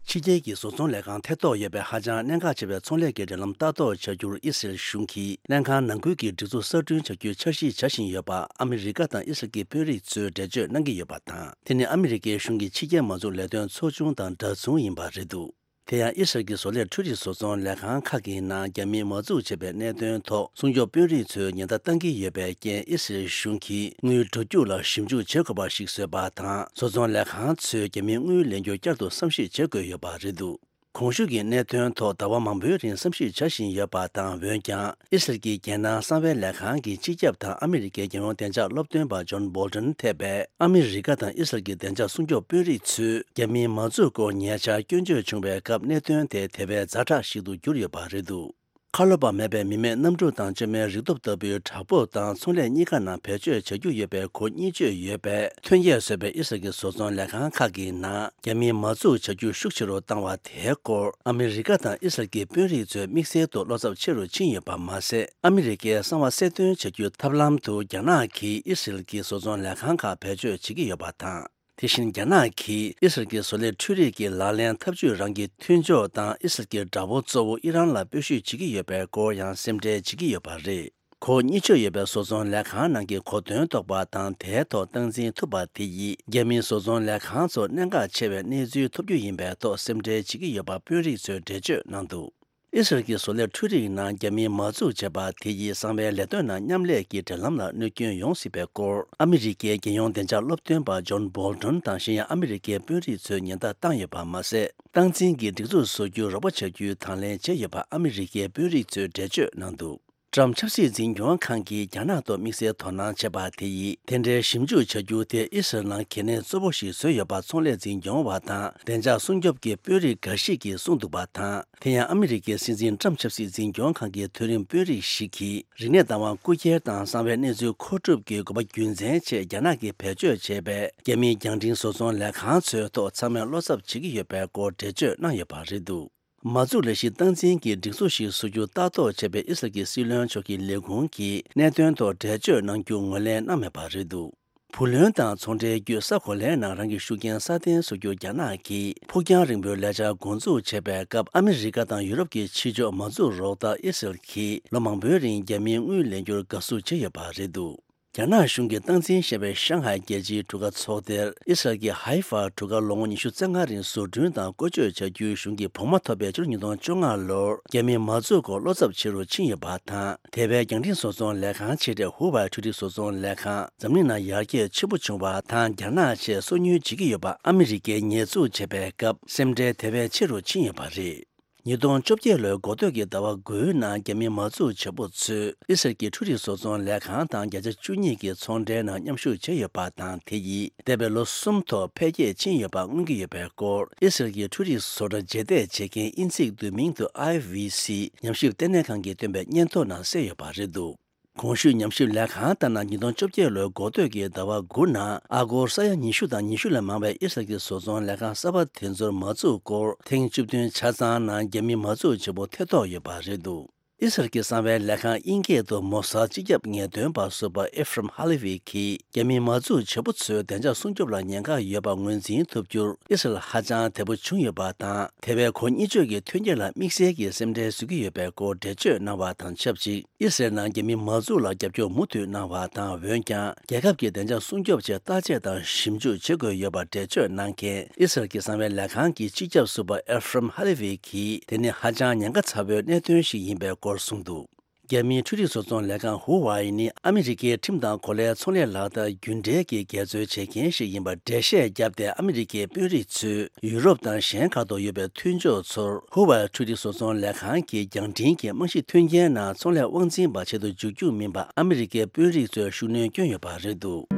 ཕྱི་རྒྱལ་གྱི་བཟོ་ཚོང་ལས་ཁང་ཐེ་གཏོགས་ཡོད་པའི་ཧ་ཅང་གནད་འགག་ཆེ་བའི་ཚོང་ལས་ཀྱི་འབྲེལ་ལམ་ལྟ་རྟོག་བྱ་རྒྱུར་ཨི་སི་རལ་གཞུང་གིས་ལྷན་ཁང་ནང་ཁུལ་གྱི་སྒྲིག་འཛུགས་གསར་སྐྲུན་བྱ་རྒྱུའི་འཆར་གཞི་བྱ་བཞིན་ཡོད་པ་ཨ་མི་རི་ཀ་དང་ཨི་སི་རལ་གྱི་དཔོན་རིགས་ཚོས་འགྲེལ་བརྗོད་གནང་གི་ཡོད་པ་དང་། དེ་ནི་ཨ་མི་རི་ཀའི་གཞུང་གི་ཕྱི་རྒྱལ་མ་འཛུགས་ལས་དོན་ཚོགས་ཆུང་དང་འདྲ་མཚུངས་ཡིན་པ་རེད་འདུག་དེ་ཡང་ཨི་སི་རལ་གྱི་བཟོ་ལས་འཕྲུལ་རིག་བཟོ་ཚོང་ལས་ཁང་ཁག་གི་ནང་རྒྱ་མིས་མ་འཛུགས་བྱས་པའི་གནད་དོན་ཐོག་སྲུང་སྐྱོབ་དཔོན་རིགས་ཚོས་ཉེན་བརྡ་བཏང་གི་ཡོད་པའི་རྐྱེན། ཨི་སི་རལ་གཞུང་གིས་དངུལ་འགྲོ་རྒྱུགས་ལ་ཞིབ་འཇུག་བྱེད་དགོས་པ་ཞིག་བཟོས་པ་དང་། བཟོ་ཚོང་ལས་ཁང་ཚོས་རྒྱ་མིའི་དངུལ་ལེན་རྒྱུ་བསྐྱར་དུ་བསམ་གཞིག་བྱེད་དགོས་ཡོད་པ་རེད་འདུག་གོང་ཞུས་ཀྱི་གནད་དོན་ཐོག་ཟླ་བ་མང་པོའི་རིང་བསམ་གཞིག་བྱ་བཞིན་ཡོད་པ་དང་། འོན་ཀྱང་ཨི་སི་རལ་གྱི་རྒྱལ་ནང་གསང་བའི་ལས་ཁང་གི་སྤྱི་ཁྱབ་དང་ཨ་མི་རི་ཀའི་རྒྱལ་ཡོངས་བདེ་འཇགས་སློབ་སྟོན་པ་ཇོན་བོལ་ཏོན་ཐེ་བས་ཨ་མི་རི་ཀ་དང་ཨི་སི་རལ་གྱི་བདེ་འཇགས་སྲུང་སྐྱོབ་དཔོན་རིགས་ཚོས་རྒྱ་མིའི་མ་འཛུགས་སྐོར་ཉེ་ཆར་སྐྱོན་བརྗོད་བྱུང་བའི་སྐབས་གནད་དོན་དེ་དེ་བས་ཛ་དྲག་ཞིག་ཏུ་གྱུར་ཡོད་པ་རེད་འདུག་ཁ་ལོ་པ་མེད་པའི་མི་མེད་གནམ་གྲུ་དང་བཅོས་མའི་རིག་སྟོབས་ལྟ་བུའི་བྲག་ཕུག་དང་ཚོང་ལས་གཉིས་ཀ་ནང་བེད་སྤྱོད་བྱ་རྒྱུ་ཡོད་པའི་གོ་གཉིས་བཅོས་ཡོད་པའི་ཐོན་སྐྱེད་བཟོས་པའི་ཨི་སི་རལ་གྱི་བཟོ་ཚོང་ལས་ཁང་ཁག་གི་ནང་རྒྱ་མིས་མ་འཛུགས་བྱ་རྒྱུ་ཤུགས་ཆེ་རུ་བཏང་བ་དེའི་སྐོར་ཨ་མི་རི་ཀ་དང་ཨི་སི་རལ་གྱི་དཔོན་རིགས་ཚོའི་དམིགས་བསལ་དུ་བློ་འཚབ་ཆེ་རུ་ཕྱིན་ཡོད་པ་མ་ཟད། ཨ་མི་རི་ཀའི་གསང་བ་གསལ་སྟོན་བྱ་རྒྱུའི་ཐབས་ལམ་དུ་རྒྱ་ནག་གིས་ཨི་སི་རལ་གྱི་བཟོ་ཚོང་ལས་ཁང་ཁག་བེད་སྤྱོད་བྱེད་ཀྱི་ཡོད་པ་དང་། དེ་བཞིན་རྒྱ་ནག་གིས་ཨི་སི་རལ་གྱི་བཟོ་ལས་འཕྲུལ་རིག་གི་ལག་ལེན་འཐབ་ཇུས་རང་གི་མཐུན་ཕྱོགས་དང་ཨི་སི་རལ་གྱི་དགྲ་བོ་གཙོ་བོ་ཨི་རན་ལ་སྤོ་བཤུད་བྱེད་ཀྱི་ཡོད་པའི་སྐོར་ཡང་སེམས་ཁྲལ་བྱེད་ཀྱི་ཡོད་པ་རེད། གོ་གཉིས་བཅོས་ཡོད་པའི་བཟོ་ཚོང་ལས་ཁང་ནང་གི་གོ་དོན་རྟོགས་པ་དང་དེའི་ཐོག་སྟངས་འཛིན་ཐུབ་པ་དེ་ཡིས་རྒྱ་མིའི་བཟོ་ཚོང་ལས་ཁང་ཚོར་གནད་འགག་ཆེ་བའི་གནས་ཚུལ་ཐོབ་རྒྱུ་ཡིན་པའི་ཐོག་སེམས་ཁྲལ་བྱེད་ཀྱི་ཡོད་པ་དཔོན་རིགས་ཚོས་འགྲེལ་བརྗོད་གནང་འདུག་ཨི་སི་རལ་གྱི་བཟོ་ལས་འཕྲུལ་རིག་ནང་རྒྱ་མིའི་མ་འཛུགས་བྱས་པ་དེ་ཡིས་གསང་བའི་ལས་དོན་ནང་མཉམ་ལས་ཀྱི་འབྲེལ་ལམ་ལ་གནོད་སྐྱོན་ཡོང་སྲིད་པའི་སྐོར་ཨ་མི་རི་ཀའི་རྒྱལ་ཡོངས་བདེ་འཇགས་སློབ་སྟོན་པ་ཇོན་བོལ་ཏོན་དང་གཞན་ཡང་ཨ་མི་རི་ཀའི་དཔོན་རིགས་ཚོས་ཉེན་བརྡ་བཏང་ཡོད་པ་མ་ཟད། སྟངས་འཛིན་གྱི་སྒྲིག་འཛུགས་བཟོ་རྒྱུར་རོགས་པ་བྱ་རྒྱུའི་དང་ལེན་བྱས་ཡོད་པ་ཨ་མི་རི་ཀའི་དཔོན་རིགས་ཚོས་འགྲེལ་བརྗོད་གནང་འདུག་ཊམ་ཆབ་སྲིད་འཛིན་སྐྱོང་ཁང་གིས་རྒྱ་ནག་ཐོག་དམིགས་བསལ་དོ་སྣང་བྱས་པ་དེ་ཡིས་དེ་འདྲའི་ཞིབ་འཇུག་བྱ་རྒྱུ་དེ་ཨི་སི་རལ་ནང་གལ་གནད་གཙོ་བོ་ཞིག་བཟོས་ཡོད་པ་ཚོང་ལས་འཛིན་སྐྱོང་བ་དང་བདེ་འཇགས་སྲུང་སྐྱོབ་ཀྱི་དཔོན་རིགས་འགའ་ཞིག་གིས་གསུངས་འདུག་པ་དང་། དེ་ཡང་ཨ་མི་རི་ཀའི་སྲིད་འཛིན་ཊམ་ཆབ་སྲིད་འཛིན་སྐྱོང་ཁང་གི་མཐོ་རིམ་དཔོན་རིགས་ཤིག་གིས་རིག་གནས་བདག་དབང་རྐུ་འཁྱེར་དང་གསང་བའི་གནས་ཚུལ་མཁོ་སྒྲུབ་ཀྱི་དགོས་པ་རྒྱུ་མཚན་ཆེད་རྒྱ་ནག་གིས་བེད་སྤྱོད་བྱས་པའི་རྒྱ་མིའི་རྒྱང་འཕྲིན་བཟོ་ཚོང་ལས་ཁང་ཚོའི་ཐོག་ཚང་མས་བློ་འཚབ་བྱེད་ཀྱི་ཡོད་པའི་སྐོར་འགྲེལ་བརྗོད་གནང་ཡོད་པ་རེད་འདུག་མ་འཛུགས་ལས་གཞི་སྟངས་འཛིན་གྱི་སྒྲིག་འཛུགས་ཤིག་བཟོ་རྒྱུ་ལྟ་རྟོག་བྱས་པའི་ཨི་སི་རལ་གྱི་སྲིད་བློན་མཆོག་གི་ལས་ཁུངས་ཀྱིས་གནད་དོན་ཐོག་འགྲེལ་བརྗོད་གནང་རྒྱུ་ངོས་ལེན་གནང་མེད་པ་རེད་འདུག་བུ་ལོན་དང་ཚོང་འབྲེལ་བརྒྱུད་ས་གོ་ལའི་ནང་རང་གི་ཤུགས་རྐྱེན་སྲ་བརྟན་བཟོ་རྒྱུར་རྒྱ་ནག་གིས་ཕུགས་རྒྱང་རིང་པོའི་ལས་འཆར་འགོ་འཛུགས་བྱས་པའི་སྐབས། ཨ་མི་རི་ཀ་དང་ཡུ་རོབ་ཀྱི་ཕྱི་ཕྱོགས་མ་འཛུགས་རོགས་ལྟར་ཨི་སི་རལ་གྱིས་ལོ་མང་པོའི་རིང་རྒྱ་མིའི་དངུལ་ལེན་རྒྱུར་དགའ་བསུ་བྱས་ཡོད་པ་རེད་འདུག་རྒྱ་ནག་གཞུང་གིས་སྟངས་འཛིན་བྱས་པའི་ཤང་ཧའེ་རྒྱལ་སྤྱིའི་གྲུ་ཁ་ཚོགས་སྡེར་ཨི་སི་རལ་གྱི་ཧའི་ཧྥ་གྲུ་ཁ་ལོ་ངོ་ཉི་ཤུ་རྩ་ལྔ་རིང་བཟོ་སྐྲུན་དང་བཀོལ་སྤྱོད་བྱ་རྒྱུའི་གཞུང་གི་བོགས་མ་ཐོབ་པའི་ཕྱི་ལོ་ཉིས་སྟོང་བཅོ་ལྔ་ལོར་རྒྱ་མིས་མ་འཛུགས་སྐོར་བློ་འཚབ་ཆེ་རུ་ཕྱིན་ཡོད་པ་དང་། དེ་བས་རྒྱང་འཕྲིན་བཟོ་ཚོང་ལས་ཁང་ཆེ་གྲས་ཧུ་ཝའེ་འཕྲུལ་རིག་བཟོ་ཚོང་ལས་ཁང་འཛམ་གླིང་ནང་ཡར་རྒྱས་ཆེན་པོ་བྱུང་བ་དང་། རྒྱ་ནག་ཆེད་སོ་ཉུལ་བྱེད་ཀྱི་ཡོད་པ་ཨ་མི་རི་ཀས་ཉེས་འཛུགས་བྱས་པའི་སྐབས་སེམས་ཁྲལ་དེ་བས་ཆེ་རུ་ཕྱིན་ཡོད་པ་རེད། ཉིས་སྟོང་བཅོ་བརྒྱད་ལོའི་འགོ་སྟོད་ཀྱི་ཟླ་བ་དགུའི་ནང་རྒྱ་མི་མ་འཛུགས་བྱེད་པོ་ཚོས་ཨི་སི་རལ་གྱི་འཕྲུལ་རིག་བཟོ་ཚོང་ལས་ཁང་དང་བརྒྱ་ཆ་བཅུ་གཉིས་ཀྱི་ཚོང་འབྲེལ་ནང་མཉམ་ཞུགས་བྱས་ཡོད་པ་དང་། དེ་ཡིས་འདས་པའི་ལོ་གསུམ་ཐོག་འཕེལ་རྒྱས་ཕྱིན་ཡོད་པ་མངོན་གྱི་ཡོད་པའི་སྐོར་ཨི་སི་རལ་གྱི་འཕྲུལ་རིག་བཟོ་གྲྭ་རྗེས་འདེད་བྱེད་མཁན་དབྱིན་ཚིག་བསྡུས་མིང་དུ་ཨའི་ཝི་སི་ཉམས་ཞིབ་ལྟེ་གནས་ཁང་གིས་བཏོན་པའི་སྙན་ཐོ་ནང་གསལ་ཡོད་པ་རེད་འདུག་གོང་ཞུས་ཉམས་ཞིབ་ལས་ཁང་ལྟར་ན། ཉིས་སྟོང་བཅོ་བརྒྱད་ལོའི་འགོ་སྟོད་ཀྱི་ཟླ་བ་དགུ་ནང་ཨ་སྒོར་ས་ཡ་ཉི་ཤུ་དང་ཉི་ཤུ་ལས་མང་བའི་ཨི་སི་རལ་གྱི་བཟོ་ཚོང་ལས་ཁང་གསར་པ་དེ་ཚོར་མ་འཛུགས་སྐོར་ཐེངས་བཅུ་བདུན་ཆ་ཚང་ནང་རྒྱ་མི་མ་འཛུགས་བྱེད་པོ་ཐེ་གཏོགས་ཡོད་པ་རེད་འདུག་ཨི་སི་རལ་གྱི་གསང་བའི་ལས་ཁང་དབྱིན་སྐད་དུ་མོ་སཱད་སྤྱི་ཁྱབ་ངེས་སྟོན་པ་ཟུར་པ་ཨེ་ཧྥི་རམ་ཧ་ལེ་ཝི་གིས་རྒྱ་མི་མ་འཛུགས་བྱེད་པོ་ཚོའི་བདེ་འཇགས་སྲུང་སྐྱོབ་ལ་ཉེན་ཁ་ཡོད་པ་ངོས་འཛིན་ཐུབ་རྒྱུར་ཨི་སི་རལ་ཧ་ཅང་དལ་པོ་བྱུང་ཡོད་པ་དང་། དེ་བས་གོ་གཉིས་བཅོས་ཀྱི་ཐོན་སྐྱེད་ལ་དམིགས་བསལ་གྱི་སེམས་ཁྲལ་བཟོ་གི་ཡོད་པའི་སྐོར་འགྲེལ་བརྗོད་གནང་བ་དང་ཆབས་ཅིག་ཨི་སི་རལ་ནང་རྒྱ་མི་མ་འཛུགས་ལ་རྒྱབ་སྐྱོར་མུ་མཐུད་གནང་བ་དང་། འོན་ཀྱང་རྒྱལ་ཁབ་ཀྱི་བདེ་འཇགས་སྲུང་སྐྱོབ་ཆེད་བརྟག་དཔྱད་དང་ཞིབ་འཇུག་བྱེད་དགོས་ཡོད་པ་འགྲེལ་བརྗོད་གནང་མཁན་ཨི་སི་རལ་གྱི་གསང་བའི་ལས་ཁང་གི་སྤྱི་ཁྱབ་ཟུར་པ་ཨེ་ཧྥི་རམ་ཧ་ལེ་ཝི་གིས་དེ་ནི་ཧ་ཅང་ཉེན་ཁ་ཚ་བོའི་གནད་དོན་ཞིག་ཡིན་པའི་སྐོར་གསུངས་འདུག་རྒྱ་མིའི་འཕྲུལ་རིག་བཟོ་ཚོང་ལས་ཁང་ཧུ་ཝའེ་ནི་ཨ་མི་རི་ཀའི་ཁྲིམས་དང་གོ་ལའི་ཚོང་ལས་ལག་བསྟར་རྒྱུན་འབྲེལ་གྱི་འགལ་འཛོལ་བྱེད་མཁན་ཞིག་ཡིན་པར་འགྲེལ་བཤད་བརྒྱབ་སྟེ། ཨ་མི་རི་ཀའི་དཔོན་རིགས་ཚོས་ཡུ་རོབ་དང་གཞན་ཁག་ཏུ་ཡོད་པའི་མཐུན་ཕྱོགས་ཚོར་ཧུ་ཝའེ་འཕྲུལ་རིག་བཟོ་ཚོང་ལས་ཁང་གི་རྒྱང་འཕྲིན་གྱི་རྨང་གཞི་མཐུན་རྐྱེན་ནང་ཚོང་ལས་དབང་འཛིན་པ་ཆེད་དུ་འཇུག་རྒྱུ་མིན་པ་ཨ་མི་རི་ཀའི་དཔོན་རིགས་ཚོས་ཤུགས་སྣོན་བསྐྱོན་ཡོད་པ་རེད་འདུག་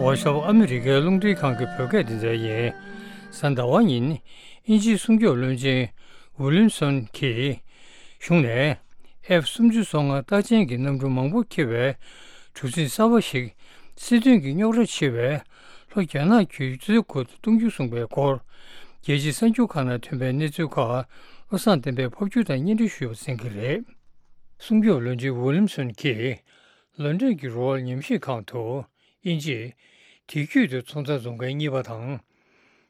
ཝ་ཤོབ་ཨ་མི་རི་ཀའི་རླུང་འཕྲིན་ཁང་གི་བོད་སྐད་སྡེ་ཚན་ཡིན། གཟའ་ཟླ་བ་ཉིན་དབྱིན་ཇིའི་སྲུང་སྐྱོབ་བློན་ཆེན་ཝི་ལིམ་སོན་གྱིས་གཞུང་ནས་ཨེཕ་སུམ་ཅུ་སོ་ལྔ་རྟགས་ཅན་གྱི་གནམ་གྲུ་མང་པོ་འཁྱེར་བའི་གྲུ་གཟིངས་གསར་པ་ཞིག་སྲིད་དོན་གྱི་རྙོག་དྲ་ཆེ་བའི་ལྷོ་རྒྱ་ནག་གི་གཙོས་འགོ་གཏོང་རྒྱུ་གསུངས་པའི་སྐོར། རྒྱལ་སྤྱིའི་གསར་འགྱུར་ཁག་ནང་ཐོན་པའི་གནས་ཚུལ་ཁག་བློ་བཟང་བསྟན་པས་ཕབ་སྒྱུར་དང་སྙན་སྒྲོན་ཞུས་པ་གསན་གྱི་རེད། སྲུང་སྐྱོབ་བློན་ཆེན་ཝི་ལིམ་སོན་གྱིས་ལོན་ཌོན་གྱི་རོ་ཡལ་ཉམས་ཞིབ་ཁང་དུ་དབྱིན་ཇིས་དེང་དུས་ཀྱི་ཚོང་རྫས་བཟོ་མཁན་གཉིས་པ་དང་།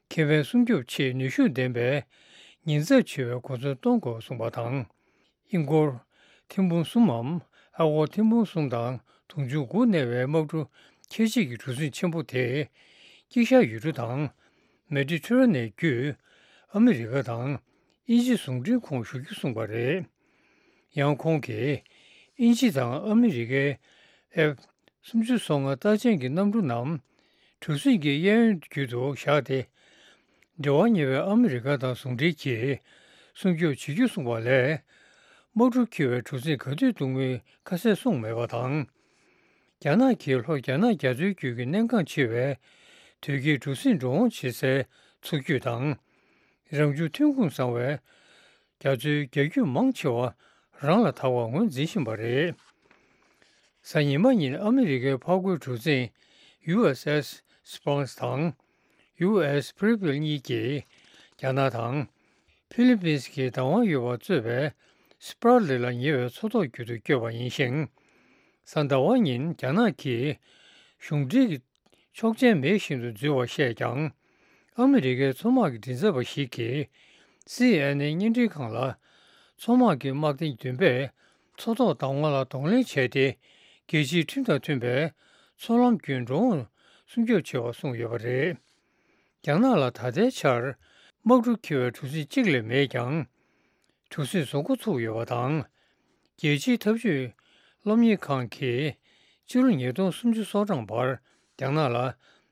ཁེ་ཕན་སྲུང་སྐྱོབ་ཆེད་ནུས་ཤུགས་ལྡན་པའི་ཉེན་ཚབས་ཆེ་བའི་གོ་མཚོན་གཏོང་དགོས་གསུངས་པ་དང་། ཧིན་སྒོར་ཐེར་འབུམ་གསུམ་མམ་ཨ་སྒོར་ཐེར་འབུམ་གསུམ་དང་དུང་ཕྱུར་དགུ་གནས་པའི་དམག་གྲུ་ཁྱད་ཆོས་ཀྱི་གྲུ་གཟིངས་ཆེན་པོ་དེ་དཀྱིལ་ཤར་ཡུལ་གྲུ་དང་མེ་ཌི་ཊེ་རེ་ནི་ཡན་བརྒྱུད་ཨ་མི་རི་ཀ་དང་དབྱིན་ཇི་ཟུང་འབྲེལ་ཁོངས་ཞུགས་རྒྱུ་གསུངས་པ་རེད། ཡང་ཁོང་གིས་དབྱིན་ཇི་དང་ཨ་མི་རི་ཀའི་ཨེཕ་སུམ་ཅུ་སོ་ལྔ་རྟགས་ཅན་གྱི་གནམ་གྲུ་རྣམས་གྲུ་གཟིངས་ཀྱི་གཡས་གཡོན་བརྒྱུད་དུ་བཞག་སྟེ། འབྲེལ་བ་ཉེ་བའི་ཨ་མི་རི་ཀ་དང་ཟུང་འབྲེལ་གྱིས་སྲུང་སྐྱོབ་བྱེད་རྒྱུ་གསུངས་པ་ལས། དམག་གྲུ་འཁྱེར་བའི་གྲུ་གཟིངས་ག་དུས་གཏོང་མིན་ཁ་གསལ་གསུངས་མེད་པ་དང་། རྒྱ་ནག་གིས་ལྷོ་རྒྱ་ནག་རྒྱ་མཚོའི་རྒྱུད་ཀྱི་གནད་འགག་ཆེ་བའི་དོས་སྐྱེལ་གྲུ་གཟིངས་འགྲོ་འོང་བྱེད་སའི་མཚོ་རྒྱུད་དང་། རང་བྱུང་ཐོན་ཁུངས་བཟང་བའི་རྒྱ་མཚོའི་རྒྱ་རྒྱུད་མང་ཆེ་བ་རང་ལ་བདག་པར་ངོས་འཛིན་བཞིན་པ་རེད། གཟའ་ཉི་མ་ཉིན་ཨ་མི་རི་ཀའི་འཕགས་རྒོད་གྲུ་གཟིངས་ཡུ་ཨེས་ཨེས་སི་པཱ་རེ་ལི་དང་ཡུ་ཨེས་སི་པི་རི་ཕིལ་གཉིས་ཀྱིས་རྒྱ་ནག་དང་ཕི་ལི་པིན་སི་གི་བདག་དབང་ཡོད་པར་གཙོས་པའི་སི་པཱ་རེ་ལི་ལ་ཉེ་བའི་མཚོ་ཐོག་བརྒྱུད་དུ་བསྐྱོད་པ་ཡིན་ཞིང་། གཟའ་ཟླ་བ་ཉིན་རྒྱ་ནག་གིས་གཞུང་འབྲེལ་གྱི་ཆོག་མཆན་མེད་བཞིན་དུ་འཛུལ་བར་བཤད་ཀྱང་། ཨ་མི་རི་ཀའི་མཚོ་དམག་གི་མགྲིན་ཚབ་པ་ཞིག་གིས་སི་ཨེན་ཨེན་བརྙན་འཕྲིན་ཁང་ལ། མཚོ་དམག་གི་དམག་སྡེ་བདུན་པས་མཚོ་ཐོག་བདག་དབང་ལ་གདོང་ལེན་བྱས་ཏེ། རྒྱལ་སྤྱིའི་ཁྲིམས་དང་མཐུན་པའི་མཚོ་ལམ་བརྒྱུད་འགྲོ་འོང་སྲུང་སྐྱོབ་བྱེད་པར་གསུངས་ཡོད་པ་རེད། རྒྱ་ནག་ལ་ད་ལྟའི་ཆར་དམག་གྲུ་འཁྱེར་བའི་གྲུ་གཟིངས་གཅིག་ལས་མེད་ཀྱང་། གྲུ་གཟིངས་བཟོ་འགོ་ཚུགས་ཡོད་པ་དང་། རྒྱལ་སྤྱིའི་འཐབ་ཇུས་སློབ་གཉེར་ཁང་གིས་ཕྱི་ལོ་ཉིས་སྟོང་སུམ་ཅུ་སོ་གྲངས་བར་རྒྱ་ནག་ལ་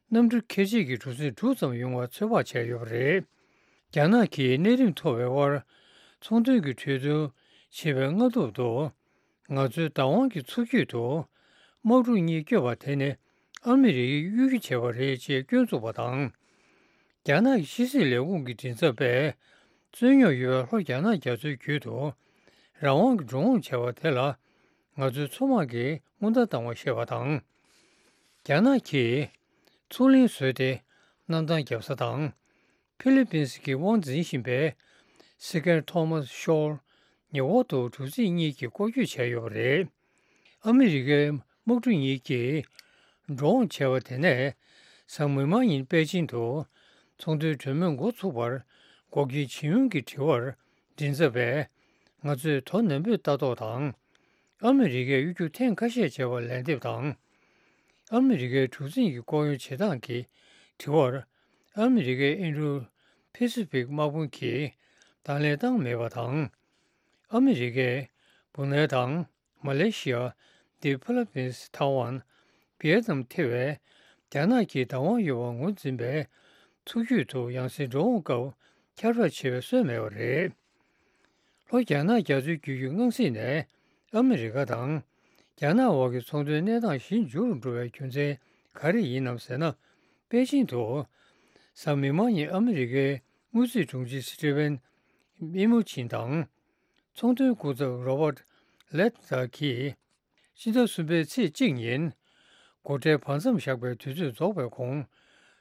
གནམ་གྲུ་ཁྱད་ཆོས་ཀྱི་གྲུ་གཟིངས་དྲུག་ཙམ་ཡོང་བར་ཚོད་དཔག་བྱས་ཡོད་པ་རེད། རྒྱ་ནག་གིས་གནས་རིམ་མཐོ་བའི་དབར་ཚོང་དོན་གྱི་གྲོས་བསྡུར་བྱེད་པའི་སྔ་ཐོག་ཏུ། ང་ཚོའི་བདག་དབང་གི་མཚོ་རྒྱུད་དུ་དམག་གྲུ་གཉིས་བསྐྱོད་པ་དེ་ནི་ཨ་མི་རི་ཀས་གཡོ་སྒྱུ་བྱས་པ་རེད་ཅེས་སྐྱོན་བཙུགས་པ་དང་། རྒྱ་ནག་གི་ཕྱི་སྲིད་ལས་ཁུངས་ཀྱི་མགྲིན་ཚབ་པས། རྩོད་རྙོག་ཡོད་པའི་ལྷོ་རྒྱ་ནག་རྒྱ་མཚོའི་རྒྱུད་དུ་རང་དབང་གི་འགྲོ་འོང་བྱ་བ་དེ་ལ་ང་ཚོའི་མཚོ་དམག་གིས་སྔོན་བརྡ་བཏང་བ་ཞེས་པ་དང་། རྒྱ་ནག་གིས་མཚོ་གླིང་བཟོས་ཏེ་གནམ་ཐང་བརྒྱབ་ས་དང་། ཕི་ལི་པིན་སི་གིས་དབང་འཛིན་བཞིན་པའི་སི་ཀེར་ཐོ་མཱས་ཤོར་ཉེ་འོག་ཏུ་གྲུ་གཟིངས་གཉིས་ཀྱིས་སྐོར་སྐྱོད་བྱས་ཡོད་པ་རེད། ཨ་མི་རི་ཀའི་དམག་གྲུ་གཉིས་ཀྱིས་འགྲོ་འོང་བྱས་པ་དེ་ནས་གཟའ་མིག་དམར་ཉིན་པེ་ཅིང་དུ་ཚོང་དོན་གྲོས་མོལ་འགོ་ཚུགས་པར་འགོག་རྐྱེན་ཇི་ཡོང་གི་དྲི་བར་མགྲིན་ཚབ་པས། ང་ཚོས་དོ་ནན་པོས་ལྟ་རྟོག་དང་། ཨ་མི་རི་ཀས་གཡོ་སྒྱུ་ཐེངས་ཁ་ཤས་བྱས་པར་ལན་འདེབས་དང་། ཨ་མི་རི་ཀའི་གྲུ་གཟིངས་ཀྱི་སྐོར་གཡོག་བྱེད་སྟངས་ཀྱི་དྲི་བར། ཨ་མི་རི་ཀའི་ཨིན་རུ་ཕེ་སི་ཕིག་དམག་དཔུང་གིས་དང་ལེན་བཏང་མེད་པ་དང་། ཨ་མི་རི་ཀས་སྦུག་ནལ་དང་མ་ལེ་ཤི་ཡ། ཏི་ཕི་ལི་པིན་སི། ཐའེ་ཝན། ཝི་ཡེ་ནམ་ཐེ་བའི་རྒྱ་ནག་གིས་བདག་དབང་ཡོད་པར་ངོས་འཛིན་པའི་མཚོ་རྒྱུད་དུ་ཡང་སེ་འགྲོ་འོང་སྐབས་ཁྱབ་བསྒྲགས་བྱེད་པའི་སྲོལ་མེད་པ་རེད། ལྷོ་རྒྱ་ནག་རྒྱ་མཚོའི་རྒྱུད་ཀྱི་སྔ་གཟིགས་ནས་ཨ་མི་རི་ཀ་དང་རྒྱ་ནག་དབར་གྱི་ཚོང་དོན་གནས་སྟངས་ཞི་འཇུག་ཏུ་འགྲོ་བའི་རྒྱུ་མཚན་ག་རེ་ཡིན་ནམ་ཟེར་ན། པེ་ཅིང་དུ་གཟའ་མིག་དམར་ཉིན་ཨ་མི་རི་ཀའི་དངུལ་རྩིས་དྲུང་ཆེ་སི་ཊི་ཝེན་མི་མོ་ཆིན་དང་། ཚོང་དོན་སྐུ་ཚབ་རོ་བར་ལེད་ཛར་གྱིས། ཕྱི་ཟླ་གསུམ་པའི་ཚེས་གཅིག་ཉིན། སྒོ་ཁྲལ་བར་མཚམས་བཞག་པའི་དུས་ཚོད་རྫོགས་པའི་གོང་།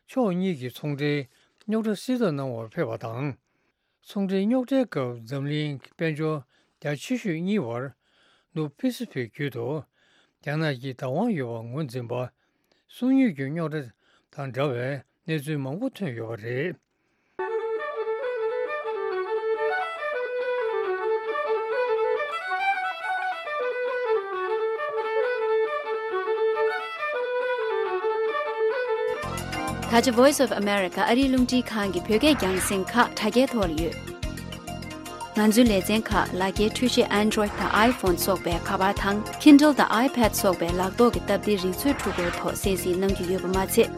ཕྱོགས་གཉིས་ཀྱི་ཚོང་འབྲེལ་རྙོག་དྲ་སེལ་ཐབས་གནང་བར་ཕེབས་པ་དང་། ཚོང་འབྲེལ་རྙོག་དྲའི་སྐབས་འཛམ་གླིང་དཔལ་འབྱོར་རྒྱ་ཆེ་ཤོས་གཉིས་བར་ནུབ་ཕི་སི་ཕིག་རྒྱུད་དུ་རྒྱ་ནག་གིས་བདག་དབང་ཡོད་པར་ངོས་འཛིན་པ། སོ་ཉུལ་གྱི་རྙོག་དྲ་དང་འདྲ་བའི་གནས་ཚུལ་མང་པོ་ཐོན་ཡོད་པ་རེད། ད་ཆ་Voice of America ཨ་རིའི་རླུང་འཕྲིན་ཁང་གི་བོད་སྐད་རྒྱང་སྲིང་ཁག་དྲ་རྒྱའི་ཐོག་ལ་ཡོད། ང་ཚོའི་ལེ་ཚན་ཁག་ལག་འཁྱེར་འཕྲུལ་ཆས་Android དང་iPhone སོགས་པའི་ཁ་པར་དང་Kindle དང་iPad སོགས་པའི་ལག་ཐོག་གི་སྟབས་བདེའི་རིག་མཛོད་འཕྲུལ་འཁོར་ཐོག་གསན་གཟིགས་གནང་རྒྱུ་ཡོད་པ་མ་ཚད།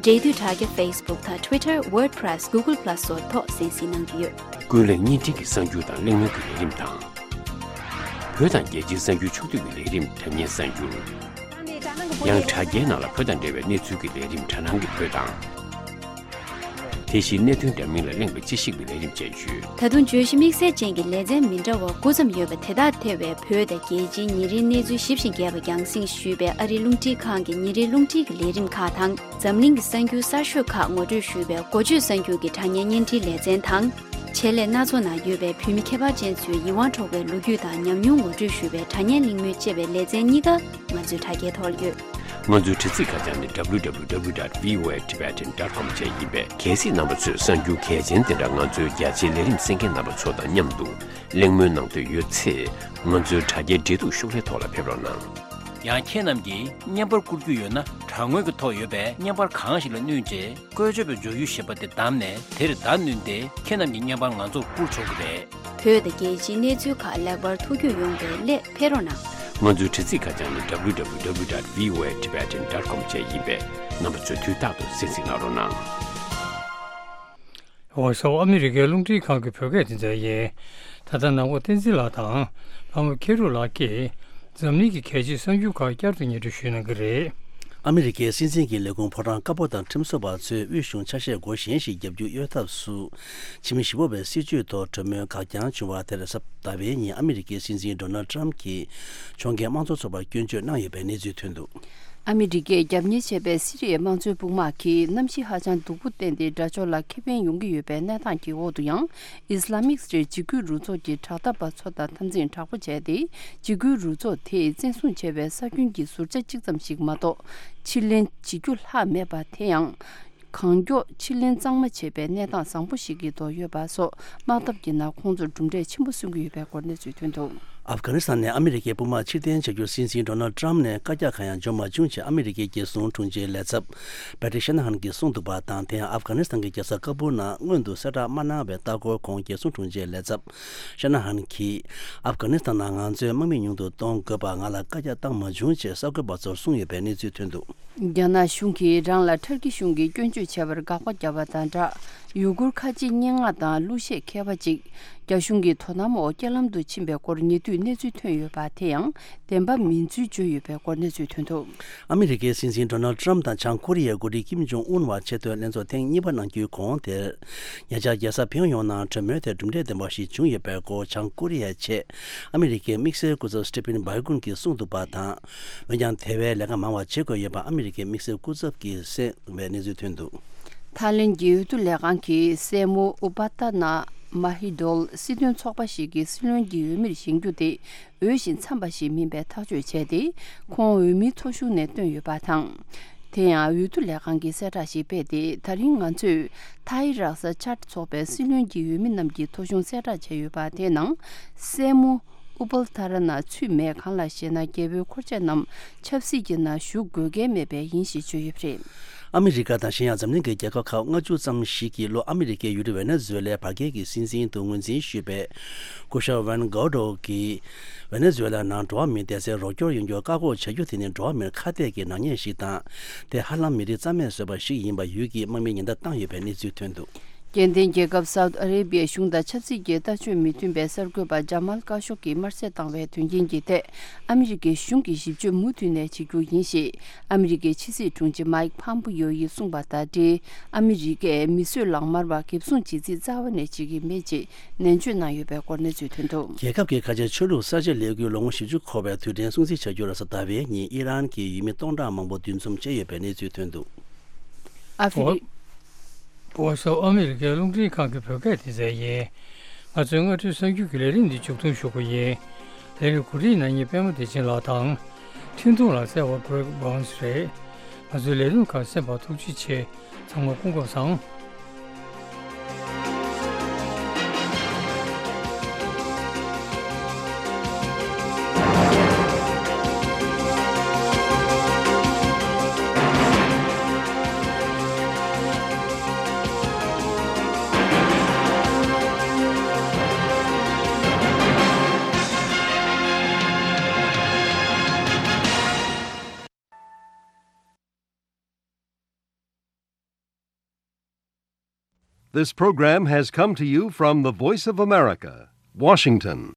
འབྲེལ་མཐུད་དྲ་རྒྱ་Facebook དང་Twitter, WordPress, Google Plus སོགས་ཐོག་གསན་གཟིགས་གནང་རྒྱུ་ཡོད། ཀུན་གླེང་བརྙན་འཕྲིན་གྱི་གསར་འགྱུར་དང་གླེང་མོལ་གྱི་ལས་རིམ་དང་། བོད་དང་རྒྱལ་སྤྱིའི་གསར་འགྱུར་ཕྱོགས་བསྡུས་ཀྱི་ལས་རིམ་དྲ་བརྙན་གསར་འགྱུར། ཡང་དྲ་རྒྱའི་ནང་ལ་བོད་དང་འབྲེལ་བའི་གནས་ཚུལ་གྱི་ལས་རིམ་དྲ་སྣང་གི་བོད་དང་། དེ་བཞིན་གནད་དོན་འདྲ་མིན་ལ་གླེང་བའི་དཔྱད་ཞིབ་ཀྱི་ལས་རིམ་བཅས་ཡོད། ད་དུང་བརྗོད་གཞི་དམིགས་བསལ་ཅན་གྱི་ལེ་ཚན་མི་འདྲ་བ་དགུ་ཙམ་ཡོད་པ་དེ་དག་ཐེ་བའི་བོད་དང་རྒྱལ་སྤྱིའི་ཉིན་རེའི་གནས་ཚུལ་ཞིབ་ཅིང་རྒྱས་པ་རྒྱང་སྲིང་ཞུས་པའི་ཨ་རིའི་རླུང་འཕྲིན་ཁང་གི་ཉིན་རེའི་རླུང་འཕྲིན་གྱི་ལས་རིམ་ཁག་དང་། འཛམ་གླིང་གི་གསར་འགྱུར་གསར་ཤོས་ཁག་ངོ་སྤྲོད་ཞུས་པའི་འགོ་བརྗོད་གསར་འགྱུར་གྱི་དྲ་བརྙན་བརྙན་འཕྲིན་ལེ་ཚན་དང་། ཆེད་ལས་སྣ་ཚོགས་ནང་ཡོད་པའི་བོད་མི་ཁྱད་པར་ཅན་ཚོའི་ཡིད་དབང་འཕྲོག་པའི་ལོ་རྒྱུས་དང་ཉམས་མྱོང་ངོ་སྤྲོད་ཞུས་པའི་དྲ་བརྙན་གླེང་མོལ་ཅེས་པའི་ལེ་ཚན་གཉིས་ཀ་ང་ཚོའི་དྲ་རྒྱའི་ཐོག་ཡོད། ང་ཚོའི་དྲ་ཚིགས་ཁ་བྱང་ནི་W W W dot V O A Tibetan dot com བཅས་ཡིན་པས། གལ་སྲིད་རྣམ་པ་ཚོས་གསར་འགྱུར་གལ་ཆེན་དེ་འདྲ་ང་ཚོའི་རྒྱ་ཆེའི་ལས་རིམ་གསན་མཁན་རྣམ་པ་ཚོ་དང་མཉམ་དུ་གླེང་མོལ་གནང་འདོད་ཡོད་ཚེ། ང་ཚོའི་དྲ་རྒྱའི་འབྲེལ་གཏུག་ཤོག་ལྷེ་ཐོག་ལ་ཕེབས་རོགས་གནང་། ཡང་ཁྱེད་རྣམས་ཀྱིས་བརྙན་པར་བསྐུར་རྒྱུ་ཡོད་ན། དྲ་ངོས་ཀྱི་ཐོག་ཡོད་པའི་བརྙན་པར་གང་ཞིག་ལ་བསྣུན་རྗེས། བཀོལ་སྤྱོད་པའི་སྦྱོར་ཡུལ་ཞེས་པ་དེ་བདམས་ནས། དེར་བརྡ་བསྣུན་ཏེ། ཁྱེད་རྣམས་ཀྱི་བརྙན་པར་ང་ཚོར་བསྐུར་ཆོག་གི་རེད། བོད་དང་རྒྱལ་སྤྱིའི་གནས་ཚུལ་ཁག་ལེགས་པར་ཐུགས་རྒྱུས་ཡོང་བའི་སླད་ཕེབས་རོགས་གནང་། ང་ཚོའི་དྲ་ཚིགས་ཁ་བྱང་ནི་W W W dot V O A Tibetan dot com བཅས་ཡིན་པས། རྣམ་པ་ཚོས་དུས་རྟག་ཏུ་གསན་གཟིགས་གནང་རོགས་གནང་། འོ་སོ། ཨ་མི་རི་ཀའི་རླུང་འཕྲིན་ཁང་གི་བོད་སྐད་སྡེ་ཚན་ཡིན། ད་ལྟ་ནང་པ་བསྟན་འཛིན་ལགས་དང་ལྷ་མོ་མཁས་གྲུབ་ལགས་ཀྱིས། འཛམ་གླིང་གི་གལ་ཆེའི་གསར་འགྱུར་ཁག་བསྐྱར་དུ་སྙན་སྒྲོན་ཞུས་གནང་གི་རེད། ཨ་མི་རི་ཀའི་སྲིད་འཛིན་གྱི་ལས་ཁུངས་ཕོ་བྲང་དཀར་པོ་དང་ཁྲིམས་བཟོ་བ་ཚོས་དབུས་གཞུང་ཆ་ཤས་སྒོ་གཞན་ཞིག་བརྒྱབ་རྒྱུ་གཡོལ་ཐབས་སུ། ཕྱི་མི་བཞི་པོ་བའི་སྲིད་བྱུས་ཐོག་གྲོས་མོལ་འགག་རྐྱང་བྱུང་བ་དེར། གཟའ་ཟླ་བའི་ཉིན་ཨ་མི་རི་ཀའི་སྲིད་འཛིན་ཌོ་ནལ་ཊམ་གྱིས་ཕྱོགས་འགལ་དམངས་གཙོ་ཚོགས་པར་སྐྱོན་བརྗོད་གནང་ཡོད་པའི་གནས་ཚུལ་ཐོན་འདུག། ཨ་མི་རི་ཀས་རྒྱབ་གཉེར་བྱས་པའི་སི་རི་ཡའི་དམངས་གཙོའི་དཔུང་དམག་གིས་གནམ་གཤིས་ཧ་ཅང་སྡུག་པོ་བསྟན་ཏེ། དགྲ་ཕྱོགས་ལ་ཁེ་ཕན་ཡོང་གི་ཡོད་པའི་གནས་སྟངས་ཀྱི་འོག་ཏུ་ཡང་། ཨིས་ལ་མིག་སྟེ་འཇིགས་སྐུལ་རུ་ཚོགས་ཀྱི་དྲག་འཐབ་པ་ཚོ་དང་འཐབ་འཛིང་དྲག་པོ་བྱས་ཏེ། འཇིགས་སྐུལ་རུ་ཚོགས་དེས་བཙན་བཟུང་བྱས་པའི་ས་ཁུལ་གྱི་ཟུར་ཆ་གཅིག་ཙམ་ཞིག་མ་གཏོགས་ཕྱིར་ལེན་བྱེད་རྒྱུ་ལྷག་མེད་པ། དེ་ཡང་། གང་མགྱོགས་ཕྱིར་ལེན་གཙང་མ་བྱེད་པའི་གནས་སྟངས་བཟང་པོ་ཞིག་གི་ཐོག་ཡོད་པ་སོགས། དམག་འཐབ་ཀྱི་ནང་ཁོང་ཚོར་གྲུབ་འབྲས་ཆེན་པོ་སོན་གྱི་ཡོད་པའི་སྐོར་གནས་ཚུལ་ཐོན་འདུག། ཨབ་གྷ་ནི་སི་ཐན་ནས་ཨ་མི་རི་ཀའི་དཔུང་དམག་ཕྱིར་འཐེན་བྱ་རྒྱུར་སྲིད་འཛིན་ཌོ་ནལ་ཊམ་ནས་བཀའ་རྒྱ་གང་ཡང་བརྗོད་མ་བྱུང་ཅེས་ཨ་མི་རི་ཀའི་རྒྱལ་སྲུང་དྲུང་ཆེའི་ལས་ཚབ་པེ་ཊི་ཤ་ན་ཧན་གྱིས་གསུངས་འདུག་པ་དང་། དེ་ཡང་ཨབ་གྷ་ནི་སི་ཐན་གྱི་རྒྱལ་ས་ཀ་བུལ་ནང་སྔོན་དུ་གསལ་བསྒྲགས་མ་གནང་བའི་ལྟ་སྐོར་ཁོངས། རྒྱལ་སྲུང་དྲུང་ཆེའི་ལས་ཚབ་ཤ་ན་ཧན་གྱིས། ཨབ་གྷ་ནི་སི་ཐན་ནང་ང་ཚོའི་དམག་མི་ཉུང་དུ་གཏོང་དགོས་པར་ང་ལ་བཀའ་རྒྱ་བཏང་མ་བྱུང་ཅེས་གསར་འགོད་པ་ཚོར་གསུངས་ཡོད་པའི་གནས་ཚུལ་ཐོན་འདུག། རྒྱ་ནག་གཞུང་གིས་རང་ལ་ཐར་ཀི་གཞུང་གིས་སྐྱོན་བརྗོད་བྱས་པར་དགག་པ་བརྒྱབ་པ་དང་སྦྲགས། ཡུ་གུར་ཁ་ཆེའི་སྙན་ངག་དང་གླུ་གཞས་མཁས་པ་ཅིག་རྒྱ་གཞུང་གི་དོ་དམ་འོག་རྐྱེན་ལམ་དུ་ཕྱིན་པའི་སྐོར་ཉེ་དུས་གནས་ཚུལ་ཐོན་ཡོད་པ། དེ་ཡང་བདེན་པ་མིན་ཚུལ་བརྗོད་ཡོད་པའི་སྐོར་གནས་ཚུལ་ཐོན་འདུག། ཨ་མི་རི་ཀའི་སྲིད་འཛིན་ཌོ་ནལ་ཊམ་དང་བྱང་ཀོ་རི་ཡའི་འགོ་ཁྲིད་ཀིམ་ཇོང་ཨུན་བར་ཆེས་མཐུན་ལྷན་ཚོགས་ཐེངས་གཉིས་པ་གནང་རྒྱུའི་གོང་དེར། ཉེ་ཆར་རྒྱལ་ས་ཕིང་ཡོང་ནང་གྲོས་མོལ་དེར་གྲུབ་འབྲས་ལྡན་པ་ཞིག་བྱུང་ཡོད་པའི་སྐོར། བྱང་ཀོ་རི་ཡའི་ཆེད་ཨ་མི་རི་ཀའི་དམིགས་བསལ་སྐུ་ཚབ་སི་ཊི་ཕིན་བྷའི་གུན་གྱིས་གསུངས་འདུག་པ་དང་། འོན་ཀྱང་དེ་བས་ལས་ཀ་མང་བ་བྱེད་དགོས་ཡོད་པ་ཨ་མི་རི་ཀའི་དམིགས་བསལ་སྐུ་ཚབ་ཀྱིས་གསུངས་པའི་གནས་ཚུལ་ཐོན་འདུག། ཐའི་ལེན་གྱི་འོས་བསྡུ་ལས་ཁང་གིས་སྲས་མོ་ཨུ་པ་ཏ་ན་མ་ཧི་དོལ་སྲིད་དོན་ཚོགས་པ་ཞིག་གི་སྲིད་བློན་གྱི་འོས་མིར་བཞེངས་རྒྱུ་དེ་འོས་ཤིང་འཚམས་པ་ཞིག་མིན་པའི་ཐག་གཅོད་བྱས་ཏེ། ཁོང་འོས་མིའི་ཐོ་གཞུང་ནས་བཏོན་ཡོད་པ་དང་། དེ་ཡང་འོས་བསྡུ་ལས་ཁང་གིས་གསལ་བསྒྲགས་ཤིག་སྤེལ་ཏེ། ད་རིང་ང་ཚོས་ཐའི་རཀ་ས་ཅཱད་ཚོགས་པའི་སྲིད་བློན་གྱི་འོས་མི་རྣམས་ཀྱི་ཐོ་གཞུང་གསལ་བསྒྲགས་བྱས་ཡོད་པ། དེའི་ནང་སྲས་མོ་ཨུ་པལ་ཐ་ར་ན་ཚུད་མེད། གང་ལགས་ཤེ་ན། རྒྱལ་པོའི་འཁོར་ཆས་རྣམས་ཆབ་སྲིད་ཀྱི་ནང་ཞུགས་དགོས་གལ་མེད་པས་ཡིན་ཞེས་བརྗོད་ཡོད་པ་རེད། ཨ་མི་རི་ཀ་དང་གཞན་ཡང་འཛམ་གླིང་གི་རྒྱལ་ཁབ་ཁག་ལྔ་བཅུ་ཙམ་ཞིག་གིས་ལྷོ་ཨ་མི་རི་ཀའི་ཡུལ་གྲུ་ཝེ་ནེ་ཛུ་ཝེ་ལའི་བར་བརྒལ་གྱི་སྲིད་འཛིན་དུ་ངོས་འཛིན་ཞུས་པའི་སྐུ་ཞབས་ཝན་གོ་ཌོ་གིས། ཝེ་ནེ་ཛུ་ཝེ་ལ་ནང་འགྲོ་བ་མིའི་བདེ་རྩའི་རོགས་སྐྱོར་ཡོང་རྒྱུར་བཀག་འགོག་བྱ་རྒྱུ་དེ་ནི་འགྲོ་བ་མིར་ཁ་གཏད་ཀྱི་ནག་ཉེས་ཤིག་དང་། དེ་ཧ་ལམ་མི་རིགས་རྩ་མེད་བཟོས་པ་ཞིག་ཡིན་པ་ཡུལ་གྱི་དམག་མིས་ཉེན་བརྡ་བཏང་ཡོད་པའི་གནས་ཚུལ་ཐོན་འདུག། སྐྱེ་ལྡན་རྒྱལ་ཁབ་སའུ་ཏི་ཨ་རེ་བྷི་ཡའི་གཞུང་དང་ཆབ་སྲིད་ཀྱི་ལྟ་སྤྱོད་མི་མཐུན་པའི་གསར་འགོད་པ་ཇ་མལ་ཀ་ཤོག་གིས་དམར་གསོད་བཏང་བའི་དོན་རྐྱེན་གྱི་ཐད། ཨ་མི་རི་ཀའི་གཞུང་གིས་ཞིབ་དཔྱོད་མུ་མཐུད་ནས་བྱེད་རྒྱུ་ཡིན་ཞེས་ཨ་མི་རི་ཀའི་ཕྱི་སྲིད་དྲུང་ཆེ་མཱིག་ཕམ་པིའོ་ཡིས་གསུངས་པ་དང་འབྲེལ། ཨ་མི་རི་ཀས་མི་གསོད་ལག་དམར་བ་འགེབས་སྲུང་བྱེད་རྩིས་རྩ་བ་ནས་བྱེད་ཀྱི་མེད་ཅེས་ནན་བརྗོད་གནང་ཡོད་པའི་སྐོར་གནས་ཚུལ་ཐོན་འདུག། རྒྱལ་ཁབ་ཀྱི་ཁ་ཆེའི་ཆོས་ལུགས་གསར་བརྗེ་ལས་འགུལ་ལོ་ངོ་བཞི་བཅུ་འཁོར་བའི་དུས་དྲན་སྲུང་བརྩི་བྱ་རྒྱུར་གཟའ་ཟླ་བའི་ཉིན་ཨི་རན་གྱི་ཡུལ་མི་སྟོང་ཕྲག་མང་པོ་འདུ་འཛོམས་བྱས་ཡོད་པའི་གནས་ཚུལ་ཐོན་འདུག། ཨ་ཧྥེ་རི། ཝོ་སོ། ཨ་མི་རི་ཀའི་རླུང་འཕྲིན་ཁང་གི་བོད་སྐད་སྡེ་ཚན་ཡིན། ང་ཚོའི་སྔ་དྲོའི་གསར་འགྱུར་གྱི་ལས་རིམ་འདི་མཇུག་སྡོམ་ཞུ་རྒྱུ་ཡིན། ལས་རིམ་གོ་སྒྲིག་གནང་མཁན་པད་མ་བདེ་ཆེན་ལགས་དང་། འཕྲིན་ཐུང་ལ་གསལ་བ་Greg Burns རེད། ང་ཚོའི་ལས་རིམ་ཁག་གསན་པར་ཐུགས་རྗེ་ཆེ། ཚང་མ་སྐུ་ཁམས་བཟང་། This program has come to you from the Voice of America, Washington.